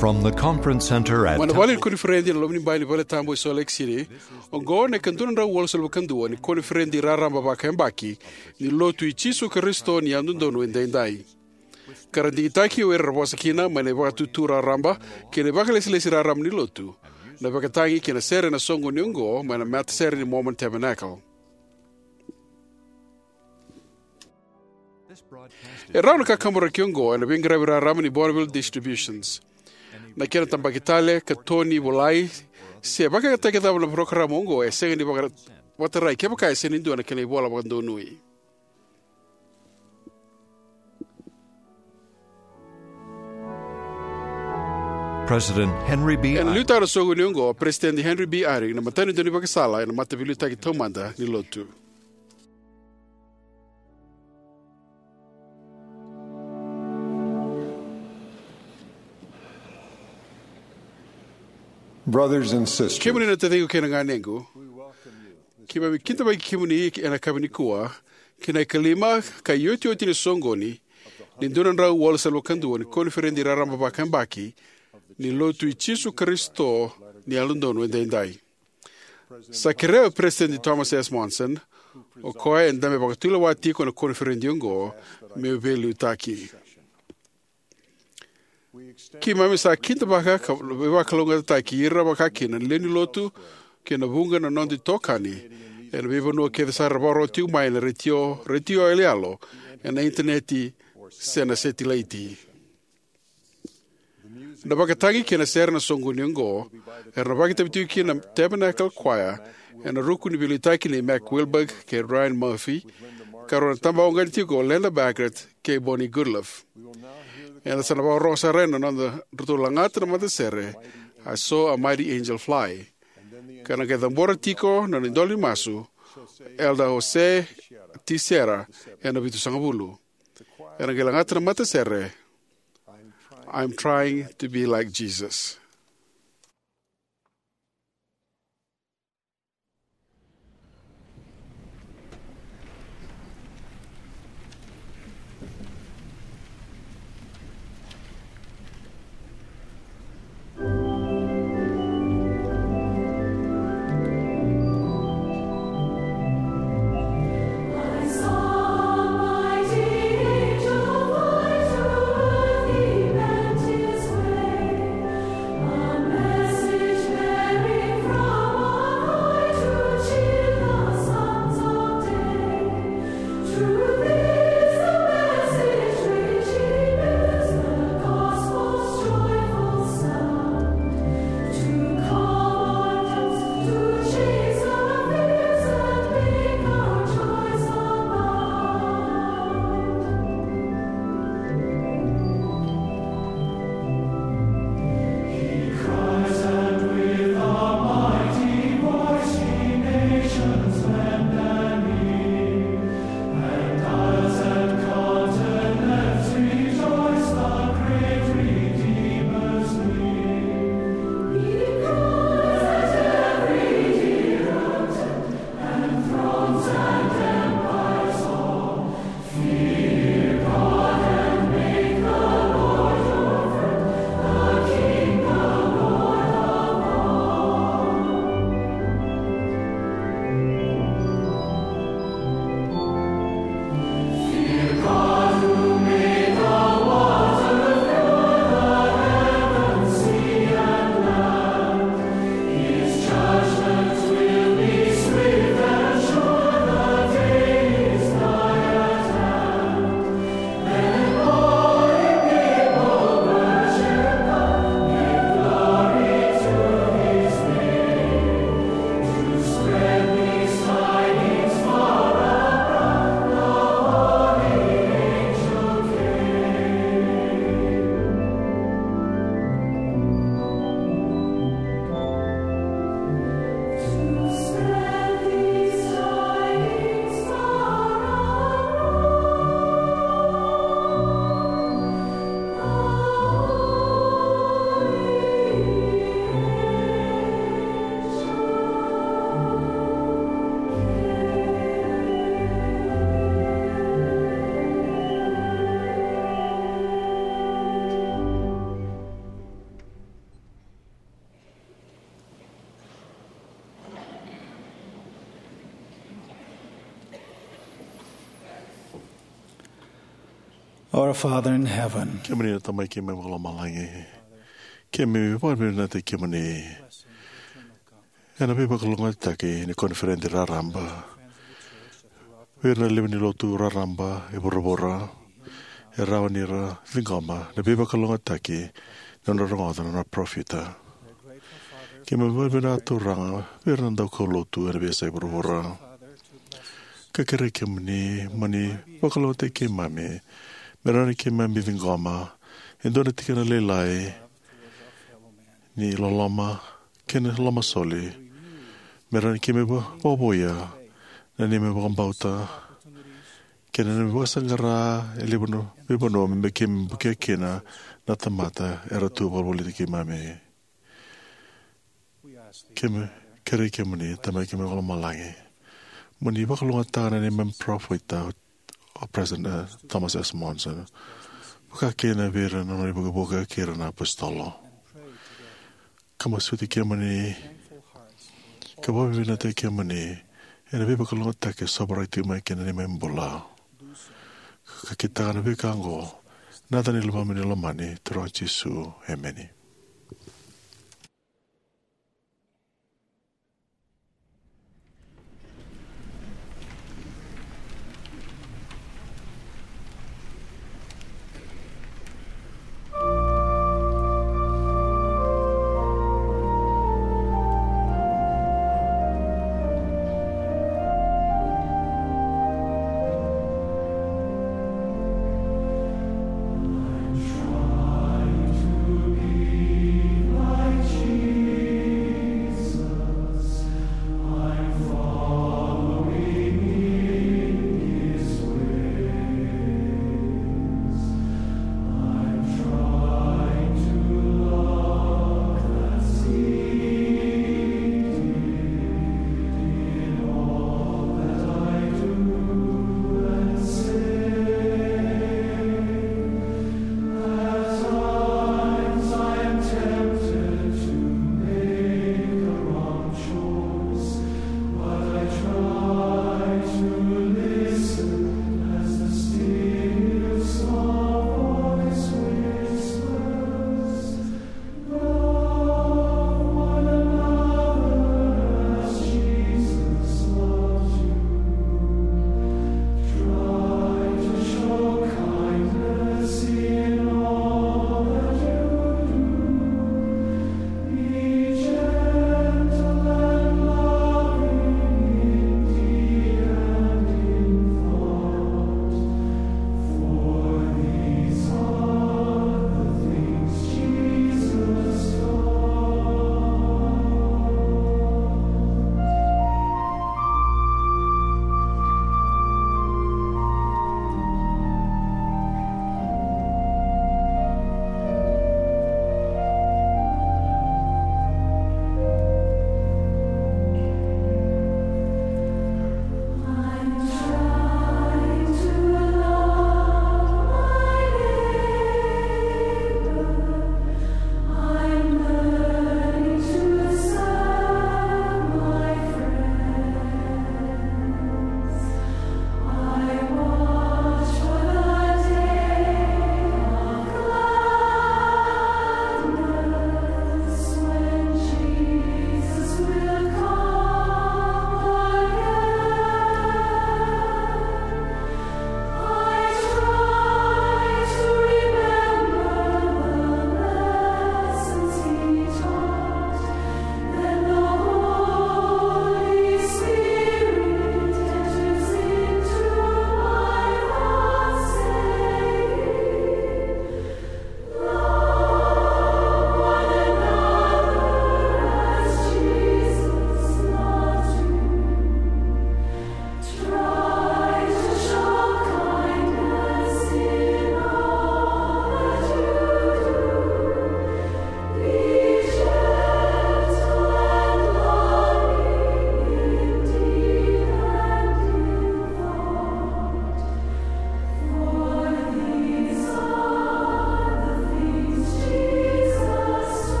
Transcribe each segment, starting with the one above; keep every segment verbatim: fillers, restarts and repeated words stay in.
From the conference center at Mai na vale ni koniferedi ena loma ni bai ni vale tabu e Salt Lake City, oqo na ikadua na drau walusagavulu ka dua ni koniferedi raraba vakayabaki ni Lotu i Jisu Karisito ni Yalododonu Edaidai. Ka ra digitaki o ira era vosa kina mai na ivakatutu raraba kei na ivakalesilesi raraba ni Lotu, na vakatagi kei na sere ena soqoni oqo mai na matasere ni Mormon Tabernacle. E rawa na kakaburaki oqo ena veiqaravi raraba ni Bonneville Distributions. Na kena tabaki tale, katoni, volai, se vakayagataki cava na parokaramu oqo e sega ni vaka-, vakatarai kevaka e sega ni dua na kena ivola vakadonui. President Henry B. Ena liutaka na soqoni oqo o President Henry B. Eyring, na matanitu ni vakasala ena Mataveiliutaki Taumada ni Lotu. Brothers and sisters, kemuni na taciqu kei na ganequ, keimami kidavaki kemuni ena yakavi nikua ki na ikalima ka iotioti ni soqoni ni dua na drau walusagavulu ka dua ni koniferedi raraba vakayabaki ni Lotu i Jisu Karisito ni Yalododonu Edaidai. Sa kerea o President Thomas S. Monson, o koya eda mai vakatulewa tiko ena koniferedi oqo, meu veiliutaki. Keimami sa kidavaka ka veivakalougatataki ira vakakina na lewe ni Lotu kei na vuqa na noda itokani ena veivanua kece sara era vakarorogo tiko mai ena retio, retio yaloyalo, ena initaneti, se na setilaiti. Na vakatagi kei na sere ena soqoni oqo era na vakaitavi tiko kina na Tabernacle Choir, ena ruku ni veiliutaki nei Mac Wilberg kei Ryan Murphy, ka rau na tabawauqeti tiko o Linda Baggett kei Bonnie Goodliffe. Eda sa na vakarorogo sara ena nodratou lagata na matasere I Saw a Mighty Angel Fly, ka na qai cabora tiko na nona idola ni masu, Elder Jose T. Sierra, ena vitusagavulu. Era qai lagata na matasere, I'm Trying to Be Like Jesus. Our Father in heaven, kemuni na Tamai keimami vakalomalagi, keimami vakavinavinakataki kemuni ena veivakalougatataki ni koniferedi raraba vei ira na lewe ni lotu raraba e vuravura, e rawa ni ra ciqoma na veivakalougatataki ni nodra rogoca na nona parofita. Keimami vakavinavinaka, Turaga, vei ira na daukaulotu ena veiyasai vuravura, ka kerei kemuni mo ni vakalougatataki keimami me rawa ni keimami ciqoma e dua na tikina lailai ni loloma kei na lomasoli, me rawa ni keimami va-, vakavouya na neimami vakabauta kei na neimami vakasaqara e levu na veivanua me keimami bukia kina na tamata era tu vakavoliti keimami. Keimami kerei kemuni, Tamai keimami vakalomalagi, mo ni vakalougatataka na neimami parofita, o President, eh, Thomas S. Monson, vakakina vei ira na nona ivukevuke kei ira na apositolo. Ka masuti kemuni ka vakavinavinakataki kemuni ena veivakalougatataki e sovaraki tiko mai kina na neimami bula. Ka kitaka na veika oqo ena yaca ni Luvemuni lomani, Turaga Jisu. Emeni.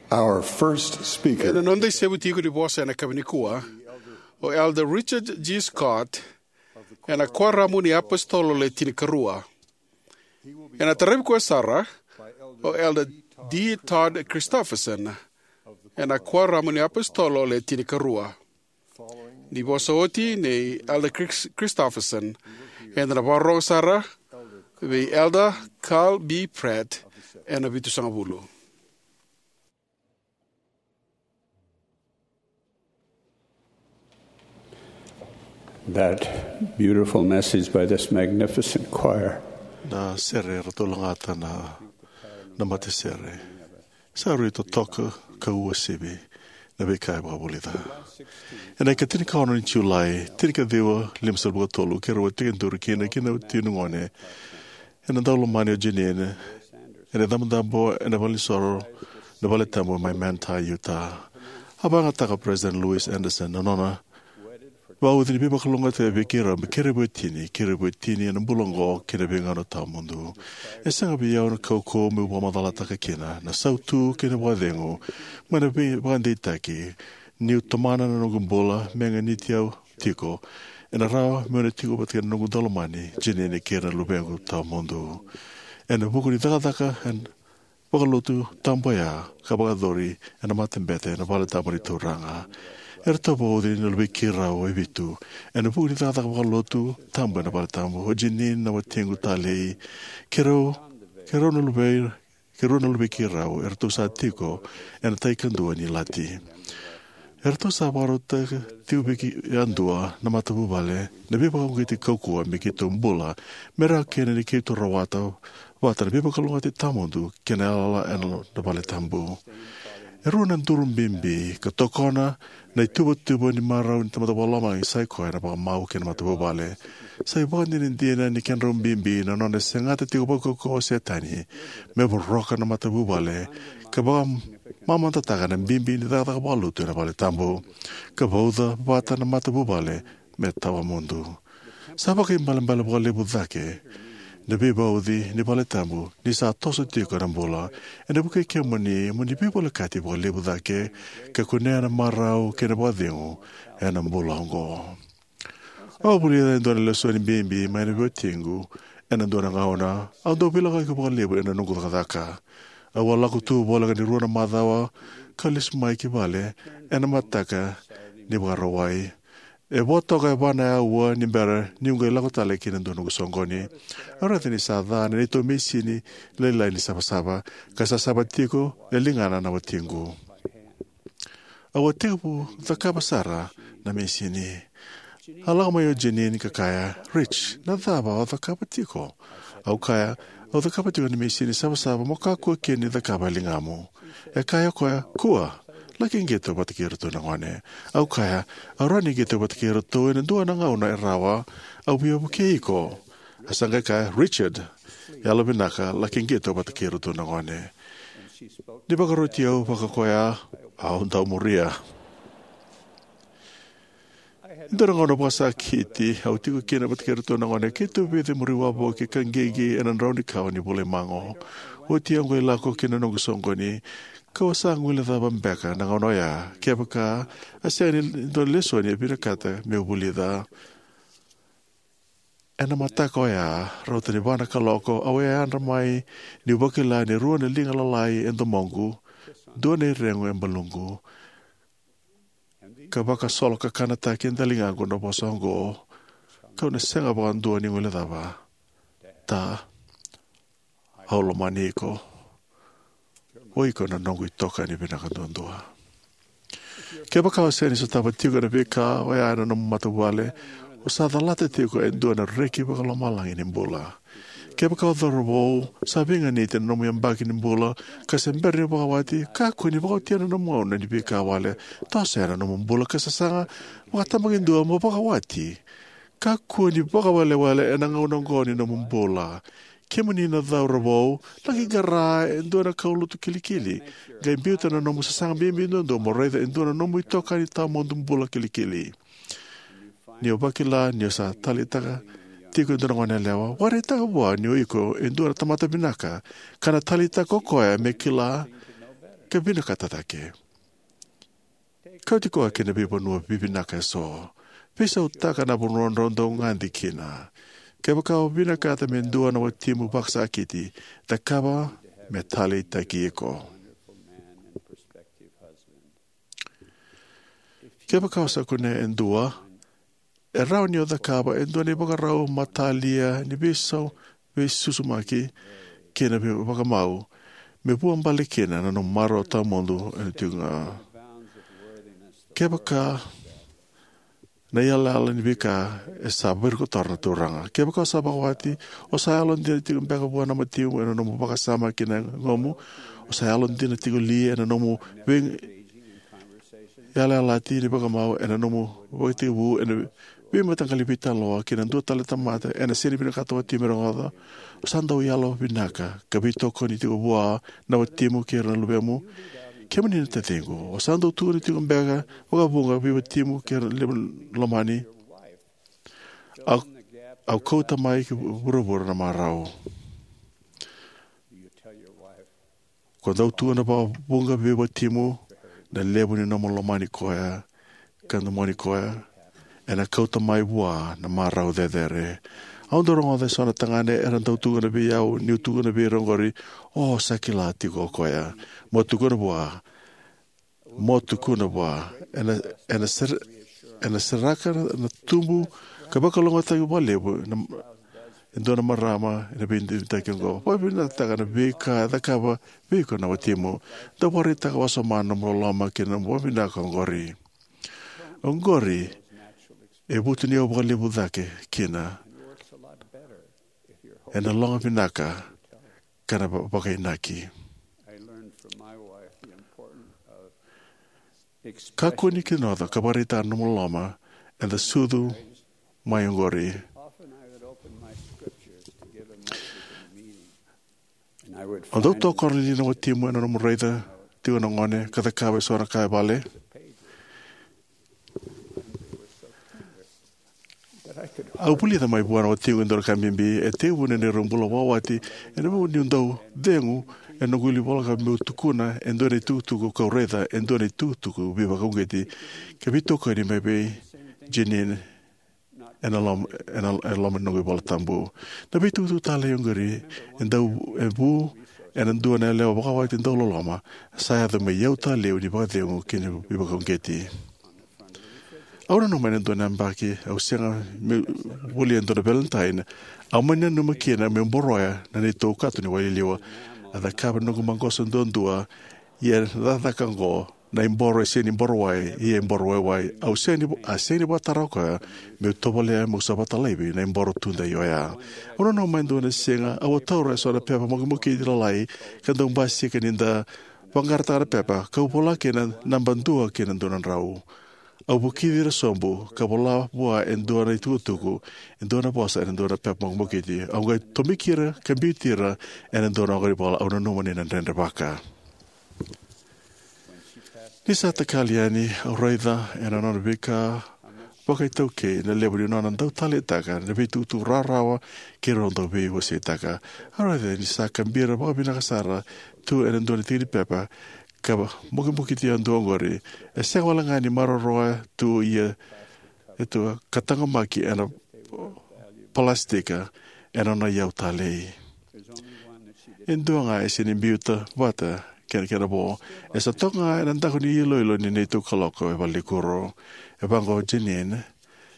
Our first speaker. Ena noda isevu tiko ni vosa ena yakavi nikua, o Elder Richard G. Scott, ena Kuoramu ni Apositolo Le Tinikarua. Ena taravi koya sara o Elder D. Todd Christofferson, ena Kuoramu ni Apositolo Le Tinikarua. Ni vosa oti nei Elder Chris-, Christofferson, eda na vakarorogo sara vei Elder Carl B. Pratt, ena Vitusagavulu. That beautiful message by this magnificent choir. Na sere eratou lagata na, na matasere. Sa rui totoka ka uasivi na veika e vakavulica. Ena ika tinikaono ni Julai, tinikaciwa limasagavulu ka tolu, keirau a tekiduru kina kei na tini na gone, ena daulomani o Jeanene, ena icabocabo ena valenisoro na valetabu mai Manti, Utah. A vakayagataka o President Louis Anderson na nona vauci ni veivakalougatataki vei keirau me keirau veiwatini, keirau veiwatini ena bula oqo kei na veigauna tawamudu. E sega vei au na kaukauwa meu vakamacalataka kina na sautu kei na vakacegu mai na veivakadeitaki niu tomana na noqu bula me ganiti au tiko, ena rawa meu na tiko vata kei na noqu daulomani Jeanene kei ira na luvequ tawamudu. Ena vuku ni cakacaka ena vakalotu tabu oya ka vakayacori ena matabete ena valetabu ni Turaga. Eratou vauci na luvei keirau e vitu ena vuku ni cakacaka vakalotu tabu ena valetabu. O Jeanene na watiqu talei, keirau, keirau na luvei, keirau na luvei keirau, eratou sa tiko ena tai kadua ni ilati. Eratou sa vakarautaka tiko vei kei yadua na matavuvale na veivakauqeti kaukauwa me keitou bula, me rawa kina ni keitou rawata vata na veivakalougatataki tawamudu kei na yalayala ena valetabu. E rua na duru bibi ka tokona na ituvatuva ni marau ni Tamada Vakalomalagi, sa i koya na vakamau kei na matavuvale. Sa ivakadinadina ni kedrau bibi na nona segata tiko vakaukauwa o Setani me voroka na matavuvale ka vakamamadataka na bibi ni cakacaka vakalotu ena valetabu, ka vauca vata na matavuvale me tawamudu. Sa vakaibalebale vakalevu cake na veivauci ni valetabu ni sa toso tiko na bula. Ena vukei kemuni mo ni veivolekati vakalevu cake ka kunea na marau kei na vakacegu ena bula oqo. Au a vulica e dua na lesoni bibi mai na veiwatiqu ena dua na gauna au dau veilakoyaki vakalevu ena noqu cakacaka. Au a lako tu voleka ni rua na macawa ka lesu mai ki vale ena mataka ni Vakarauwai. E vo toka e va na aua ni bera niu qai lako tale ki na dua noqu soqoni. Au raica ni sa ca na neitou misini lailai ni savasava, ka sa sava tiko e ligana na watiqu. Au a tekivu cakava sara na misini. A lako mai o Jeanene ka kaya, "Rich, na cava o cakava tiko?" Au kaya, "Au cakava tiko na misini savasava mo kakua kina ni cakava e ligamu." E kaya o koya, "Kua, laki qito vata kei iratou na gone." Au kaya, "Au rawa ni qito vata kei iratou ena dua na gauna e rawa, au via vukei iko." A sa qai kaya, "Richard, yalovinaka, laki qito vata kei iratou na gone." Ni vakaroti au vakakoya, au dau muria. Dua na gauna vakasakiti au tiko kina vata kei iratou na gone, keitou veicemuri wavoki ka qiqi ena drau ni kawa ni vula i Mago. Oti au qai lako ki na noqu soqoni, kau sa guilecava beka na gauna oya kevaka a sega ni dua na lesoni e vinakata meu vulica. Ena mataka oya, rauta ni va na kaloko, au a yadra mai niu vakila ni rua na liga lalai e domoqu, dua na iregu e baluqu, ka vakasolo kakanataki e daligaqu na vosa oqo, kau na sega vakadua ni guilecava. "Ta, au lomani iko. O iko na noqu itokani vinaka duadua." Kevaka o sega ni sotava tiko na veika oya ena nomu matavuvale, o sa calata tiko e dua na reki vakalomalagi ni bula. Kevaka o cauravou sa veiganiti ena nomu yabaki ni bula ka se bera ni vakawati, kakua ni vakaotia na nomu gauna ni veika wale. Toso yani na nomu bula ka sasaga vakatabakidua mo vakawati. Kakua ni vakawelewele ena gauna oqo ni nomu bula. Kemuni na cauravou, laki qara e dua na kaulotu kilikili. Qai biuta na nomu sasaga bibi duadua mo raica e dua na nomu itokani tawamudu bula kilikili. Ni o vakila ni o sa taleitaka tiko e dua na goneyalewa, vakaraitaka vua ni o iko e dua na tamata vinaka, ka na taleitaka o koya me kila ka vinakata cake. Kauti koya ki na veivanua vivinaka eso. Veisautaka na vanua drau dau gade kina. Kevaka o vinakata me dua na watimu vakasakiti, cakava me taleitaki iko. Kevaka o sa kunea e dua, e rawa ni o cakava e dua na ivakarau matalia ni veisau, veisusumaki kei na vei-, vakamau, me vuabale kina na nomu marau tawamudu ena tiko ga. Kevaka na iyalayala ni veika e sa virikotora na Turaga. Kevaka o sa vakawati, o sa yalodina tiko beka vua na watimu ena nomu vakasama ki na yagomu, o sa yalodina tiko li ena nomu vei-, yalayalati ni vakamau, ena nomu vakatekivu ena veimataqali veitalanoa kei na dua tale na tamata ena sega ni vinakata o watimu me rogoca, o sa dau yalo vinaka ka veitokoni tiko vua na watimu kei ira na luvemu. Kemuni na taciqu, o sa dau tukuna tiko beka vakavuqa vei watimu kei ira na lewe ni lomani, au, au kauta mai ki vuravura na marau. Ko dau tukuna vakavuqa vei watimu na levu ni nomu lomani koya ka domoni koya, ena kauta mai vua na marau cecere. Au dau rogoca eso na tagane era dau tukuna vei au, niu tukuna vei ira oqori, o sa kila tiko o koya. Mo tukuna vua, mo tukuna vua, ena, ena ser-, ena seraka na, na tubu ka vakalougatataki vakalevu na, e dua na marama ena veideitaki oqo. Vakavinakataka na veika e cakava vei iko na watimu. Dau vakaraitaka wasoma na nomu loloma kei na nomu vakavinaka oqori. Oqori e vutuniyau vakalevu cake kina ena loga vinaka ka na va-, vakainaki. Kakua ni kinoca ka vakaraitaka na nomu loloma eda sucu mai oqori. O dau tokona li na watimu ena nomu raica tiko na gone ka cakava eso na ka e vale? Au vulica mai vua na watiqu e dua na ka bibi. E tekivu na neirau bula vakawati, ena vuku niu dau cegu ena noqu ivola ka meu tukuna e dua na itukutuku kau raica e dua na itukutuku veivakauqeti ka veitokoni mai vei Jeanene ena lom-, ena, ena loma ni noqu iVola Tabu. Na veitukutuku talei oqori e dau, e vu ena dua na yalewa vakawati dauloloma, sa yaco me iyau talei ni vakacegu kei na veivakauqeti. Au nanuma ena dua na yabaki au sega meu volia e dua na Valentine, au mani nanuma kina meu boroya na neitou kato ni waililiwa. A cakava na noqu maqosa duadua, ia na cakacaka oqo, na iboro e sega ni boro wai, ia e boro waiwai. Au sega ni, a sega ni vakatara o koya meu tovolea meu sa vakatara laivi na iboro tudei oya. Au nanuma e dua na siga au a taura eso na pepa mokimokiti lalai ka dau basika ni da vaqarataka na pepa, kau vola kina na naba dua kei na dua na drau. Au vukici ira sobu ka vola vua e dua na itukutuku, e dua na vosa ena dua na pepa mokimokiti. Au qai tomiki ira ka biuti ira ena dua na oqori vola. Au nanuma ni na dredrevaka. Ni sa takali yani, au raica ena nona veika vakaitaukei na levu ni nona dau taleitaka na veitukutuku rawarawa keirau dau veiwaseitaka. Au raica ni sa kabira vakavinaka sara tu ena dua na tiki ni pepa ka mokimokiti yadua oqori. E sega wale ga ni maroroya tu, ia e tu ka taqomaki ena palasitika ena nona iyau talei. E dua ga e sega ni biuta vata kei na kena vo. E sa toka ga ena daku ni iloilo ni neitou kaloko e valenikuro. E vaqo o Jeanene,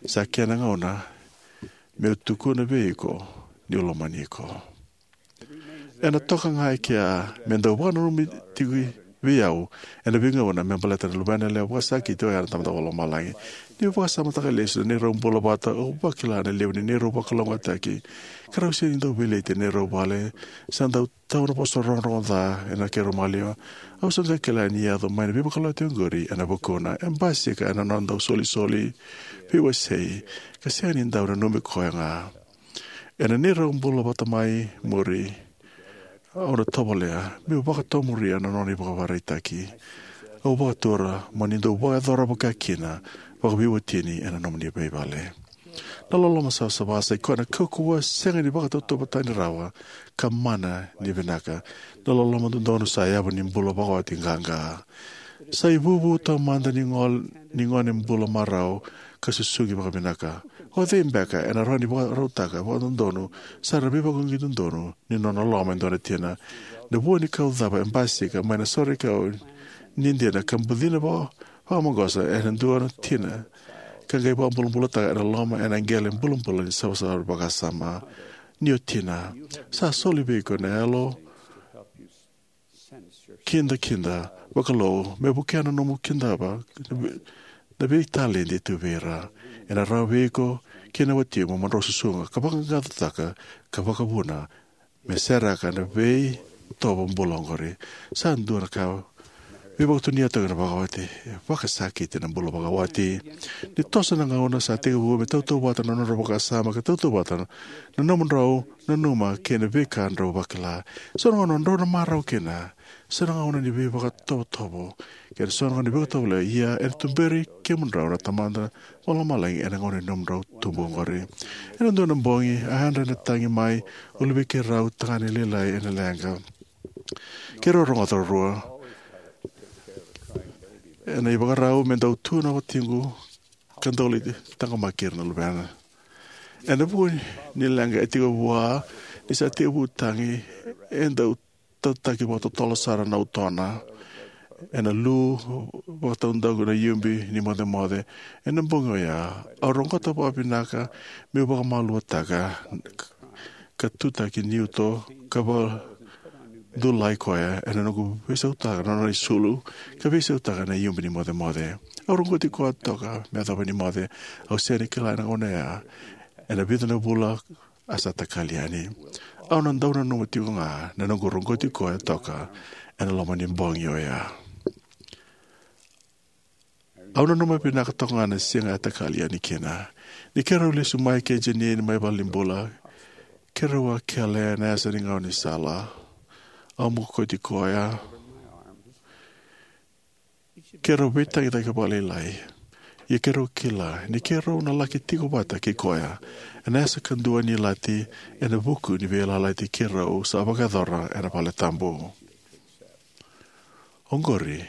sa kena gauna meu tukuna vei iko niu lomani iko. Ena toka ga e kea me dau vakananumi tiko vei au ena veigauna me baleta na luvena yalewa vakasakiti oya na Tamada Vakalomalagi. Niu vakasamataka lesu na neirau bula vata, au vakila na levu ni neirau vakalougatataki ka rau sega ni dau veleti ena neirau vale. Sa dau tau na vosa rogorogo ca ena keirau maliwa. Au sa qai kila ni yaco mai na veivakalotutaki oqori ena vukuna. E basika ena nona dau solisoli, veiwasei, ka sega ni dau nanumi koya ga. Ena neirau bula vata mai muri, au na tovolea meu vakatomuria na nona ivakavakaraitaki. Au vakatura mo ni dau vakayacora vaka kina vakaveiwatini ena nomuni veivale. Na loloma savasava sa ikoya na kaukauwa sega ni vakatauvatani rawa ka mana ni vinaka. Na loloma dodonu sa yavu ni bula vakawati qaqa. Sa ivuvu taumada ni gol-, ni gone bula marau ka susugi vakavinaka. O cei beka ena rawa ni vakarautaka vakadodonu sara na veivakauqeti dodonu ni nona loloma e dua na tina? Na vua ni kau cava e basika mai na soreikau ni dina ka bucina vaka-, vakamaqosa ena dua na tina ka qai vakabulabulataka ena loma ena qele bulabula ni savasava vakasama ni o tina. Sa soli vei iko na yalo kidakida vakalou me vukea na nomu kidava na vei-, na veitaledi tu vei ira. Ena rawa vei iko kei na watimu mo drau susuga ka vaqaqacotaka ka vakavuna me seraka na veitovo bula oqori. Sa dua na ka veivakatoniyautaki na vakawati. E vakasakiti na bula vakawati. Ni toso na gauna sa tekivu me tautauvata na nodrau vakasama ka tautauvata na nomudrau nanuma kei na veika drau vakila. So na gauna drau na marau kina. So na gauna ni veivakatovotovo kei na so na gauna ni veivakatovolei. Ia ena tuberi kemudrau na Tamada Vakalomalagi ena gauna ni nomudrau tubu oqori. Ena dua na bogi a yadra ena tagi mai o luvei keirau tagane lailai ena leqa. Keirau rogoca ruarua ena ivakarau me dau tu na watiqu ka dau lai taqomaki ira na luvena. Ena vuku ni leqa e tiko vua ni sa tekivu tagi, e dau tautaki vakatotolo sara na utona ena lu vakataudaku na iubi ni mocemoce. Ena bogi oya au roqota vakavinaka meu vakamaualuataka ka tutaki ni uto ka vakadulai koya ena noqu veisautaka na nona isulu ka veisautaka na iubi ni mocemoce. Au roqoti koya toka me yacova ni moce. Au sega ni kila ena gauna ya ena vica na vula a sa takali yani. Au na dau nanuma tiko ga na noqu roqoti koya toka ena loma ni bogi oya. Au nanuma vinaka toka ga na siga a takali yani kina. Ni keirau lesu mai kei Jeanene mai valenibula, keirau a kele ena yasa ni gaunisala. Au mokoti koya. Keirau veitagitaki vakalailai. Ia keirau kila ni keirau na laki tiko vata kei koya ena yasa kadua ni lati ena vuku ni veiyalayalati keirau sa vakayacora ena valetabu. Oqori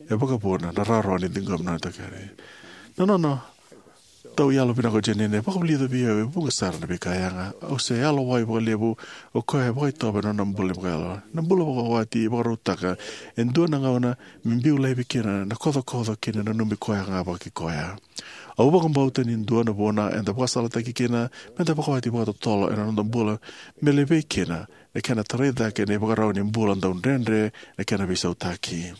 e vakavuna na rawarawa ni ciqomi na nona takali. Na nona dau yalo vinaka o Jeanene e vakavulica vei au e vuqa sara na veika yaga. Au se yalowai vakalevu o koya e vakaitovo ena nona bula ni vakayalo. Na bula vakawati e vakarautaka e dua na gauna me biu laivi kina na kocokoco kei na nanumi koya ga vakaikoya. Au vakabauta ni dua na vuna eda vakasalataki kina meda vakawati vakatotolo ena noda bula me levei kina na kena tarai cake na ivakarau ni bula dau dredre na kena veisautaki.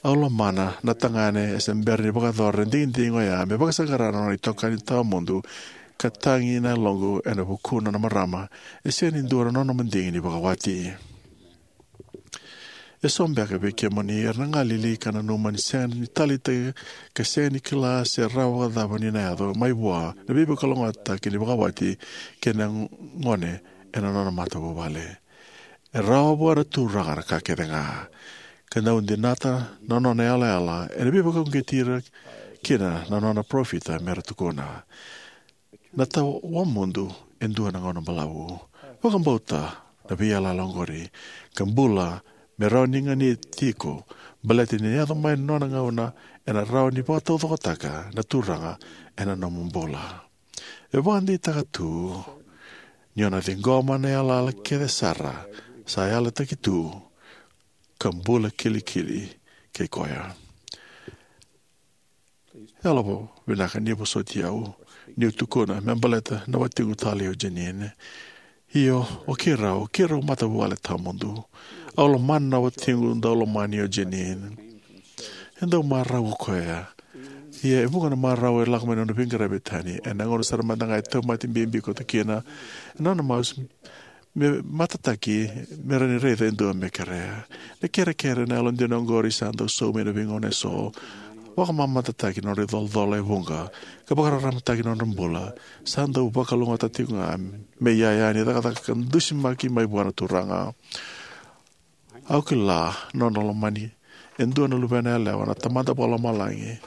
Au lomana na tagane e se bera ni vakayacora na digidigi oya me vakasaqara na nona itokani tawamudu ka tagi na yaloqu ena vukuna na marama e sega ni dua na nona madigi ni vakawati. Eso beka vei kemuni era na galili ka nanuma ni sega ni taleitaki ka sega ni kila se rawa vakacava ni na yaco mai vua na veivakalougatataki ni vakawati kei na gone ena nona matavuvale. E rawa vua na Turaga na ka kece ga ka dau dinata na nona yalayala ena veivakauqeti ira kina na nona parofita mera tukuna. Na tawamudu e dua na gauna balavu. Vakabauta na veiyalayala oqori ka bula me rawa ni ganiti iko, baleta ni yaco mai na nona gauna ena rawa ni vakataucokotaka na Turaga ena nomu bula. E vakadeitaka tu ni o na ciqoma na yalayala kece sara sa yalataki tu ka bula kilikili kei koya. Yalovinaka ni vosoti au niu tukuna me baleta na watiqu talei o Jeanene. Io, o keirau, keirau matavuvale tawamudu. Au lomana na watiqu daulomani o Jeanene. E dau marau o koya. Ia e vuqa na marau e lako mai na nona veiqaravi e tani. Ena gauna sara mada ga e tauvimate bibi koto kina, ena nona masu me matataki me rawa ni raica e dua me kerea. Na kerekere na yalodina oqori sa dau saumi ena veigauna eso. Vakamamadataki na nodra icolacola e vuqa ka vakararamataki na nodra bula. Sa dau vakalougatataki tiko ga me iyaya ni cakacaka ka dusimaki mai vua na Turaga. Au kila na nona lomani e dua na luvena yalewa na Tamada Vakalomalagi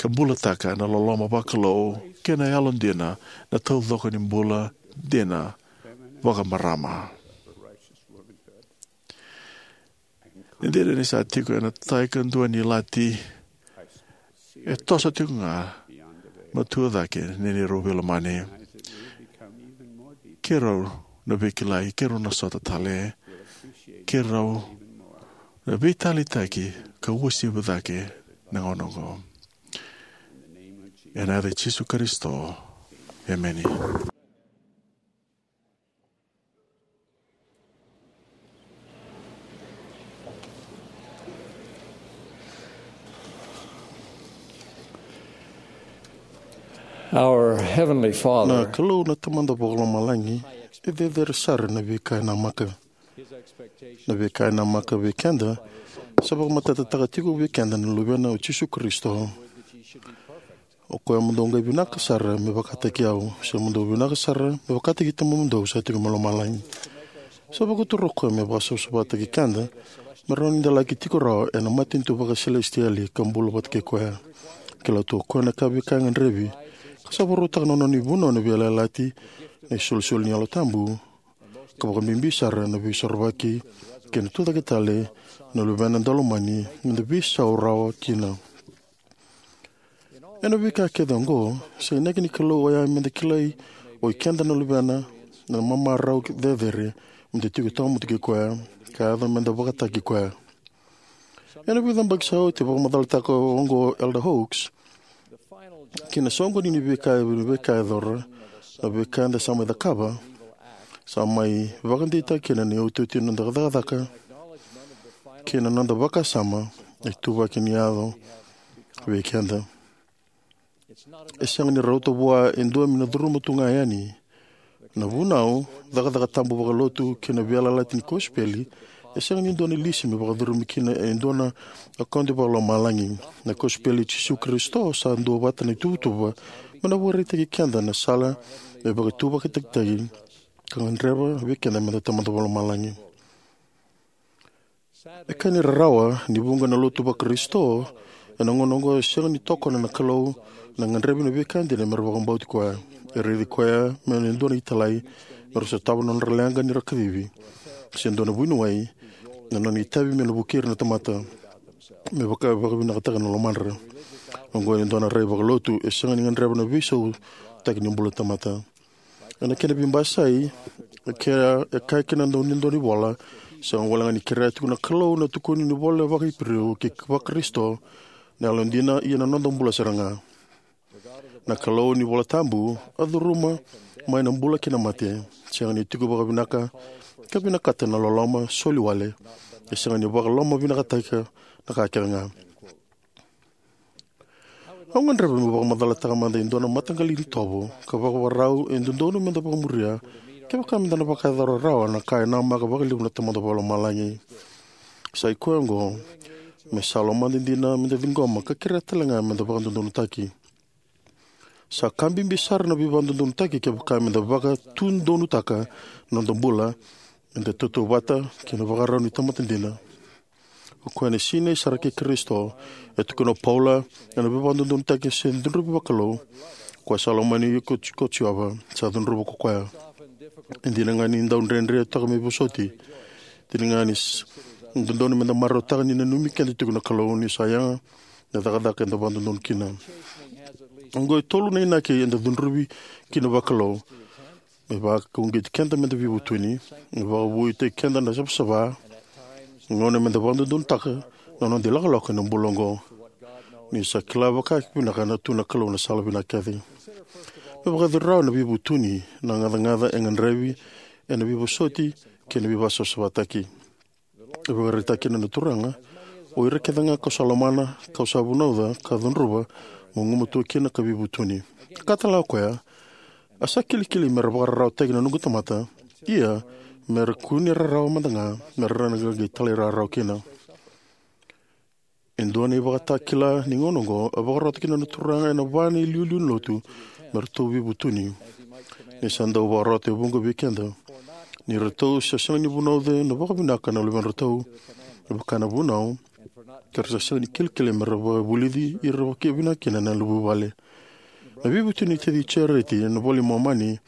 ka bulataka na loloma vakalou kei na yalodina, na taucoko ni bula dina vakamarama. Ni dina ni sa tiko ena tai ka dua ni lati, e toso tiko ga matua cake ni neirau veilomani. Keirau na veikilai, keirau na sota tale, keirau na veitalitaki ka uasivi cake na gauna oqo. Ena yaca i Jisu Karisito, emeni. Our Heavenly Father, na Kalou na Tamada Vakalomalagi, e cecere sara na veika e namaka. Na veika e namaka vei keda sa vakamatatataka tiko vei keda na Luvena o Jisu Karisito. O koya mo dou qai vinaka sara me vakataki au, se mo dou vinaka sara me vakataki Tamamudou sa tiko mai lomalagi. Sa vakaturi o koya me vakasavasavataki keda me rawa ni da laki tiko rawa ena matanitu vakaselesitieli ka bula vata kei koya. Kila tu o koya na ka veika e gadrevi, ka sa varautaka na nona ivunau na veiyalayalati, na isolisoli ni Yalo Tabu, ka vakabibi sara na veisorovaki kei na tucake tale na Luvena Daulomani me da veisau rawa kina. Ena veika kece oqo, sa inaki ni Kalou oya me da kilai o ikeda na luvena na mamarau cecere me da tiko tawamudu kei koya, ka yaco me da vakataki koya. Ena vica na yabaki sa oti, vakamacalataka oqo o Elder Oaks, ki na soqoni ni veika, ni veika e yacora, na veika eda sa mai cakava, sa mai vakadeitaka kina na iotioti ni noda cakacaka kei na noda vakasama na ituvaki ni yaco vei keda. E sega ni rauta vua e dua me na curuma tu ga yani. Na vunau, cakacaka tabu vakalotu kei na veiyalayalati ni kosipeli e sega ni dua na lisi me vakacurumi kina e dua na akaude vakalomalagi. Na kosipeli i Jisu Karisito sa duavata na ituvatuva me na vakaraitaki keda na sala me vakatuvakitaki ka gadreva vei keda me da Tamada Vakalomalagi. E ka ni rarawa ni vuqa na lotu vaKarisito ena gauna oqo e sega ni tokona na Kalou na gadrevi na veika dina me ra vakabauti koya. E raici koya me na dua na italai me ra sotava na nodra leqa ni ra kacivi, se dua na vuniwai, na nona itavi me na vukei ira na tamata me vaka, vakavinakataka na lomadra. Oqo e dua na rai vakalotu e sega ni gadreva na veisautaki ni bula tamata. Ena kena veibasai, e kea, e kaya kina na dau ni dua ni vola, sega wale ga ni kerea tiko na Kalou na tukuni ni vola vakaIperiu kei vaKarisito na yalodina, ia na noda bula sara ga. Na Kalou ni Vola Tabu a curuma mai na bula kei na mate, sega ni tiko vakavinaka ka vinakata na loloma soli wale, e sega ni vakalomavinakataka na ka kece ga. Au gadreva meu vakamacalataka mada e dua na mataqali itovo ka vakavakarau e dodonu me da vakamuria kevaka me da na vakayacora rawa na ka e namaka vakalevu na Tamada Vakalomalagi. Sa i koya oqo: me sa lomada dina me da ciqoma ka kerea tale ga me da vakadodonutaki. Sa ka bibi sara na veivakadodonutaki kevaka me da vakatudonutaka na noda bula me da tautauvata kei na vakarau ni tamata dina. O koya ena sinai sara kei Karisito. E tukuna o Paula, ena veivakadodonutaki se cudruvi vakalou, o koya sa lomani ko, ko Jiova, sa cudruva ko koya. E dina ga ni dau dredre toka me vosoti, dina ga ni s-, dodonu me da marautaka ni nanumi keda tiko na Kalou ni sa yaga na cakacaka eda vakadodonu kina. Oqo e tolu na inaki eda cudruvi kina vakalou. Me vakauqeti keda me da veivutuni, me vakavuitaki keda na savasava, gauna me da vakadodonutaka na noda ilakolako ena bula oqo. Ni sa kila vakavinaka na tu na Kalou na sala vinaka kece. Me vakayacori rawa na veivutuni, na gacagaca e gadrevi ena veivosoti kei na veivasavasavataki. E vakaraitaka kina na Turaga: O ira kece ga kau sa lomana, kau sa vunauca ka cudruva, mo gumatua kina ka veivutuni. Ka tale o koya: A sa kilikili me ra vakararawataki na noqu tamata, ia me ra kune rarawa mada ga, me ra na qai talairawarawa kina. E dua na ivakatakila ni gauna oqo a vakarota kina na Turaga ena va na iliuliu ni lotu me ratou veivutuni, ni sa dau vakarota e vuqa vei keda. Ni ratou sa sega ni vunauca na vakavinaka na luvedratou, me vaka na vunau Ka ra sa sega ni kilikili me ra vakavulici ira vakavinaka kina na vuvale. Na veivutuni nei taci Jareti ena iVola i Momani,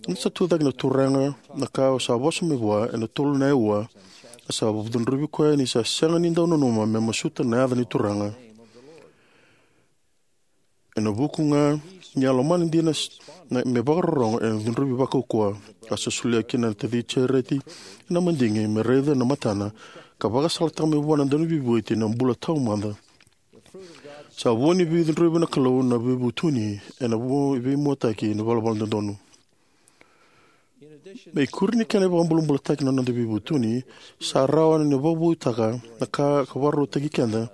ni sa tucake na Turaga, na ka sa vosa mai vua ena tolu na aua, a sa cudruvi koya ni sa sega ni dau nanuma me masuta na yaca ni Turaga. Ena vuku ga ni a lomana dina s-, na, me vakarorogo ena cudruvi vakaukauwa, a sa solia kina na taci Jareti ena madigi me raica na matana, ka vakasalataka mai vua na Dauniveibuli na bula taumada. Sa vua ni veicudruvi na Kalou na veivutuni ena vu-, veimuataki ni valavala dodonu. Me ikuri ni kena ivakabulabulataki na noda veivutuni, sa rawa ni vakavoutaka na ka ka vakarautaki keda,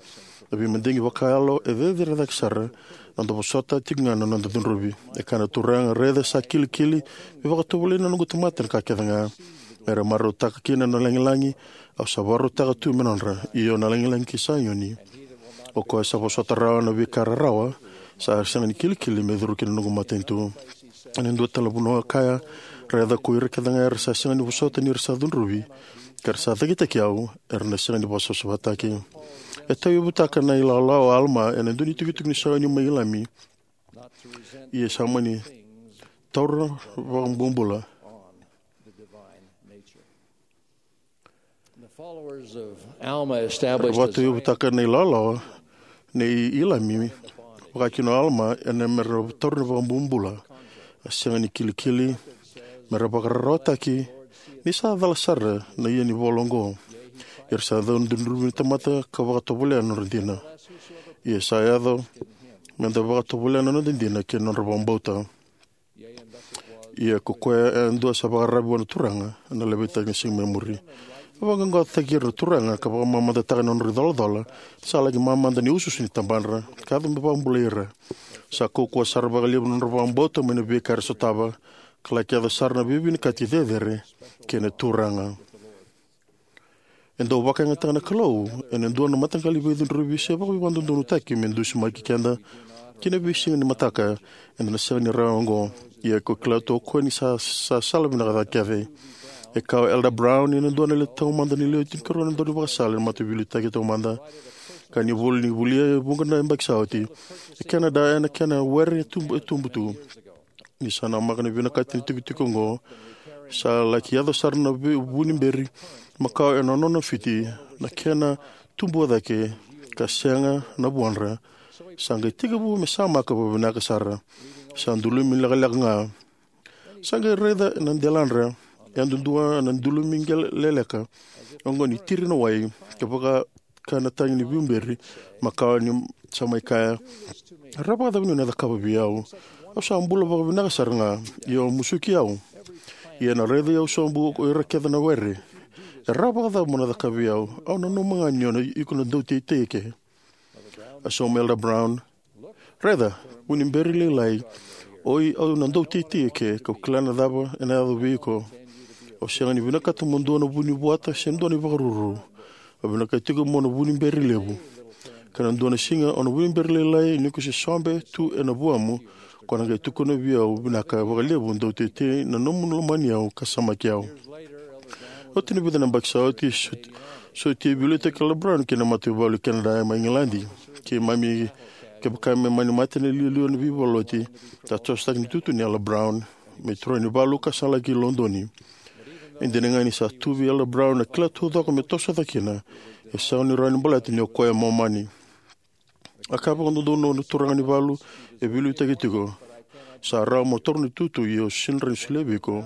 na veimadigi vakayalo e cecere cake sara, na noda vosota tiko ga na noda cudruvi. E kaya na Turaga, raica sa kilikili, me vakatovolei na noqu tamata na ka kece ga. Me ra marautaka kina na lagilagi, au sa vakarautaka tu me nodra, io na lagilagi kei Saioni. O koya sa vosota rawa na veika rarawa, sa sega ni kilikili me curu ki na noqu matanitu. Ena dua tale na vanua kaya, raica ko ira kece ga era sa sega ni vosota ni ra sa cudruvi, ka ra sa cakitaki au, era na sega ni vakasavasavataki. E tauyavutaka na ilawalawa o Alama ena dua ni tukituki ni Saioni mai Ilami. Ia sa mani taura vakabobula. The followers of Alma established a Vakatauyavutaka na ilawalawa nei Ilami, vaka kina o Alama, ena me ra taura na vakabobula. A sega ni kilikili, me ra vakararawataki, ni sa cala sara na ia ni vola oqo. Ia ra sa dau cudruvi na tamata ka vakatovolea na nodra dina. Ia sa yaco, me da vakatovolea na noda dina kei na nodra vakabauta. Ia ko koya e dua sa vakararavi vua na Turaga, ena laveti na siga mai muri. E vaqaqacotaki ira na Turaga, ka vakamamadataka na nodra icolacola, sa laki mamada ni usuusu ni tabadra, ka yaco me vakabulai ira. Sa kaukauwa sara vakalevu na nodra vakabauta mai na veika era sotava, ka laki yaco sara na veivinakati cecere, kei na Turaga. E dau vakayagataka na Kalou ena dua na mataqali veicudruvi se vakaveivakadodonutaki me dusimaki keda ki na veisiga ni mataka eda na sega ni rawa oqo. Ia ko kila tu o koya ni sa, sa sala vinaka ca kece. E kaya o Elder Brown, ena dua na lewe taumada ni lewe tinikarua na daunivakasala ena Mataveiliutaki Taumada, ka ni vuli ni volia e vuqa na yabaki sa oti. E Canada ena kena were e tubu, e tubu tu. Ni sa namaka na vinakati ni tikotiko oqo, sa laki yaco sara na vu-, vu ni beri makawa ena nona fiti, na kena tubu cake, ka sega na vuadra. Sa qai tekivu me samaka vakavinaka sara. Sa dulumi lekaleka ga. Sa qai raica na deladra, yadudua na dulumi qele-, leleka oqo ni tiri na wai, ka vaka ka na tagi ni viuberi, makawa ni sa mai kaya, "E rawa vakacava ni o na cakava vei au? Au sa bula vakavinaka sara ga, ia o musuki au. Ia na raici au sobu ko ira kece na were. E rawa vakacava mo na cakava vei au? Au nanuma ga ni o na iko na dauteitei eke." A sauma Elder Brown, "Raica, vu ni beri lailai, oi au na dauteitei eke, kau kila na cava ena yaco vei iko. Au sega ni vinakata mo dua na vu ni vuata se dua na ivakaruru. Au vinakata tiko mo na vu ni beri levu. Ka na dua na siga o na vu ni beri lailai ni ko se sobe tu ena vuamu, ko na qai tukuna vei au vinaka vakalevu dauteitei na nomu lomani au ka samaki au." Oti na vica na yabaki sa oti, sot-, sotia e veiliutaki Elder Brown ki na mataivalu Canada mai Igiladi. Keimami, kevaka me mani mate na iliuliu ena veivakaloti, sa tosotaki na itutu nei Elder Brown me turaganivalu ka sa laki Lodoni. E dina ga ni sa tu vei Elder Brown na kila taucoko me toso cake kina, e sega ni rawa ni baleta ni o koya e Momani. A kaya vakadodonu na turaga ni valu e veiliutaki tiko, "Sa rawa mo taura na itutu, ia au sega ni rawa ni solia vei iko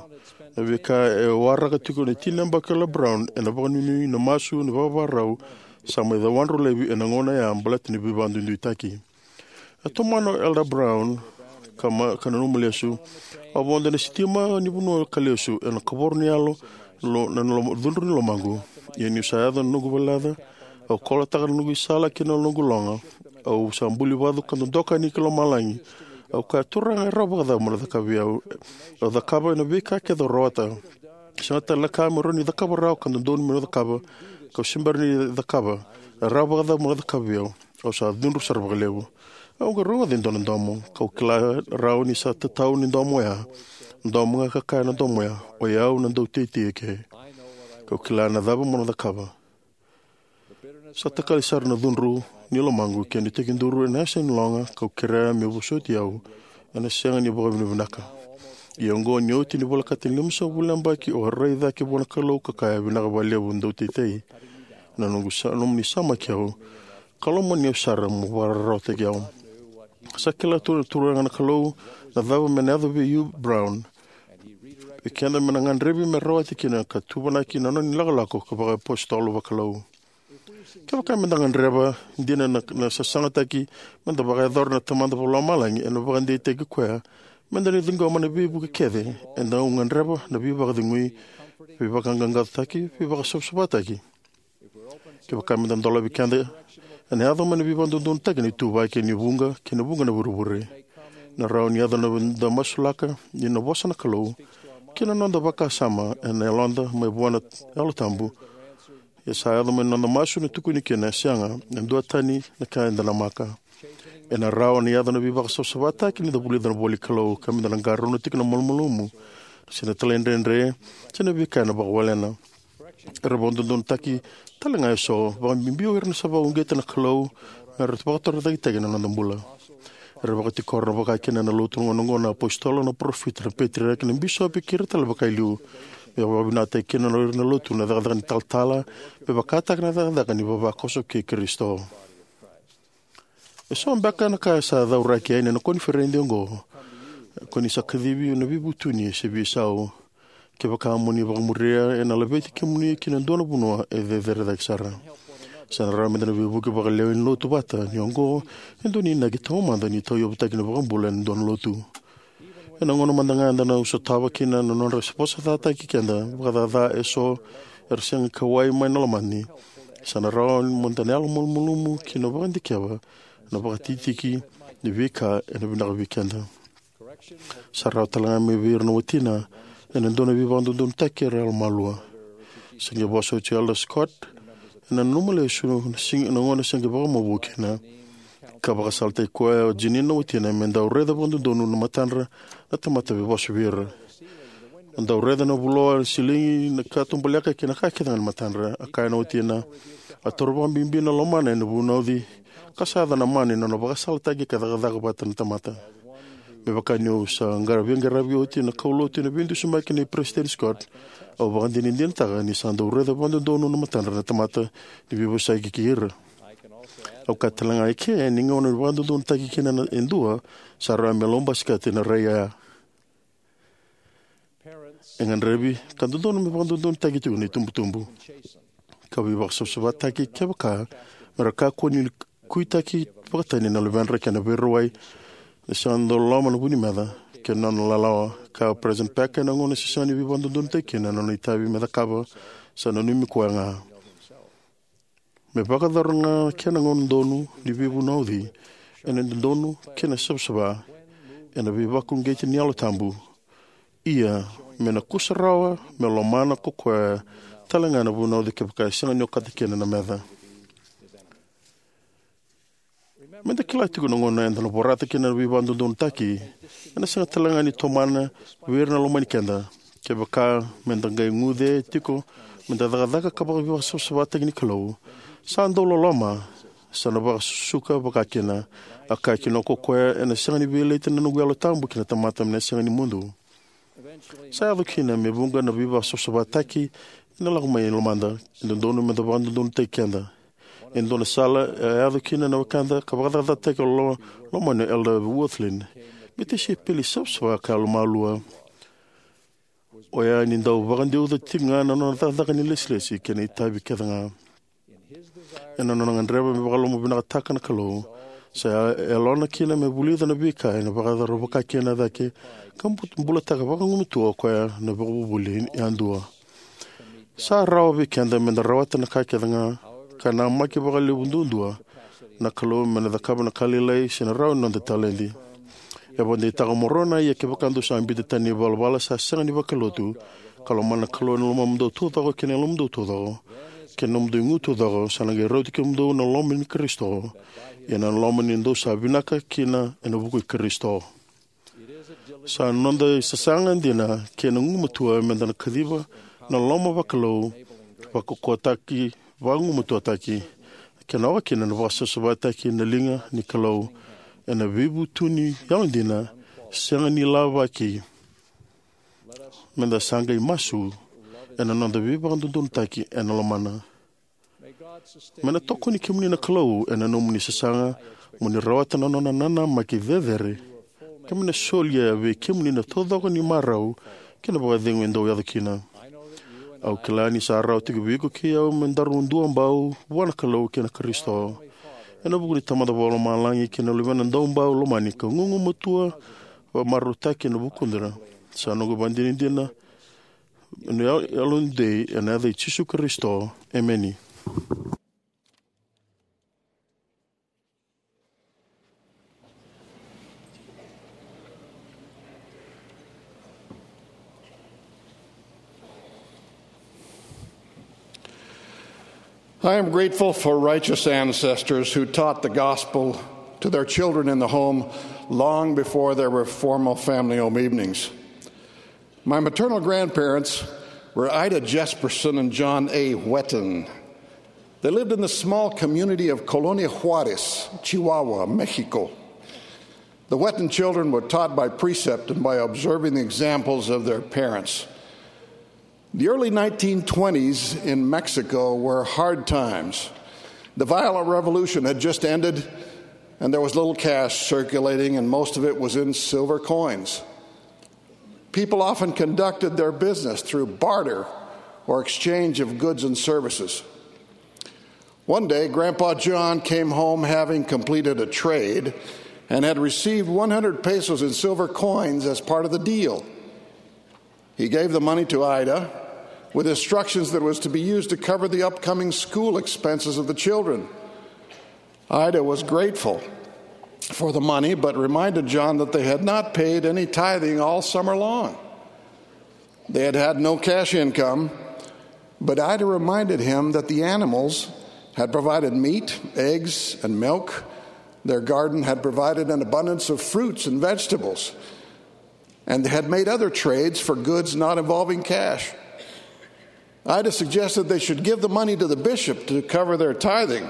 na veika e waraka tiko na tini na yabaki o Elder Brown ena vakanuinui na masu ni vakavakarau sa mai cawadru laivi ena gauna oya baleta ni veivakaduiduitaki." A tomana o Elder Brown ka ma-, ka nanuma lesu, "Au vodo ena sitima ni vanua ka lesu ena kavoro ni yalo, lo-, na lo-, cudru ni lomaqu. Ia niu sa yaco na noqu valelaca, au kolotaka na noqu isala kei na noqu loga. Au sa buli vacu ka dodoka yani ki lomalagi. Au kaya, 'Turaga, e rawa vakacava mo na cakava vei au? Au cakava na veika kece au rawata. Sega tale na ka meu rawa ni cakava rawa ka dodonu meu cakava, kau se bera ni cakava. E rawa vakacava mo na cakava vei au? Au sa cudru sara vakalevu.' Au qai rogoca e dua na domo, kau kila rawa ni sa tatau ni domo oya. Domo ga ka kaya na domo oya, 'O yau na dauteitei eke. Kau kila na cava mo na cakava.'" Sa takali sara na cudru ni lomaqu kei na tekiduru ena yasa ni loga kau kerea me vosoti au ena sega ni vakavinavinaka. Ia oqo ni oti ni volekata ni limasagavulu na yabaki au a rai cake vua na Kalou ka kaya, "Vinaka vakalevu, dau teitei na noqu sa, nomuni samaki au ka lomani au sara mo vakararawataki au." Sa kila tu na Turaga na Kalou na cava me na yaco vei Hugh Brown, vei keda me na gadrevi me rawati kina ka tuvanaki na nona ilakolako ka vakaiapositolo vakalou. Kevaka me da gadreva dina na, na sasagataki me da vakayacora na Tamada Vakalomalagi ena vakadeitaki koya me da na ciqoma na veivuke kece, e dau gadreva na veivakacegui, veivakaqaqacotaki, veivakasavasavataki. Kevaka me da dolavi keda, ena yaco mai na veivakadodonutaki, na ituvaki ni vuqa kei na vuqa na vurevure. Na rawa ni yaco na da masulaka ni na vosa na Kalou kei na noda vakasama ena yaloda mai vua na Yalo Tabu. Ia sa yaco mai na noda masu na tukuni kina, e sega e dua tani na ka eda namaka. Ena rawa ni yaco na veivakasavasavataki ni da vulica na voli Kalou ka me da na qarauna tiko na malumalumu, se na talaidredre, se na veika ena vakawalena. Era vakadodonutaki tale ga eso, vakabibi o ira na sa vakauqeta na Kalou me ra vakatorocaketaki na noda bula. Era vakatikora na vakakina na lotu na gauna oqo na apositolo, na parofita, na peteriaki, na bisopi kei ira tale vakailiu. Me vakavinakataki kina na ira na lotu na cakacaka ni talatala, me vakataka na cakacaka ni vavakoso kei Karisito. Eso beka na ka sa cauraki yani ena koniferedi oqo, ko ni sa kacivi na veivutuni se veisau. Kevaka mo ni vakamuria, ena laveti kemuni ki na dua na vanua e cecere cake sara. Sa na rawa me da na veivuke vakalewe ni lotu vata, ni oqo e dua na inaki taumada ni tauyavutaki na iVakabula ena dua na lotu. Ena gauna mada ga eda na sotava kina na nodra vosacataki keda vakacaca eso era sega ni kauwai mai na lomani, sa na rawa mo da na yalo malumalumu ki na vakadikeva na vakatikitikitaki ni veika ena vinaka vei keda. Sa rawa tale ga mai vei ira na watina ena dua na veivakadodonutaki era yalomalua. Sa qai vosa oti o Elder Scott ena nanuma lesu na siga, na gauna sa qai vakamavoa kina, ka vakasalataki koya o Jeanene na watina me dau raica vakadodonu na matadra na tamata veivosa vei ira. A dau raica na vuloa, na siligi, na katubaleka kei na ka kece ga ni matadra. A kaya na watina, "A toro vakabibi na lomana ena vunauci, ka sa yaco na mana ena nona vakasalataki ka cakacaka vata na tamata." Me vaka niu sa qara veiqaravi oti na kaulotu ena veidusimaki nei Peresitedi Scott, au vakadinadinataka ni sa dau raica vakadodonu na matadra na tamata ni veivosaki kei ira. Au kaya tale ga eke ni gauna ni vakadodonutaki kina na e dua, sa rawa me lou basikete na rai oya. E gadrevi ka dodonu me vakadodonutaki tiko na itubutubu ka veivakasavasavataki kevaka me ra kakua ni kuitaki vakatani na luvedra kei na veirawai, na sega ni dau loloma na vu ni meca kei na nona lalawa. Ka o President Packer, ena gauna se sega ni veivakadodonutaki kina na nona itavi me cakava, sa nanumi koya ga. Me vakayacora ga na kena gauna donu ni veivunauci ena dodonu kei na savasava ena veivakauqeti ni Yalo Tabu. Ia, me na kusarawa me lomana ko koya tale ga na vunauci kevaka e sega ni okata kina na meca. Me da kila tiko na gauna eda na vorata kina na veivakadodonutaki, ena sega tale ga ni tomana vei ira na lomani keda. Kevaka me da qai guce tiko me da cakacaka ka vakaveivakasavasavataki ni Kalou, sa dau loloma, sa na vakasusuka vakakina. A kaya kina ko koya, ena sega ni veilaita na noqu Yalo Tabu ki na tamata me na sega ni mudu. Sa yaco kina me vuqa na veivakasavasavataki ena lako mai lomada. E dodonu me da vakadodonutaki keda. E dua na sala e yaco kina na wekada ka vakacakacakataki lo-, lomani o Elder Wirthlin me tisaipeli savasava ka yalomalua. Oya ni dau vakadeuca tiko ga na nona cakacaka ni lesilesi kei na itavi kece ga. Ena nona gadreva me vakalomavinakataka na Kalou, sa ya-, yalona kina me vulica na veika ena vakayacora vakakina cake ka bu-, bulataka vakagumatua o koya na vakavuvuli yadua. Sa rawa vei keda me da rawata na ka kece ga ka namaki vakalevu duadua na Kalou me na cakava na ka lailai se na rawa ni noda taledi. E vakadeitaka o Moronai, ia kevaka dou sa biuta tani na ivalavala sa sega ni vakalotu, ka lomana na Kalou ena lomamudou taucoko kei na yalomudou taucoko kei na nomudou igu taucoko, sa na qai rauti kemudou na loma ni Karisito, ia na loma ni dou sa vinaka kina ena vuku i Karisito. Sa noda isasaga dina kei na gumatua me da na kaciva na loma vakalou, vakaukauwataki, vagumatuataki, kena oka kina na vakasavasavataki na liga ni Kalou ena veivutuni yalodina sega ni lavaki. Meda sa qai masu ena noda veivakadodonutaki ena lomana. Me na tokoni kemuni na Kalou ena nomuni sasaga mo ni rawata na nona nanamaki cecere. Ka me na solia vei kemuni na taucoko ni marau kei na vakacegu e dau yaco kina. Au kila ni sa rawa tiko vei iko kei au me daru duabau vua na Kalou kei na Karisito. Ena vuku ni Tamada Vakalomalagi kei na Luvena Daubau Lomani ka gugumatua vakamarautaki ena vukudra. Sa noqu vakadinadina ena yalodei ena yaca i Jisu Karisito. Emeni. I am grateful for righteous ancestors who taught the gospel to their children in the home long before there were formal family home evenings. My maternal grandparents were Ida Jesperson and John A. Whetten. They lived in the small community of Colonia Juárez, Chihuahua, Mexico. The Whetten children were taught by precept and by observing the examples of their parents. The early nineteen twenties in Mexico were hard times. The violent revolution had just ended, and there was little cash circulating, and most of it was in silver coins. People often conducted their business through barter or exchange of goods and services. One day, Grandpa John came home having completed a trade and had received one hundred pesos in silver coins as part of the deal. He gave the money to Ida with instructions that it was to be used to cover the upcoming school expenses of the children. Ida was grateful for the money, but reminded John that they had not paid any tithing all summer long. They had had no cash income, but Ida reminded him that the animals had provided meat, eggs, and milk. Their garden had provided an abundance of fruits and vegetables, and they had made other trades for goods not involving cash. Ida suggested they should give the money to the bishop to cover their tithing.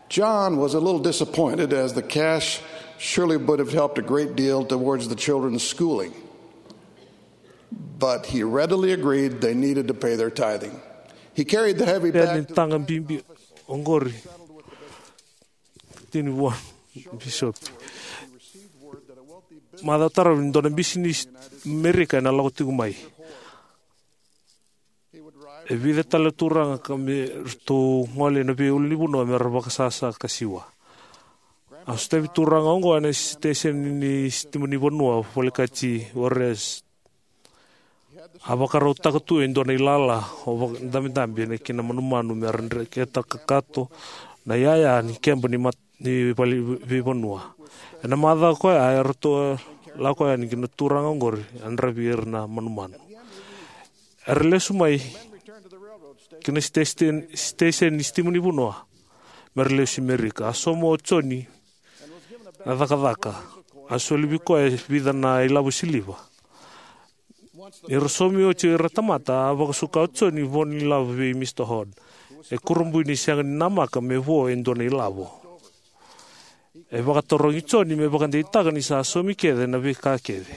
John was a little disappointed, as the cash surely would have helped a great deal towards the children's schooling. But he readily agreed they needed to pay their tithing. He carried the heavy bag. Ni taga bibi oqori tini vua bisopi. Macawa taravi ni dua na bisinisi Merika ena lako tiko mai. E vica tale turaga ka me ratou gole ena veiulunivanua me ra vakasasa ka siwa. A sotavi turaga oqo ena siteseni ni sitima ni vanua, volekati Juárez. A vakarautaka tu e dua na ilala o vakadabedabe ena kena manumanu me ra dreketa kakato na iyaya ni keba ni mat ni vale veivanua. Ena macawa koya e ratou lako yani ki na turaga oqori a yadravi ira na manumanu. Era lesu mai ki na siteseni ni sitima ni vanua me ra lesu i Merika. A sauma o Joni na cakacaka. A soli vei koya e vica na ilavo siliva. Ni ra saumi oti o ira na tamata, a vakasuka o Joni vo ni lavo vei Mista Hord. E kurabui ni sega ni namaka me vo e dua na ilavo. E vakatarogi Joni me vakadeitaka ni sa saumi kece na veika kece.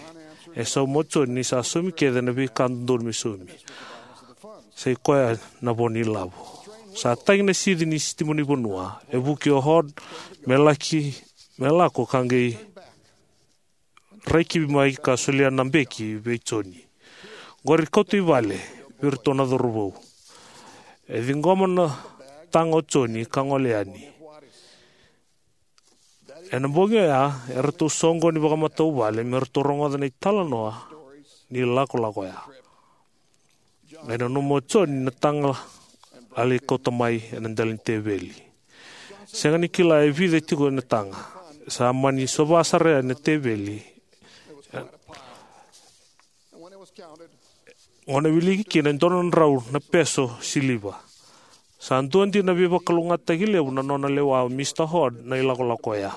E sauma o Joni ni sa saumi kece na veika dodonu me saumi. Sa i koya na vo ni lavo. Sa tagi na sici ni sitima ni vanua. E vuki o Hord me laki me lako ka qai rai kivi mai ka solia na beki vei Joni. Qori kauta i vale vei iratou na cauravou. E ciqoma na taga o Joni ka gole yani. Ena bogi oya e ratou soqoni vakamatavuvale me ratou rogoca na italanoa ni lakolako oya. E nanuma o Joni na taga a lai kauta mai ena dela ni teveli. Sega ni kila e vica tiko na taga. Sa mani sova sara yani na teveli. Gauna e wiliki kina e dua na drau na peso siliva. Sa dua dina na veivakalougatataki levu na nona lewa o Mista Hord na ilakolako oya.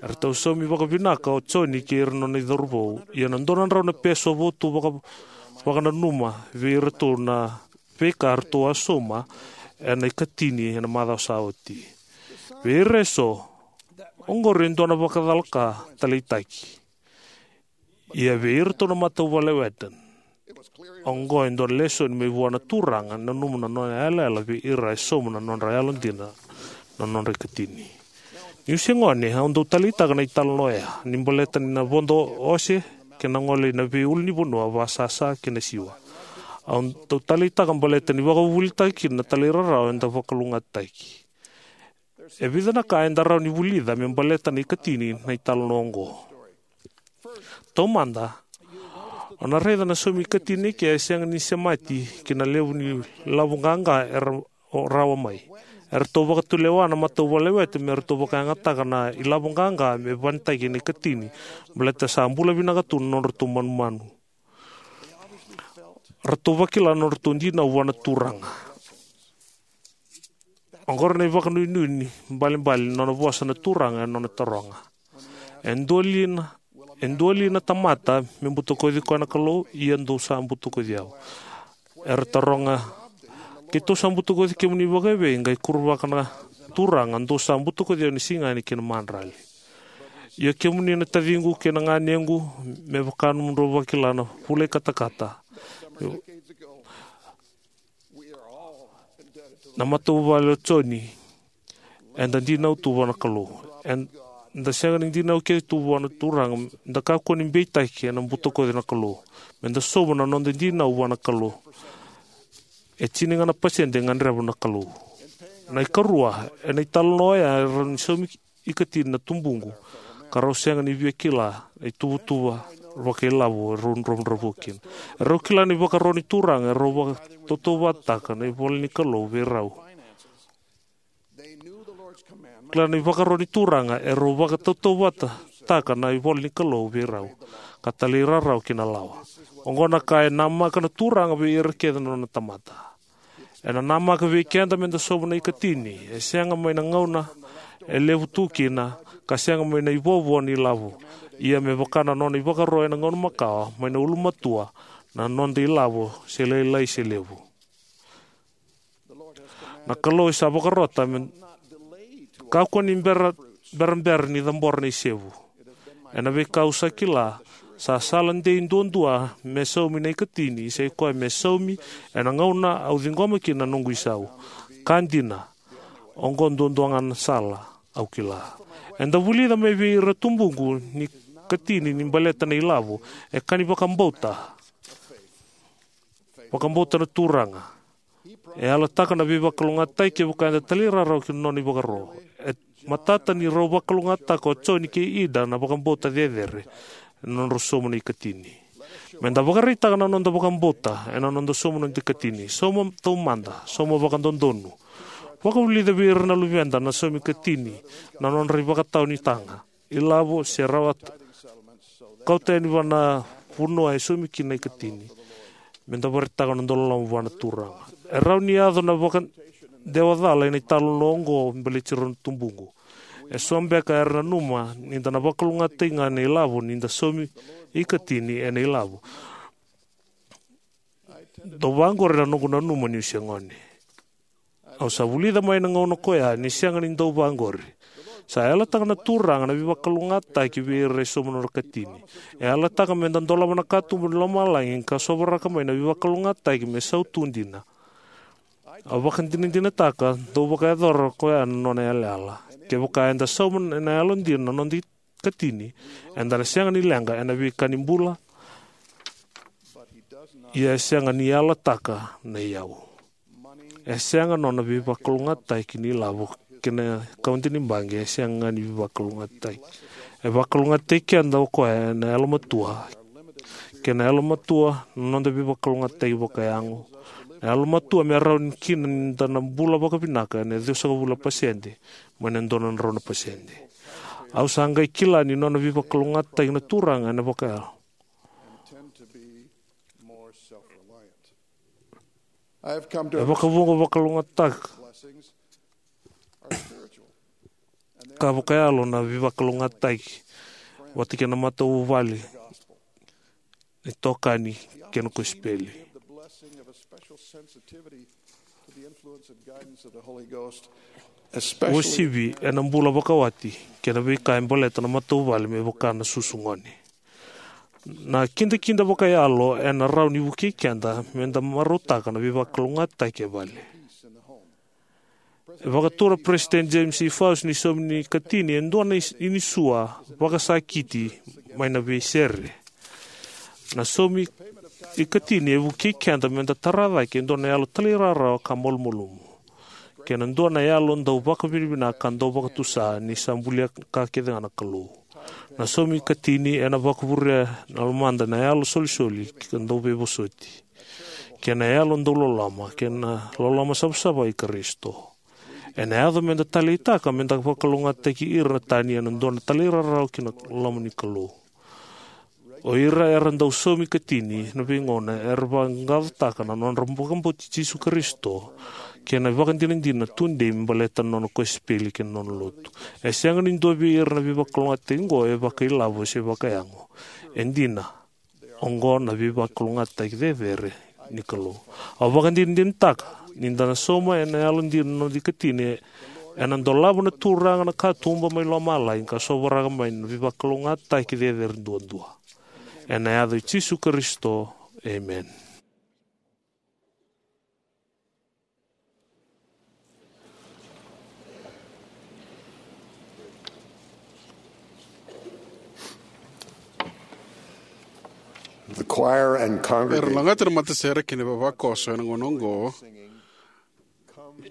Eratou saumi vakavinaka o Joni kei ira na nona icauravou, ia na dua na drau na peso votu vaka, vakananuma vei iratou na veika eratou a sauma, ena ikatini ena macawa sa oti. Vei ira eso, oqori e dua na vakacalaka taleitaki. Ia vei iratou na matavuvale Whetten, oqo e dua na lesoni mai vua na Turaga, nanuma na nona yalayala vei ira e sauma na nodra yalodina na nodra ikatini. Niu se gone, au dau taleitaka na italanoa oya ni baleta ni na vodo ose kei na gole ina veiulunivanua vakasasa kei na siwa. Au dau taleitaka baleta ni vakavuvulitaki kina na talairawarawa eda vakalougatataki. E vica na ka eda rawa ni vulica me baleta na ikatini na italanoa oqo. Taumada, o na raica na saumi ikatini eke e sega ni semati ki na levu ni ilavo qaqa era rawa mai. Eratou vakatulewa na matavuvale Whetten me ratou vakayagataka na ilavo qaqa me vanataki na ikatini, baleta sa bula vinaka tu na nodratou manumanu. Ratou vakila na nodratou dinau vua na Turaga. Oqori na ivakanuinui ni balebale ni nona vosa na Turaga ena nona taroga. E dua li na, e dua li na tamata me butakoci koya na Kalou? Ia dou sa butakoci au. Era taroga, keitou sa butakoci kemuni vakaevei? Qai kuruvaka na Turaga, dou sa butakoci au ena siga yani kei na madrali. Ia kemuni na taciqu kei na ganequ, me vaka nomudrau vakila na vula ikatakata, na matavuvale o Joni, eda dinau tu vua na Kalou. Eda sega ni dinau kece tu vua na Turaga, da kakua ni beitaki ena butakoci na Kalou. Meda sauma na noda dinau vua na Kalou. E tini ga na pasede e gadreva na Kalou. Na ikarua, ena italanoa oya e rawa ni saumi ikatini na tubuqu, ka rau sega ni via kila na ituvatuva vakailavo e rau dravudravua kina. E rau kila na ivakaro ni Turaga, e rau vakatautauvatataka na ivola ni Kalou vei rau. Kila na ivakaro ni Turaga, e rau vakatautauvatataka na ivola ni Kalou vei rau, ka talairawarawa ki na lawa. Oqo na ka e namaka na Turaga vei ira kece na nona tamata. Ena namaka vei keda meda sauma na ikatini, e sega mai na gauna e levu tu kina, ka sega mai na ivovo ni ilavo. Ia me vaka na nona ivakaro ena gauna makawa, mai na ulumatua, na noda ilavo, se lailai se levu. Na Kalou e sa vakarota me kakua ni bera, berabera ni cabora na isevu. Ena veika au sa kila, sa sala dei duadua me saumi na ikatini, sa i koya me saumi ena gauna au ciqoma kina na noqu isau. Ka dina, oqo duadua ga na sala au kila. Eda vulica mai vei ira tubuqu ni ikatini ni baleta na ilavo, e ka ni vakabauta. Vakabauta na Turaga. E yalataka na veivakalougatataki kevaka eda talairawarawa ki na nona ivakaro. E matata ni rau vakalougatataka o Joni kei Ida na vakabauta cecere ena nodrau sauma na ikatini. Meda vakaraitaka na noda vakabauta ena noda sauma na noda ikatini. Sauma taumada, sauma vakadodonu. Vakavulica vei ira na luveda na saumi ikatini na nodra ivakatawa ni taga, ilavo se rawa kauta yani vua na vanua e saumi kina na ikatini. Meda vakaraitaka na noda loloma vua na Turaga. E rawa ni yaco na vakadewacala ena italanoa oqo baleti rau na tubuqu. E so beka era nanuma ni da na vakalougatataki ga na ilavo ni da saumi ikatini ena ilavo. Dau vaqori na noqu nanuma niu se gone. Au sa vulica mai na gauna koya ni sega ni dau vaqori. Sa yalataka na Turaga na veivakalougatataki vei ira e sauma na nodra ikatini. E yalataka meda dolava na katuba ni lomalagi ka sovaraka mai na veivakalougatataki me sautu dina. Au vakadinadinataka dau vakayacora koya na nona yalayala. Kevaka eda sauma ena yalodina na noda ikatini, eda na sega ni leqa ena veika ni bula. Ia e sega ni yalataka na iyau. E sega nona veivakalougatataki ni ilavo kei na kaude ni baqe, e sega ga ni veivakalougatataki. E vakalougatataki keda o koya ena yalomatua. Kei na yalomatua na noda veivakalougatataki vakayago. Na yalomatua me rawa ni kina ni da na bula vakavinaka ena ciwasagavulu na pasede mai na dua na drau na pasede. Au sa qai kila ni nona veivakalougatataki na Turaga ena vakayalo. E vakavuqa vakalougatataka ka vakayalo na veivakalougatataki vata kei na matavuvale, na itokani kei na kosipeli. Uasivi ena bula vakawati kei na veika e baleta na matavuvale me vaka na susu gone. Na kidakida vakayalo ena rawa ni vukei keda me da marautaka na veivakalougatataki e vale. E vakatura Peresitedi James E. Faust ni saumi ni ikatini e dua na is- inisua vakasakiti mai na veisere. Na saumi ikatini e vukei keda me da tara cake e dua na yalo talairawarawa ka malumalumu kei na dua na yalo dau vakavinavinaka ka dau vakatusa ni sa bulia ka kece ga na Kalou. Na saumi ikatini ena vakavurea na lomada na yalo solisoli ka dau veivosoti kei na yalo dau loloma kei na loloma savasava i Karisito. Ena yaco me da taleitaka me da vakalougatataki ira na tani ena dua na talairawarawa kei na loma ni Kalou. O ira era dau saumi ikatini na veigauna era vaqaqacotaka na nodra vakabauti Jisu Karisito kei na ivakadinadina tudei me baleta na nona kosipeli kei na nona lotu. E sega ni dua vei ira na veivakalougatataki oqo e vakailavo se vakayago. E dina, oqo na veivakalougatataki cecere ni Kalou. Au vakadinadinataka ni da na sauma ena yalodina na noda ikatini, ena dolava na Turaga na katuba mai lomalagi ka sovaraka mai na veivakalougatataki cecere duadua. Ena yaca i Jisu Karisito, emeni. The choir and congregation. Era lagata na matasere kei na vavakoso ena gauna oqo.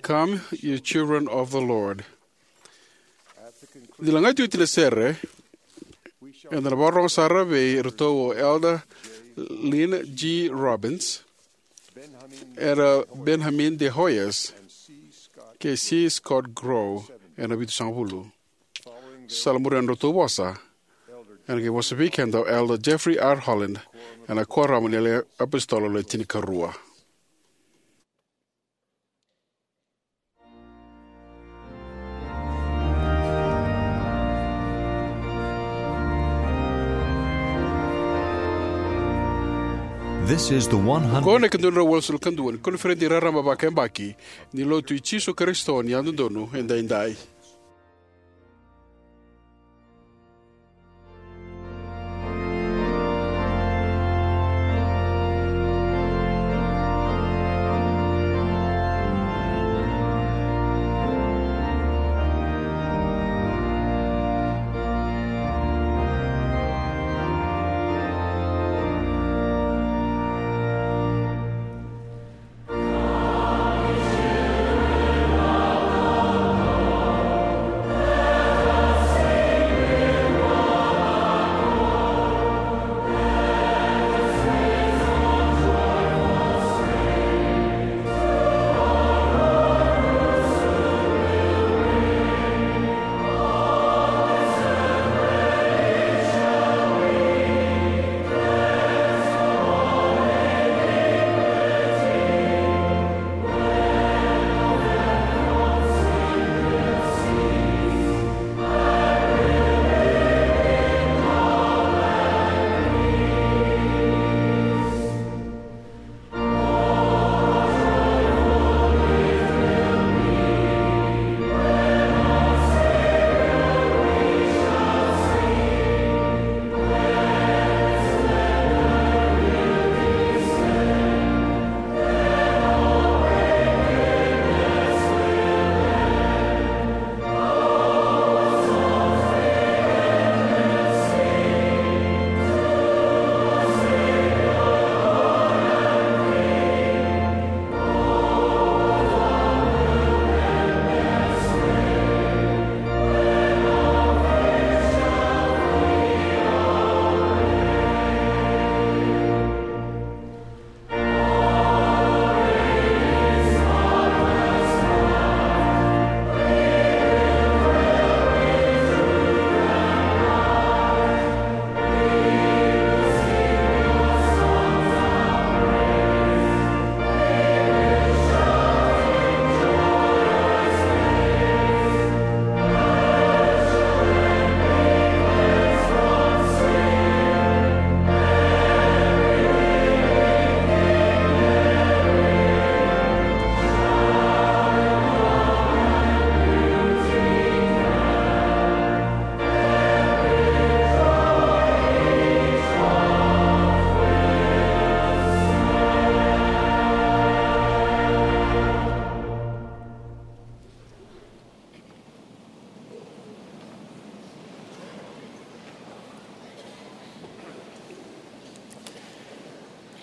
Come, you children of the Lord. Ni lagati oti na sere, eda na vakarorogo sara vei iratou o Elder Lynn G. Robbins, Elder Benjamin de Hoyos, kei C. Scott Grow ena vitusagavulu. Sa lai muri na nodratou vosa, ena qai vosa vei keda o Elder Jeffrey R. Holland, ena Kuoramu ni Apositolo Le Tinikarua. This is the one hundred. Oqo na ikadua na drau walusagavulu ka dua ni koniferedi raraba vakayabaki ni Lotu i Jisu Karisito ni Yalododonu Edaidai.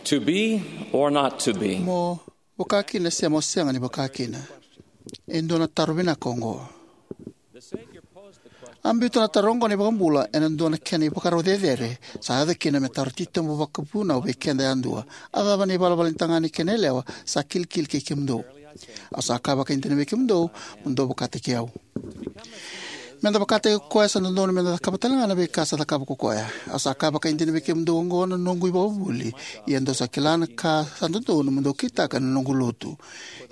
To be or not to be? Mo vakakina se mo sega ni vakakina? E dua na taro vinaka oqo. A biuta na taro oqo na iVakabula ena dua na kena ivakarau cecere sa yaco kina me taro titobu vakavunau vei keda yadua: A cava na ivalavala ni tagane kei na yalewa sa kilikili kei kemudou? Au sa kaya vakaidina vei kemudou, mo dou vakataki au. Meda vakataki koya, sa dodonu meda cakava talega na veika sa cakava ko koya. Au sa kaya vakaidina vei kemudou oqo na noqu ivakavuvuli, ia dou sa kila na ka sa dodonu mo dou kitaka ena noqu lotu.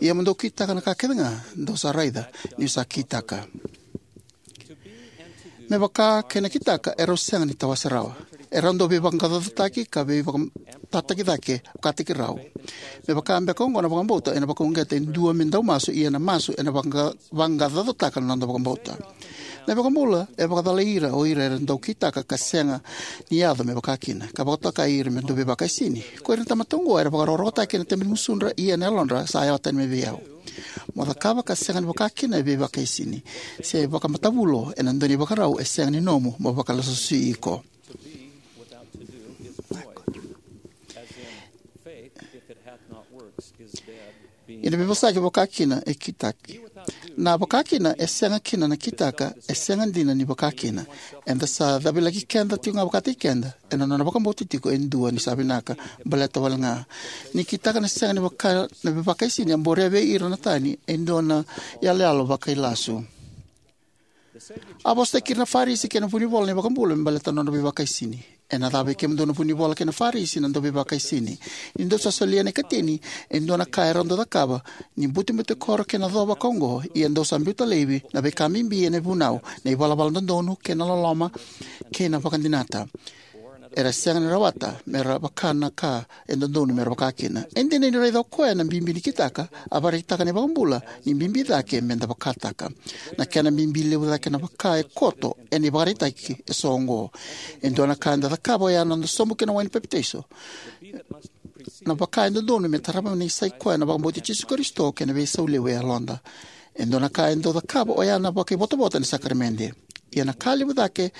Ia mo dou kitaka na ka kecega dou sa raica niu sa kitaka. Me vaka kei na kitaka e rau sega ni tawase rawa. E rau dau veivaqaqacotaki ka veivakatataki cake vakataki rau. Me vaka beka oqo na vakabauta ena vakauqeta e dua me dau masu, ia na masu ena vaqa- vaqaqacotaka na noda vakabauta. Na iVakabula e vakacalai ira o ira era dau kitaka ka sega ni yaco me vakakina, ka vakatokai ira me dau veivakaisini. Ko ira na tamata oqo era vakarokorokotaki ena tebe ni gusudra, ia na yalodra sa yawa tani mai vei au. Mo cakava ka sega ni vakakina e veivakaisini, se vakamatavulo ena dua na ivakarau e sega ni nomu mo vakalasusui iko. Ena veivosaki, vakakina e kitaki. Na vakakina e sega kina na kitaka e sega dina ni vakakina. Eda sa cavilaki keda tiko ga vakataki keda ena nona vakabauta tiko e dua ni sa vinaka baleta wale ga ni kitaka na sega ni vaka na veivakaisini a borea vei ira na tani e dua na iyaloyalo vakailasu. A vosataki ira na Farisi kei na vunivola na iVakabula me baleta na nodra veivakaisini. Ena cava vei kemudou na vunivola kei na Farisi na dauveivakaisini? Ni dou sa solia na ikatini, e dua na ka e rau dau cakava ni butebutekoro kei na co vaka oqo, ia dou sa biuta laivi na veika bibi ena vunau, na ivalavala dodonu kei na loloma kei na vakadinata. Era sega ni rawata me ra vaka na ka e dodonu me ra vakakina. E dina ni raica o koya na bibi ni kitaka, a vakaraitaka na iVakabula ni bibi cake meda vakataka. Na kena bibi levu cake na vaka e koto ena ivakaraitaki eso oqo. E dua na ka eda cakava oya na noda sobu ki na wai ni papitaiso, na vaka e dodonu me tarava na isai koya na vakabauti Jisu Karisito kei na veisau levu e yaloda. E dua na ka e dau cakava oya na vakaivotavota ni sakaramede. Ia na ka levu cake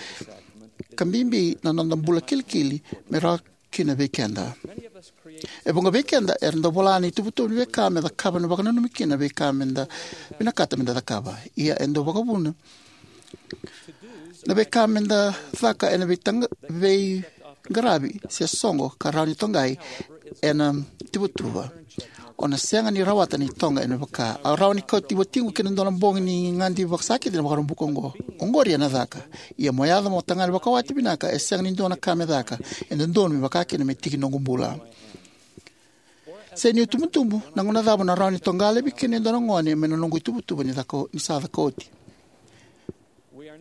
ka bibi na noda bula kilikili me rawa kina vei keda. E vuqa vei keda era dau vola na ituvatuva ni veika me cakava, na vakananumi kina na veika meda vinakata meda cakava. Ia e dau vakavuna na veika meda caka ena veitaqa- veiqaravi se soqo ka rawa ni toqai ena ituvatuva. O na sega ni rawata na itoqa ena vaka. Au rawa ni kauti watiqu ki na dua na bogi ni gadi vakasakiti na Vakaraubuka oqo. Oqori ena caka. Ia mo yaco mo tagane vakawati vinaka, e sega ni dua na ka me caka. E dodonu me vaka kina me tiki noqu bula. Se niu tubutubu, na gauna cava na rawa ni toqa laivi kina e dua na gone mai na noqu ituvatuva ni caka- ni sa caka oti?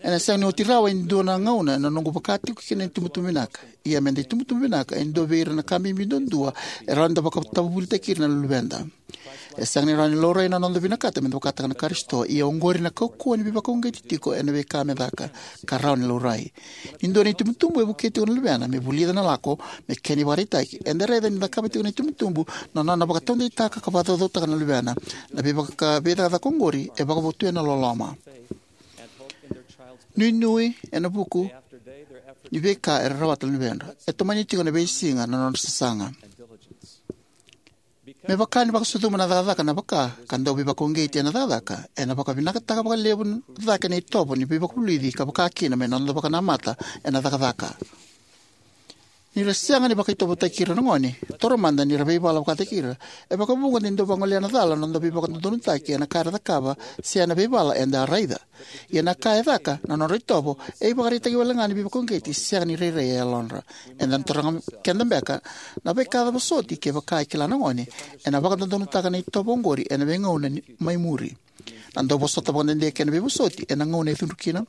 Ena sega ni oti rawa e dua na gauna na noqu vaka tiko kina ni tubutubu vinaka. Ia meda itubutubu vinaka e dua vei ira na ka bibi duadua e rawa ni da vakatavuvulitaki ira na luveda. E sega ni rawa ni laurai na noda vinakata meda vakataka na Karisito, ia oqori na kaukauwa ni veivakauqeti tiko ena veika me caka ka rawa ni laurai. Ni dua na itubutubu e vukei tiko na luvena me vulica na lako me kena ivakaraitaki, eda raica ni cakava tiko na itubutubu na nona vakataudeitaka ka vakacaucautaka na luvena. Na veivaka- veicakacaka oqori e vakavotuya na loloma. Nuinui ena vuku ni veika era rawata na luvedra. E tomani tiko ena veisiga na nodra sasaga. Me vaka ni vakasucuma na cakacaka na vaka ka dau veivakauqeti ena cakacaka, ena vakavinakataka vakalevu cake na itovo ni veivakavulici ka vaka kina me noda vakanamata ena cakacaka. Ni ra sega ni vakaitovotaki ira na gone, taura mada ni ra veivala vakataki ira. E vakavuqa ni dau vagolea na cala na noda veivakadodonutaki ena ka era cakava se ena veivala eda a raica. Ia na ka e caka na nodra itovo e ivakaraitaki wale ga ni veivakauqeti sega ni rairai e yalodra. Eda na taroga keda beka, na veika cava soti kevaka e kila na gone ena vakadodonutaka na itovo oqori ena veigauna ni- mai muri? Na dau vosota vakadede kei na veivosoti ena gauna e cudru kina,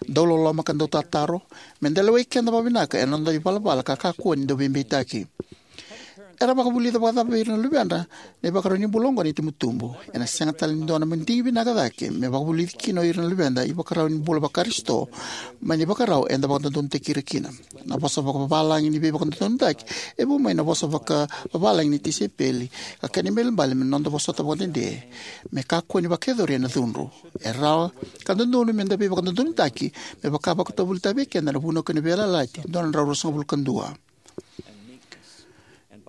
dau loloma ka dau tataro, meda lewai keda vakavinaka ena noda ivalavala ka kakua ni dau veibeitaki. Era vakavulica vakacava vei ira na luvedra na ivakarau ni bula oqo na itubutubu? Ena sega tale ni dua na madigi vinaka cake me vakavulici kina o ira na luveda ivakarau ni bula vaKarisito mai na ivakarau eda vakadodonutaki ira kina. Na vosa vakavalagi ni veivakadodonutaki e vu mai na vosa vakavavalagi ni tisaipeli, ka kena ibalebale me noda vosota vakadede me kakua ni vakayacori ena cudru. E rawa ka dodonu meda veivakadodonutaki me vaka vakatavulitaki vei keda na Vunau kei na Veiyalayalati dua na drau ruasagavulu ka dua.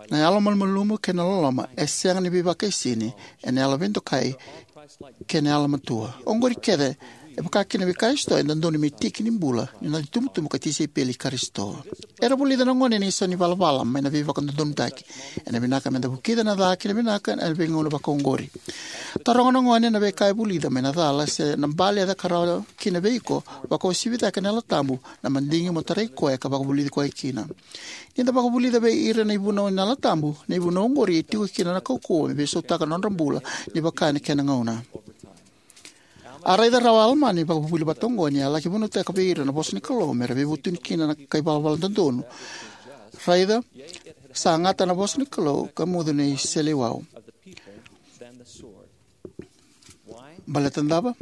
Na yalomalumalumu kei na loloma e sega ni veivakaisini ena yalo veidokai kei na yalomatua. Oqori kece e vaka kina vei Karisito e dodonu me tiki ni bula ni noda itubutubu ka tisaipeli i Karisito. Era vulica na gone na isau ni valavala mai na veivakadodonutaki. Ena vinaka meda vukica na ca kei na vinaka ena veigauna vakaoqori. Taroga na gone na veika e vulica mai na cala se na bale e caka rawa kina vei iko, vakauasivi cake na Yalo Tabu na madigi mo tarai koya ka vakavulici koya kina. Ni da vakavulica vei ira na ivunau ni Yalo Tabu, na ivunau oqori e tiko kina na kaukauwa me veisautaka na nodra bula ni vaka ena kena gauna. A raica rawa o Alama na ivakavuvuli vata oqo ni a laki vunautaka vei ira na vosa ni Kalou me ra veivutuni kina na kai valavala dodonu. Raica, sa gata na vosa ni Kalou ka mucu na iseleiwau. Baleta na cava?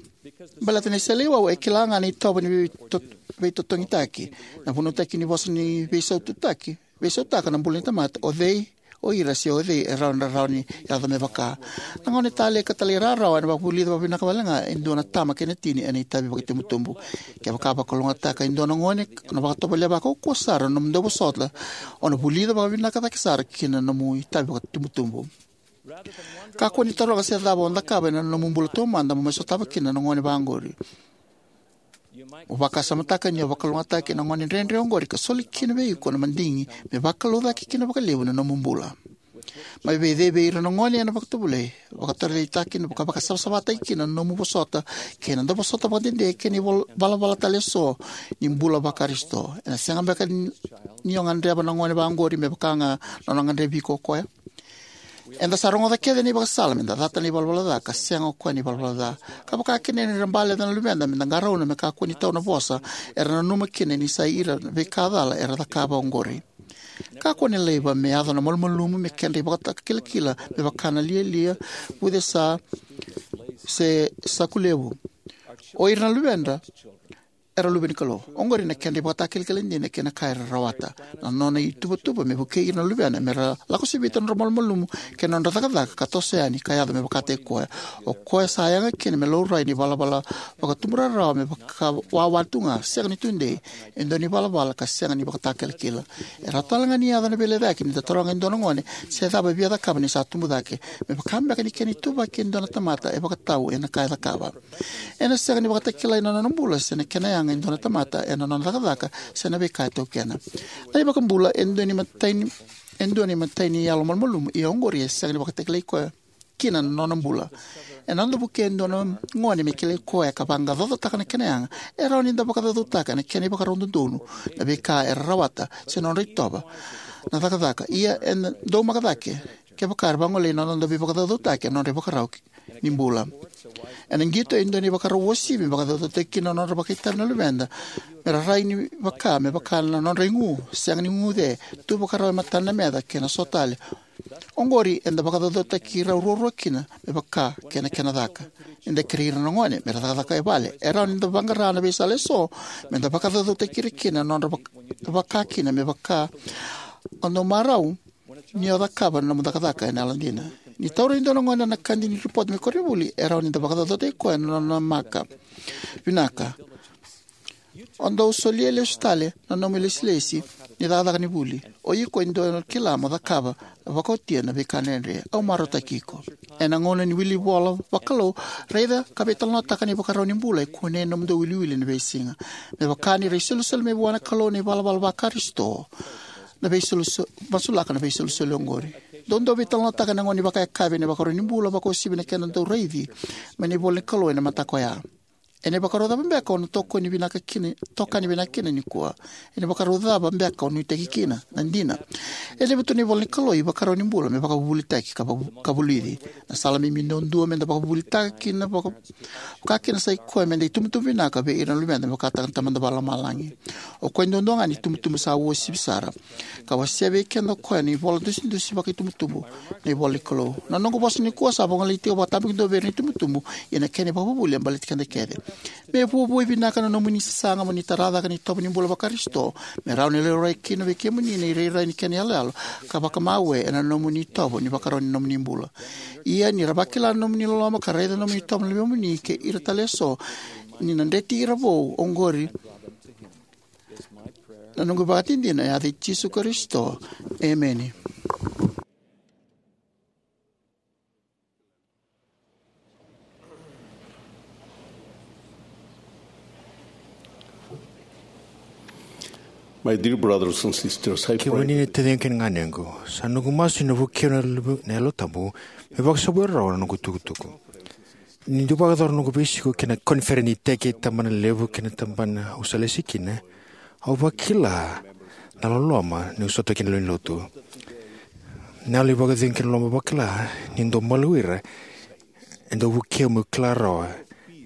Baleta na iseleiwau e kila ga na itovo ni veito-, veitotogitaki. Na vunautaki ni vosa ni veisaututaki, veisautaka na bula ni tamata. O cei o ira se o cei e rawa ni ra rawa ni yaco me vaka? Na gone talei ka talairawarawa ena vakavulica vakavinaka wale ga e dua na tama kei na tini ena itavi vakaitubutubu. Kevaka vakalougatataka e dua na gone, na vakatovolea vakaukauwa sara na nomu dauvosota, o na vulica vakavinaka cake sara kina na nomu itavi vakaitubutubu. Kakua ni taroga se cava o cakava ena nomu bula taumada mo mai sotava kina na gone vaqori. Mo vakasamataka ni o vakalougatataki na gone dredre oqori ka soli kina vei iko na madigi me vakalougatataki kina vakalevu na nomu bula. Mai vei cei vei ira na gone ena vakatovolei, vakatovolei kina, vaka-, vakasavasavataki kina na nomu vosota kei na dauvosota vakadede kei na ival-, valavala tale eso ni bula vaKarisito. Ena sega beka ni, ni o gadreva na gone vaqori me vaka ga na nona gadrevi iko o koya? Eda sa rogoca kece na ivakasala meda cata na ivalavala ca ka sega o koya na ivalavala ca. Ka vaka kina ni ra bale na luveda meda qarauna me kakua ni tau na vosa era nanuma kina ni sa ira na veika cala era cakava oqori. Kakua ni laiva me yaco na malumalumu me kedra ivakatakilakila me vaka na lialia, vucesa, se saku levu. O ira na luveda era luve ni Kalou. Oqori na kedra ivakatakilakila dina kei na ka era rawata. Na nona ituvatuva me vukei ira na luvena me ra lako sivita na nodra malumalumu kei na nodra cakacaka ka toso yani ka yaco me vakataki koya. O koya sa yaga kina me laurai ni valavala vakatubu rarawa me vakawawa tu ga, sega ni tudei, e dua ni valavala ka sega ni vakatakilakila. E rawa tale ga ni yaco na veilecayaki ni da taroga e dua na gone se cava e via cakava ni sa tubu cake, me vaka beka ni kena ituvaki e dua na tamata e vakatau ena ka e cakava. Ena sega ni vakatakilai na nona bula se na kena yaga e dua na tamata ena nona cakacaka se na veika e taukena. Na iVakabula e dua na imatai ni, e dua na imatai ni yalo malumalumu, ia oqori e sega ni vakatakilai koya kina na nona bula. Ena noda vukei e dua na gone me kilai koya ka vaqaqacotaka na kena yaga, e rawa ni da vakacaucautaka na kena ivakarau dodonu na veika era rawata se nodra itovo na cakacaka. Ia eda dau maka cake kevaka era vagolei na noda veivakacaucautaki ena nodra ivakarau ni bula. Ena qito e dua na ivakarau uasivi me vakacaucautaki kina na nodra vakaitavi na luveda me ra rai ni vaka, me vaka na nodra igu, sega ni guce, tu vakarau e matana na meca kei na so tale. Oqori eda vakacaucautaki rau ruarua kina me vaka kei na kena caka. Ni da kerei ira na gone me ra cakacaka e vale, e rawa ni da vaqara na veisala eso me da vakacaucautaki ira kina na nodra vak-, vaka kina me vaka o dau marau ni o cakava na nomu cakacaka ena yalodina. Ni taura e dua na gone na kadi ni ripoti mai koronivuli, e rawa ni da vakacaucautaki koya na nona maka vinaka. O dau solia lesu tale na nomu ilesilesi ni cakacaka ni vuli. O iko e dau kila mo cakava vakaotia na veika dredre. Au marautaki iko. Ena gauna ni wili vola vakalou, raica ka veitalanoataka na ivakarau ni bula e kunei ena nomudou wiliwili ena veisiga. Me vaka ni ra isolisoli mai vua na Kalou na ivalavala vaKarisito, na veisolisoli, masulaka na veisolisoli oqori. Dou dau veitalanoataka ena gauna ni vakayakavi ena ivakarau ni bula, vakauasivi na kena dau raici mai na ivola ni Kalou ena mataka oya. Ena ivakarau cava beka o na tokoni vinaka kina, tokani vinaka kina nikua? Ena ivakarau cava beka o nuitaki kina? Na dina, e levu tu na ivola ni Kalou, ivakarau ni bula me vakavuvulitaki ka vavu-, ka vulici. Na sala bibi duadua me da vakavuvulitaka kina vaka, vaka kina sa i koya me da itubutubu vinaka vei ira na luveda me vakataka na Tamada Vakalomalagi. O koya duadua ga na itubutubu sa uasivi sara. Ka wasea vei keda o koya na ivola dusidusi vakaitubutubu, na ivola ni Kalou. Na noqu vosa nikua sa vagolei tiko vakatabakidua vei ira na itubutubu, ia na kena ivakavuvuli e baleti keda kece. Me vuavuai vinaka na nomuni sasaga mo ni tara cake na itovo ni bula vaKarisito, me rawa ni laurai kina vei kemuni na irairai ni kena iyaloyalo ka vakamawe ena nomuni itovo ni vakarau ni nomuni bula. Ia ni ra vakila na nomuni loloma ka raica na nomuni itovo na luvemuni kei ira tale eso, ni na dreti ira vou oqori. Na noqu ivakadinadina ena yaca i Jisu Karisito. Emeni. My dear brothers and sisters, I Kemuni pray na taciqu kei na ganequ, sa noqu masu ni na vukei au na Yalo Tabu me vakasavui rawa na noqu itukutuku. Niu dau vakayacora noqu veisiko ki na koniferedi ni iteki e tabanalevu kei na tabana au sa lesi kina, au vakila na loloma niu sota kina lewe ni lotu. Na yalo ni vakacegu kei na loloma au vakila niu dau maliwai ira e dau vukei au meu kila rawa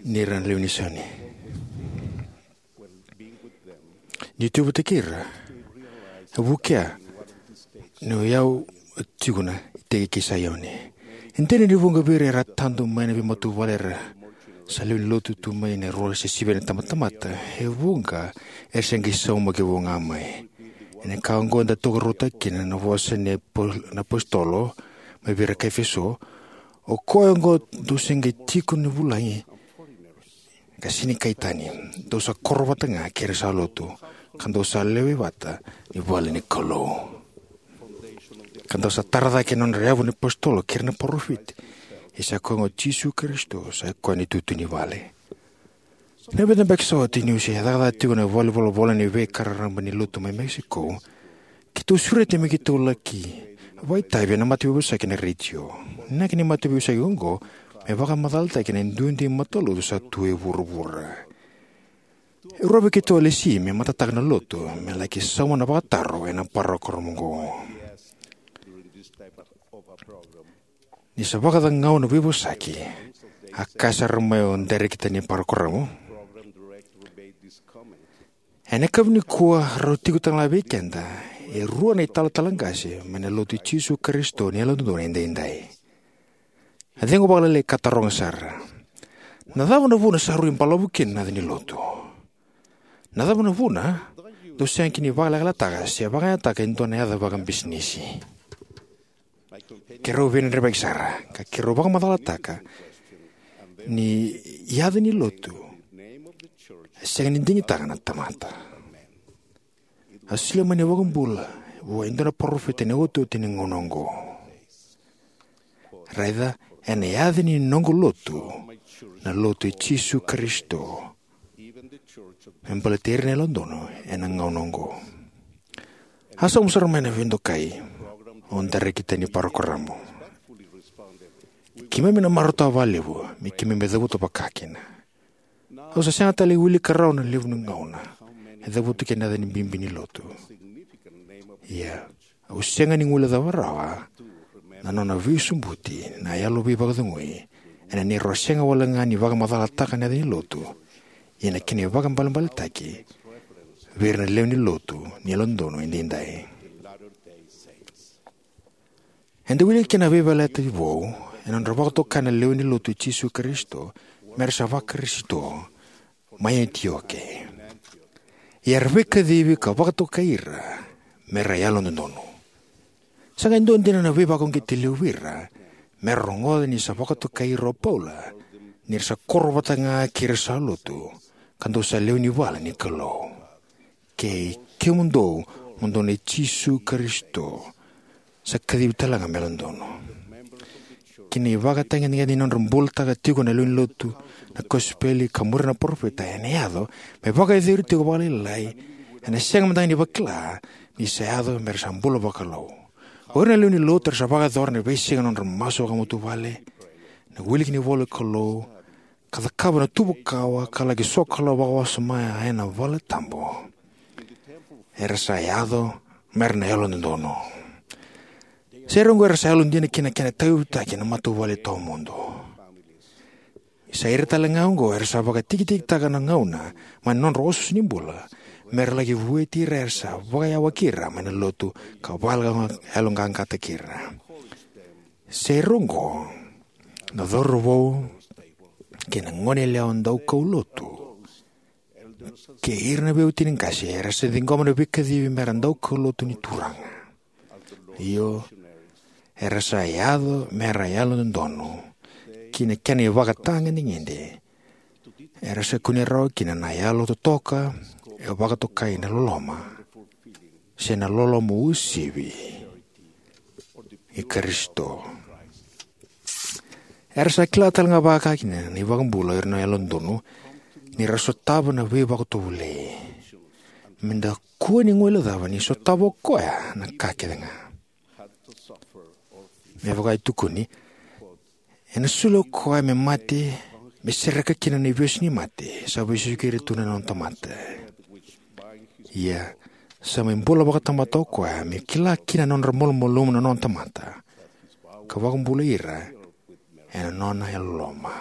ni ra na lewe ni Sione. Niu tu vata kei ira, e vukea niu yau tiko na iteki kei Saioni. E dina ni vuqa vei ira era tadu mai na veimatavuvale era sa lewe ni lotu tu mai na rua se sivi na tabatamata, e vuqa era se qai saumaki vou ga mai. Ena ka oqo eda tokarautaka kina na vosa ni apo-, na apositolo mai vei ira kai Efeso: O koya oqo dou se qai tiko ni vulagi ka sega ni kai tani, dou sa koro vata ga kei ira sa lotu, ka dou sa lewe vata ni vale ni Kalou, ka dou sa tara cake na nodra yavu na apositolo kei ira na parofita, ia sa koya oqo Jisu Karisito, sa koya na itutu ni vale. Na vica beka sa oti niu se cakacaka tiko ena valenivolavola ni veika raraba ni lotu mai Mexico, keitou sureti me keitou laki vakaitavi ena mataveiveisaki ena retio. Na inaki ni mataveiveisaki oqo me vakamacalataki na duidui matalotu sa tu e vuravura. E rua vei keitou a lesi me matataka na lotu me laki sauma na vakataro ena parokaramu oqo. Ni sa vakacagau na veivosaki, a kaya sara mai o dairekita ni parokaramu: Ena yakavi nikua rau tiko talega vei keda e rua na italatala qase mai na Lotu i Jisu Karisito ni Yalododonu Edaidai. A cegu vakalailai ka taroga sara: Na cava na vuna sa rui balavu kina na yaca ni lotu? Na cava na vuna dou sega kina ni vakalekaletaka se vakayagataka e dua na yaca vakabisinisi? Keirau veidredrevaki sara, ka keirau vakamacalataka ni yaca ni lotu e sega ni digitaka na tamata. A solia mai na iVakabula vua e dua na parofita ena iotioti ni gauna oqo. Raica, ena yaca ni noqu lotu, na Lotu i Jisu Karisito, me baleti ira na yalododonu ena gauna oqo. A sauma sara mai na veidokai o dairekita ni parokaramu: Keimami na marautaka vakalevu me keimami cavuta vakakina. Au sa sega tale ni wilika rawa na levu ni gauna e cavuti kina na yaca ni bibi ni lotu. Ia, au sega ni guilecava rawa na nona veisobuti na yalo veivakacegui ena neirau sega walega ni vakamacalataka na yaca ni lotu, ia na kena ivakaibalebaletaki vei ira na lewe ni lotu ni Yalododonu Edaidai. Eda wilika kina na veiyalayalati vou ena nodra vakatokai na lewe ni Lotu i Jisu Karisito me ra sa Vakarisito mai Anitioke. Ia era veikacivi ka vakatokai ira me ra yalododonu. Sa qai dua dina na veivakauqeti levu vei ira me ra rogoca ni sa vakatokai ira o Paula, ni ra sa koro vata ga kei ira sa lotu, ka dou sa lewe ni vale ni Kalou. Kei kemudou, mo dou nei Jisu Karisito, sa kacivi talega me yalododonu. Kei na ivakatagedegede ni nodra bulataka tiko na lewe ni lotu na kosipeli ka muria na parofita, ena yaco me vakayacori tiko vakalailai, ena sega mada ga ni vakila ni sa yaco me ra sa bula vakalou. O ira na lewe ni lotu era sa vakayacora na veisiga na nodra masu vakamatavuvale, na wiliki ni ivola ni Kalou, ka cakava na tuva kawa, ka laki sokalou vakawasoma ena vale tabu, era sa yaco me ra na yalododonu. Sa ira oqo era sa yalodina ki na kena tauyavutaki na matavuvale tawamudu. Sa ira talega oqo era sa vakatikitikitaka na gauna mai na nodra osooso ni bula, me ra laki vueti ira era sa vakayawaki ira mai na lotu ka vakayaloqaqataki ira. Sa ira oqo na cauravou kei na goneyalewa daukaulotu, kei ira na veiwatini qase era sa ciqoma na veikacivi me ra daukaulotu ni Turaga. Io, era sa yaco me ra yalododonu ki na kena ivakatagedegede era sa kunea rawa kina na yalo totoka e vakatokai na loloma, se na loloma uasivi i Karisito. Era sa kila talega vakakina na iVakabula o ira na yalododonu ni ra sotava na veivakatovolei. me da kua ni guilecava ni sotava o koya na ka kece ga. Me vaka e tukuni, ena soli o koya me mate, me sereka kina na ivesu ni mate sa vesuki ira tu na nona tamata. Ia, sa mai bula vakatamata o koya me kila kina na nodra malumalumu na nona tamata, ka vakabulai ira ena nona yalololoma.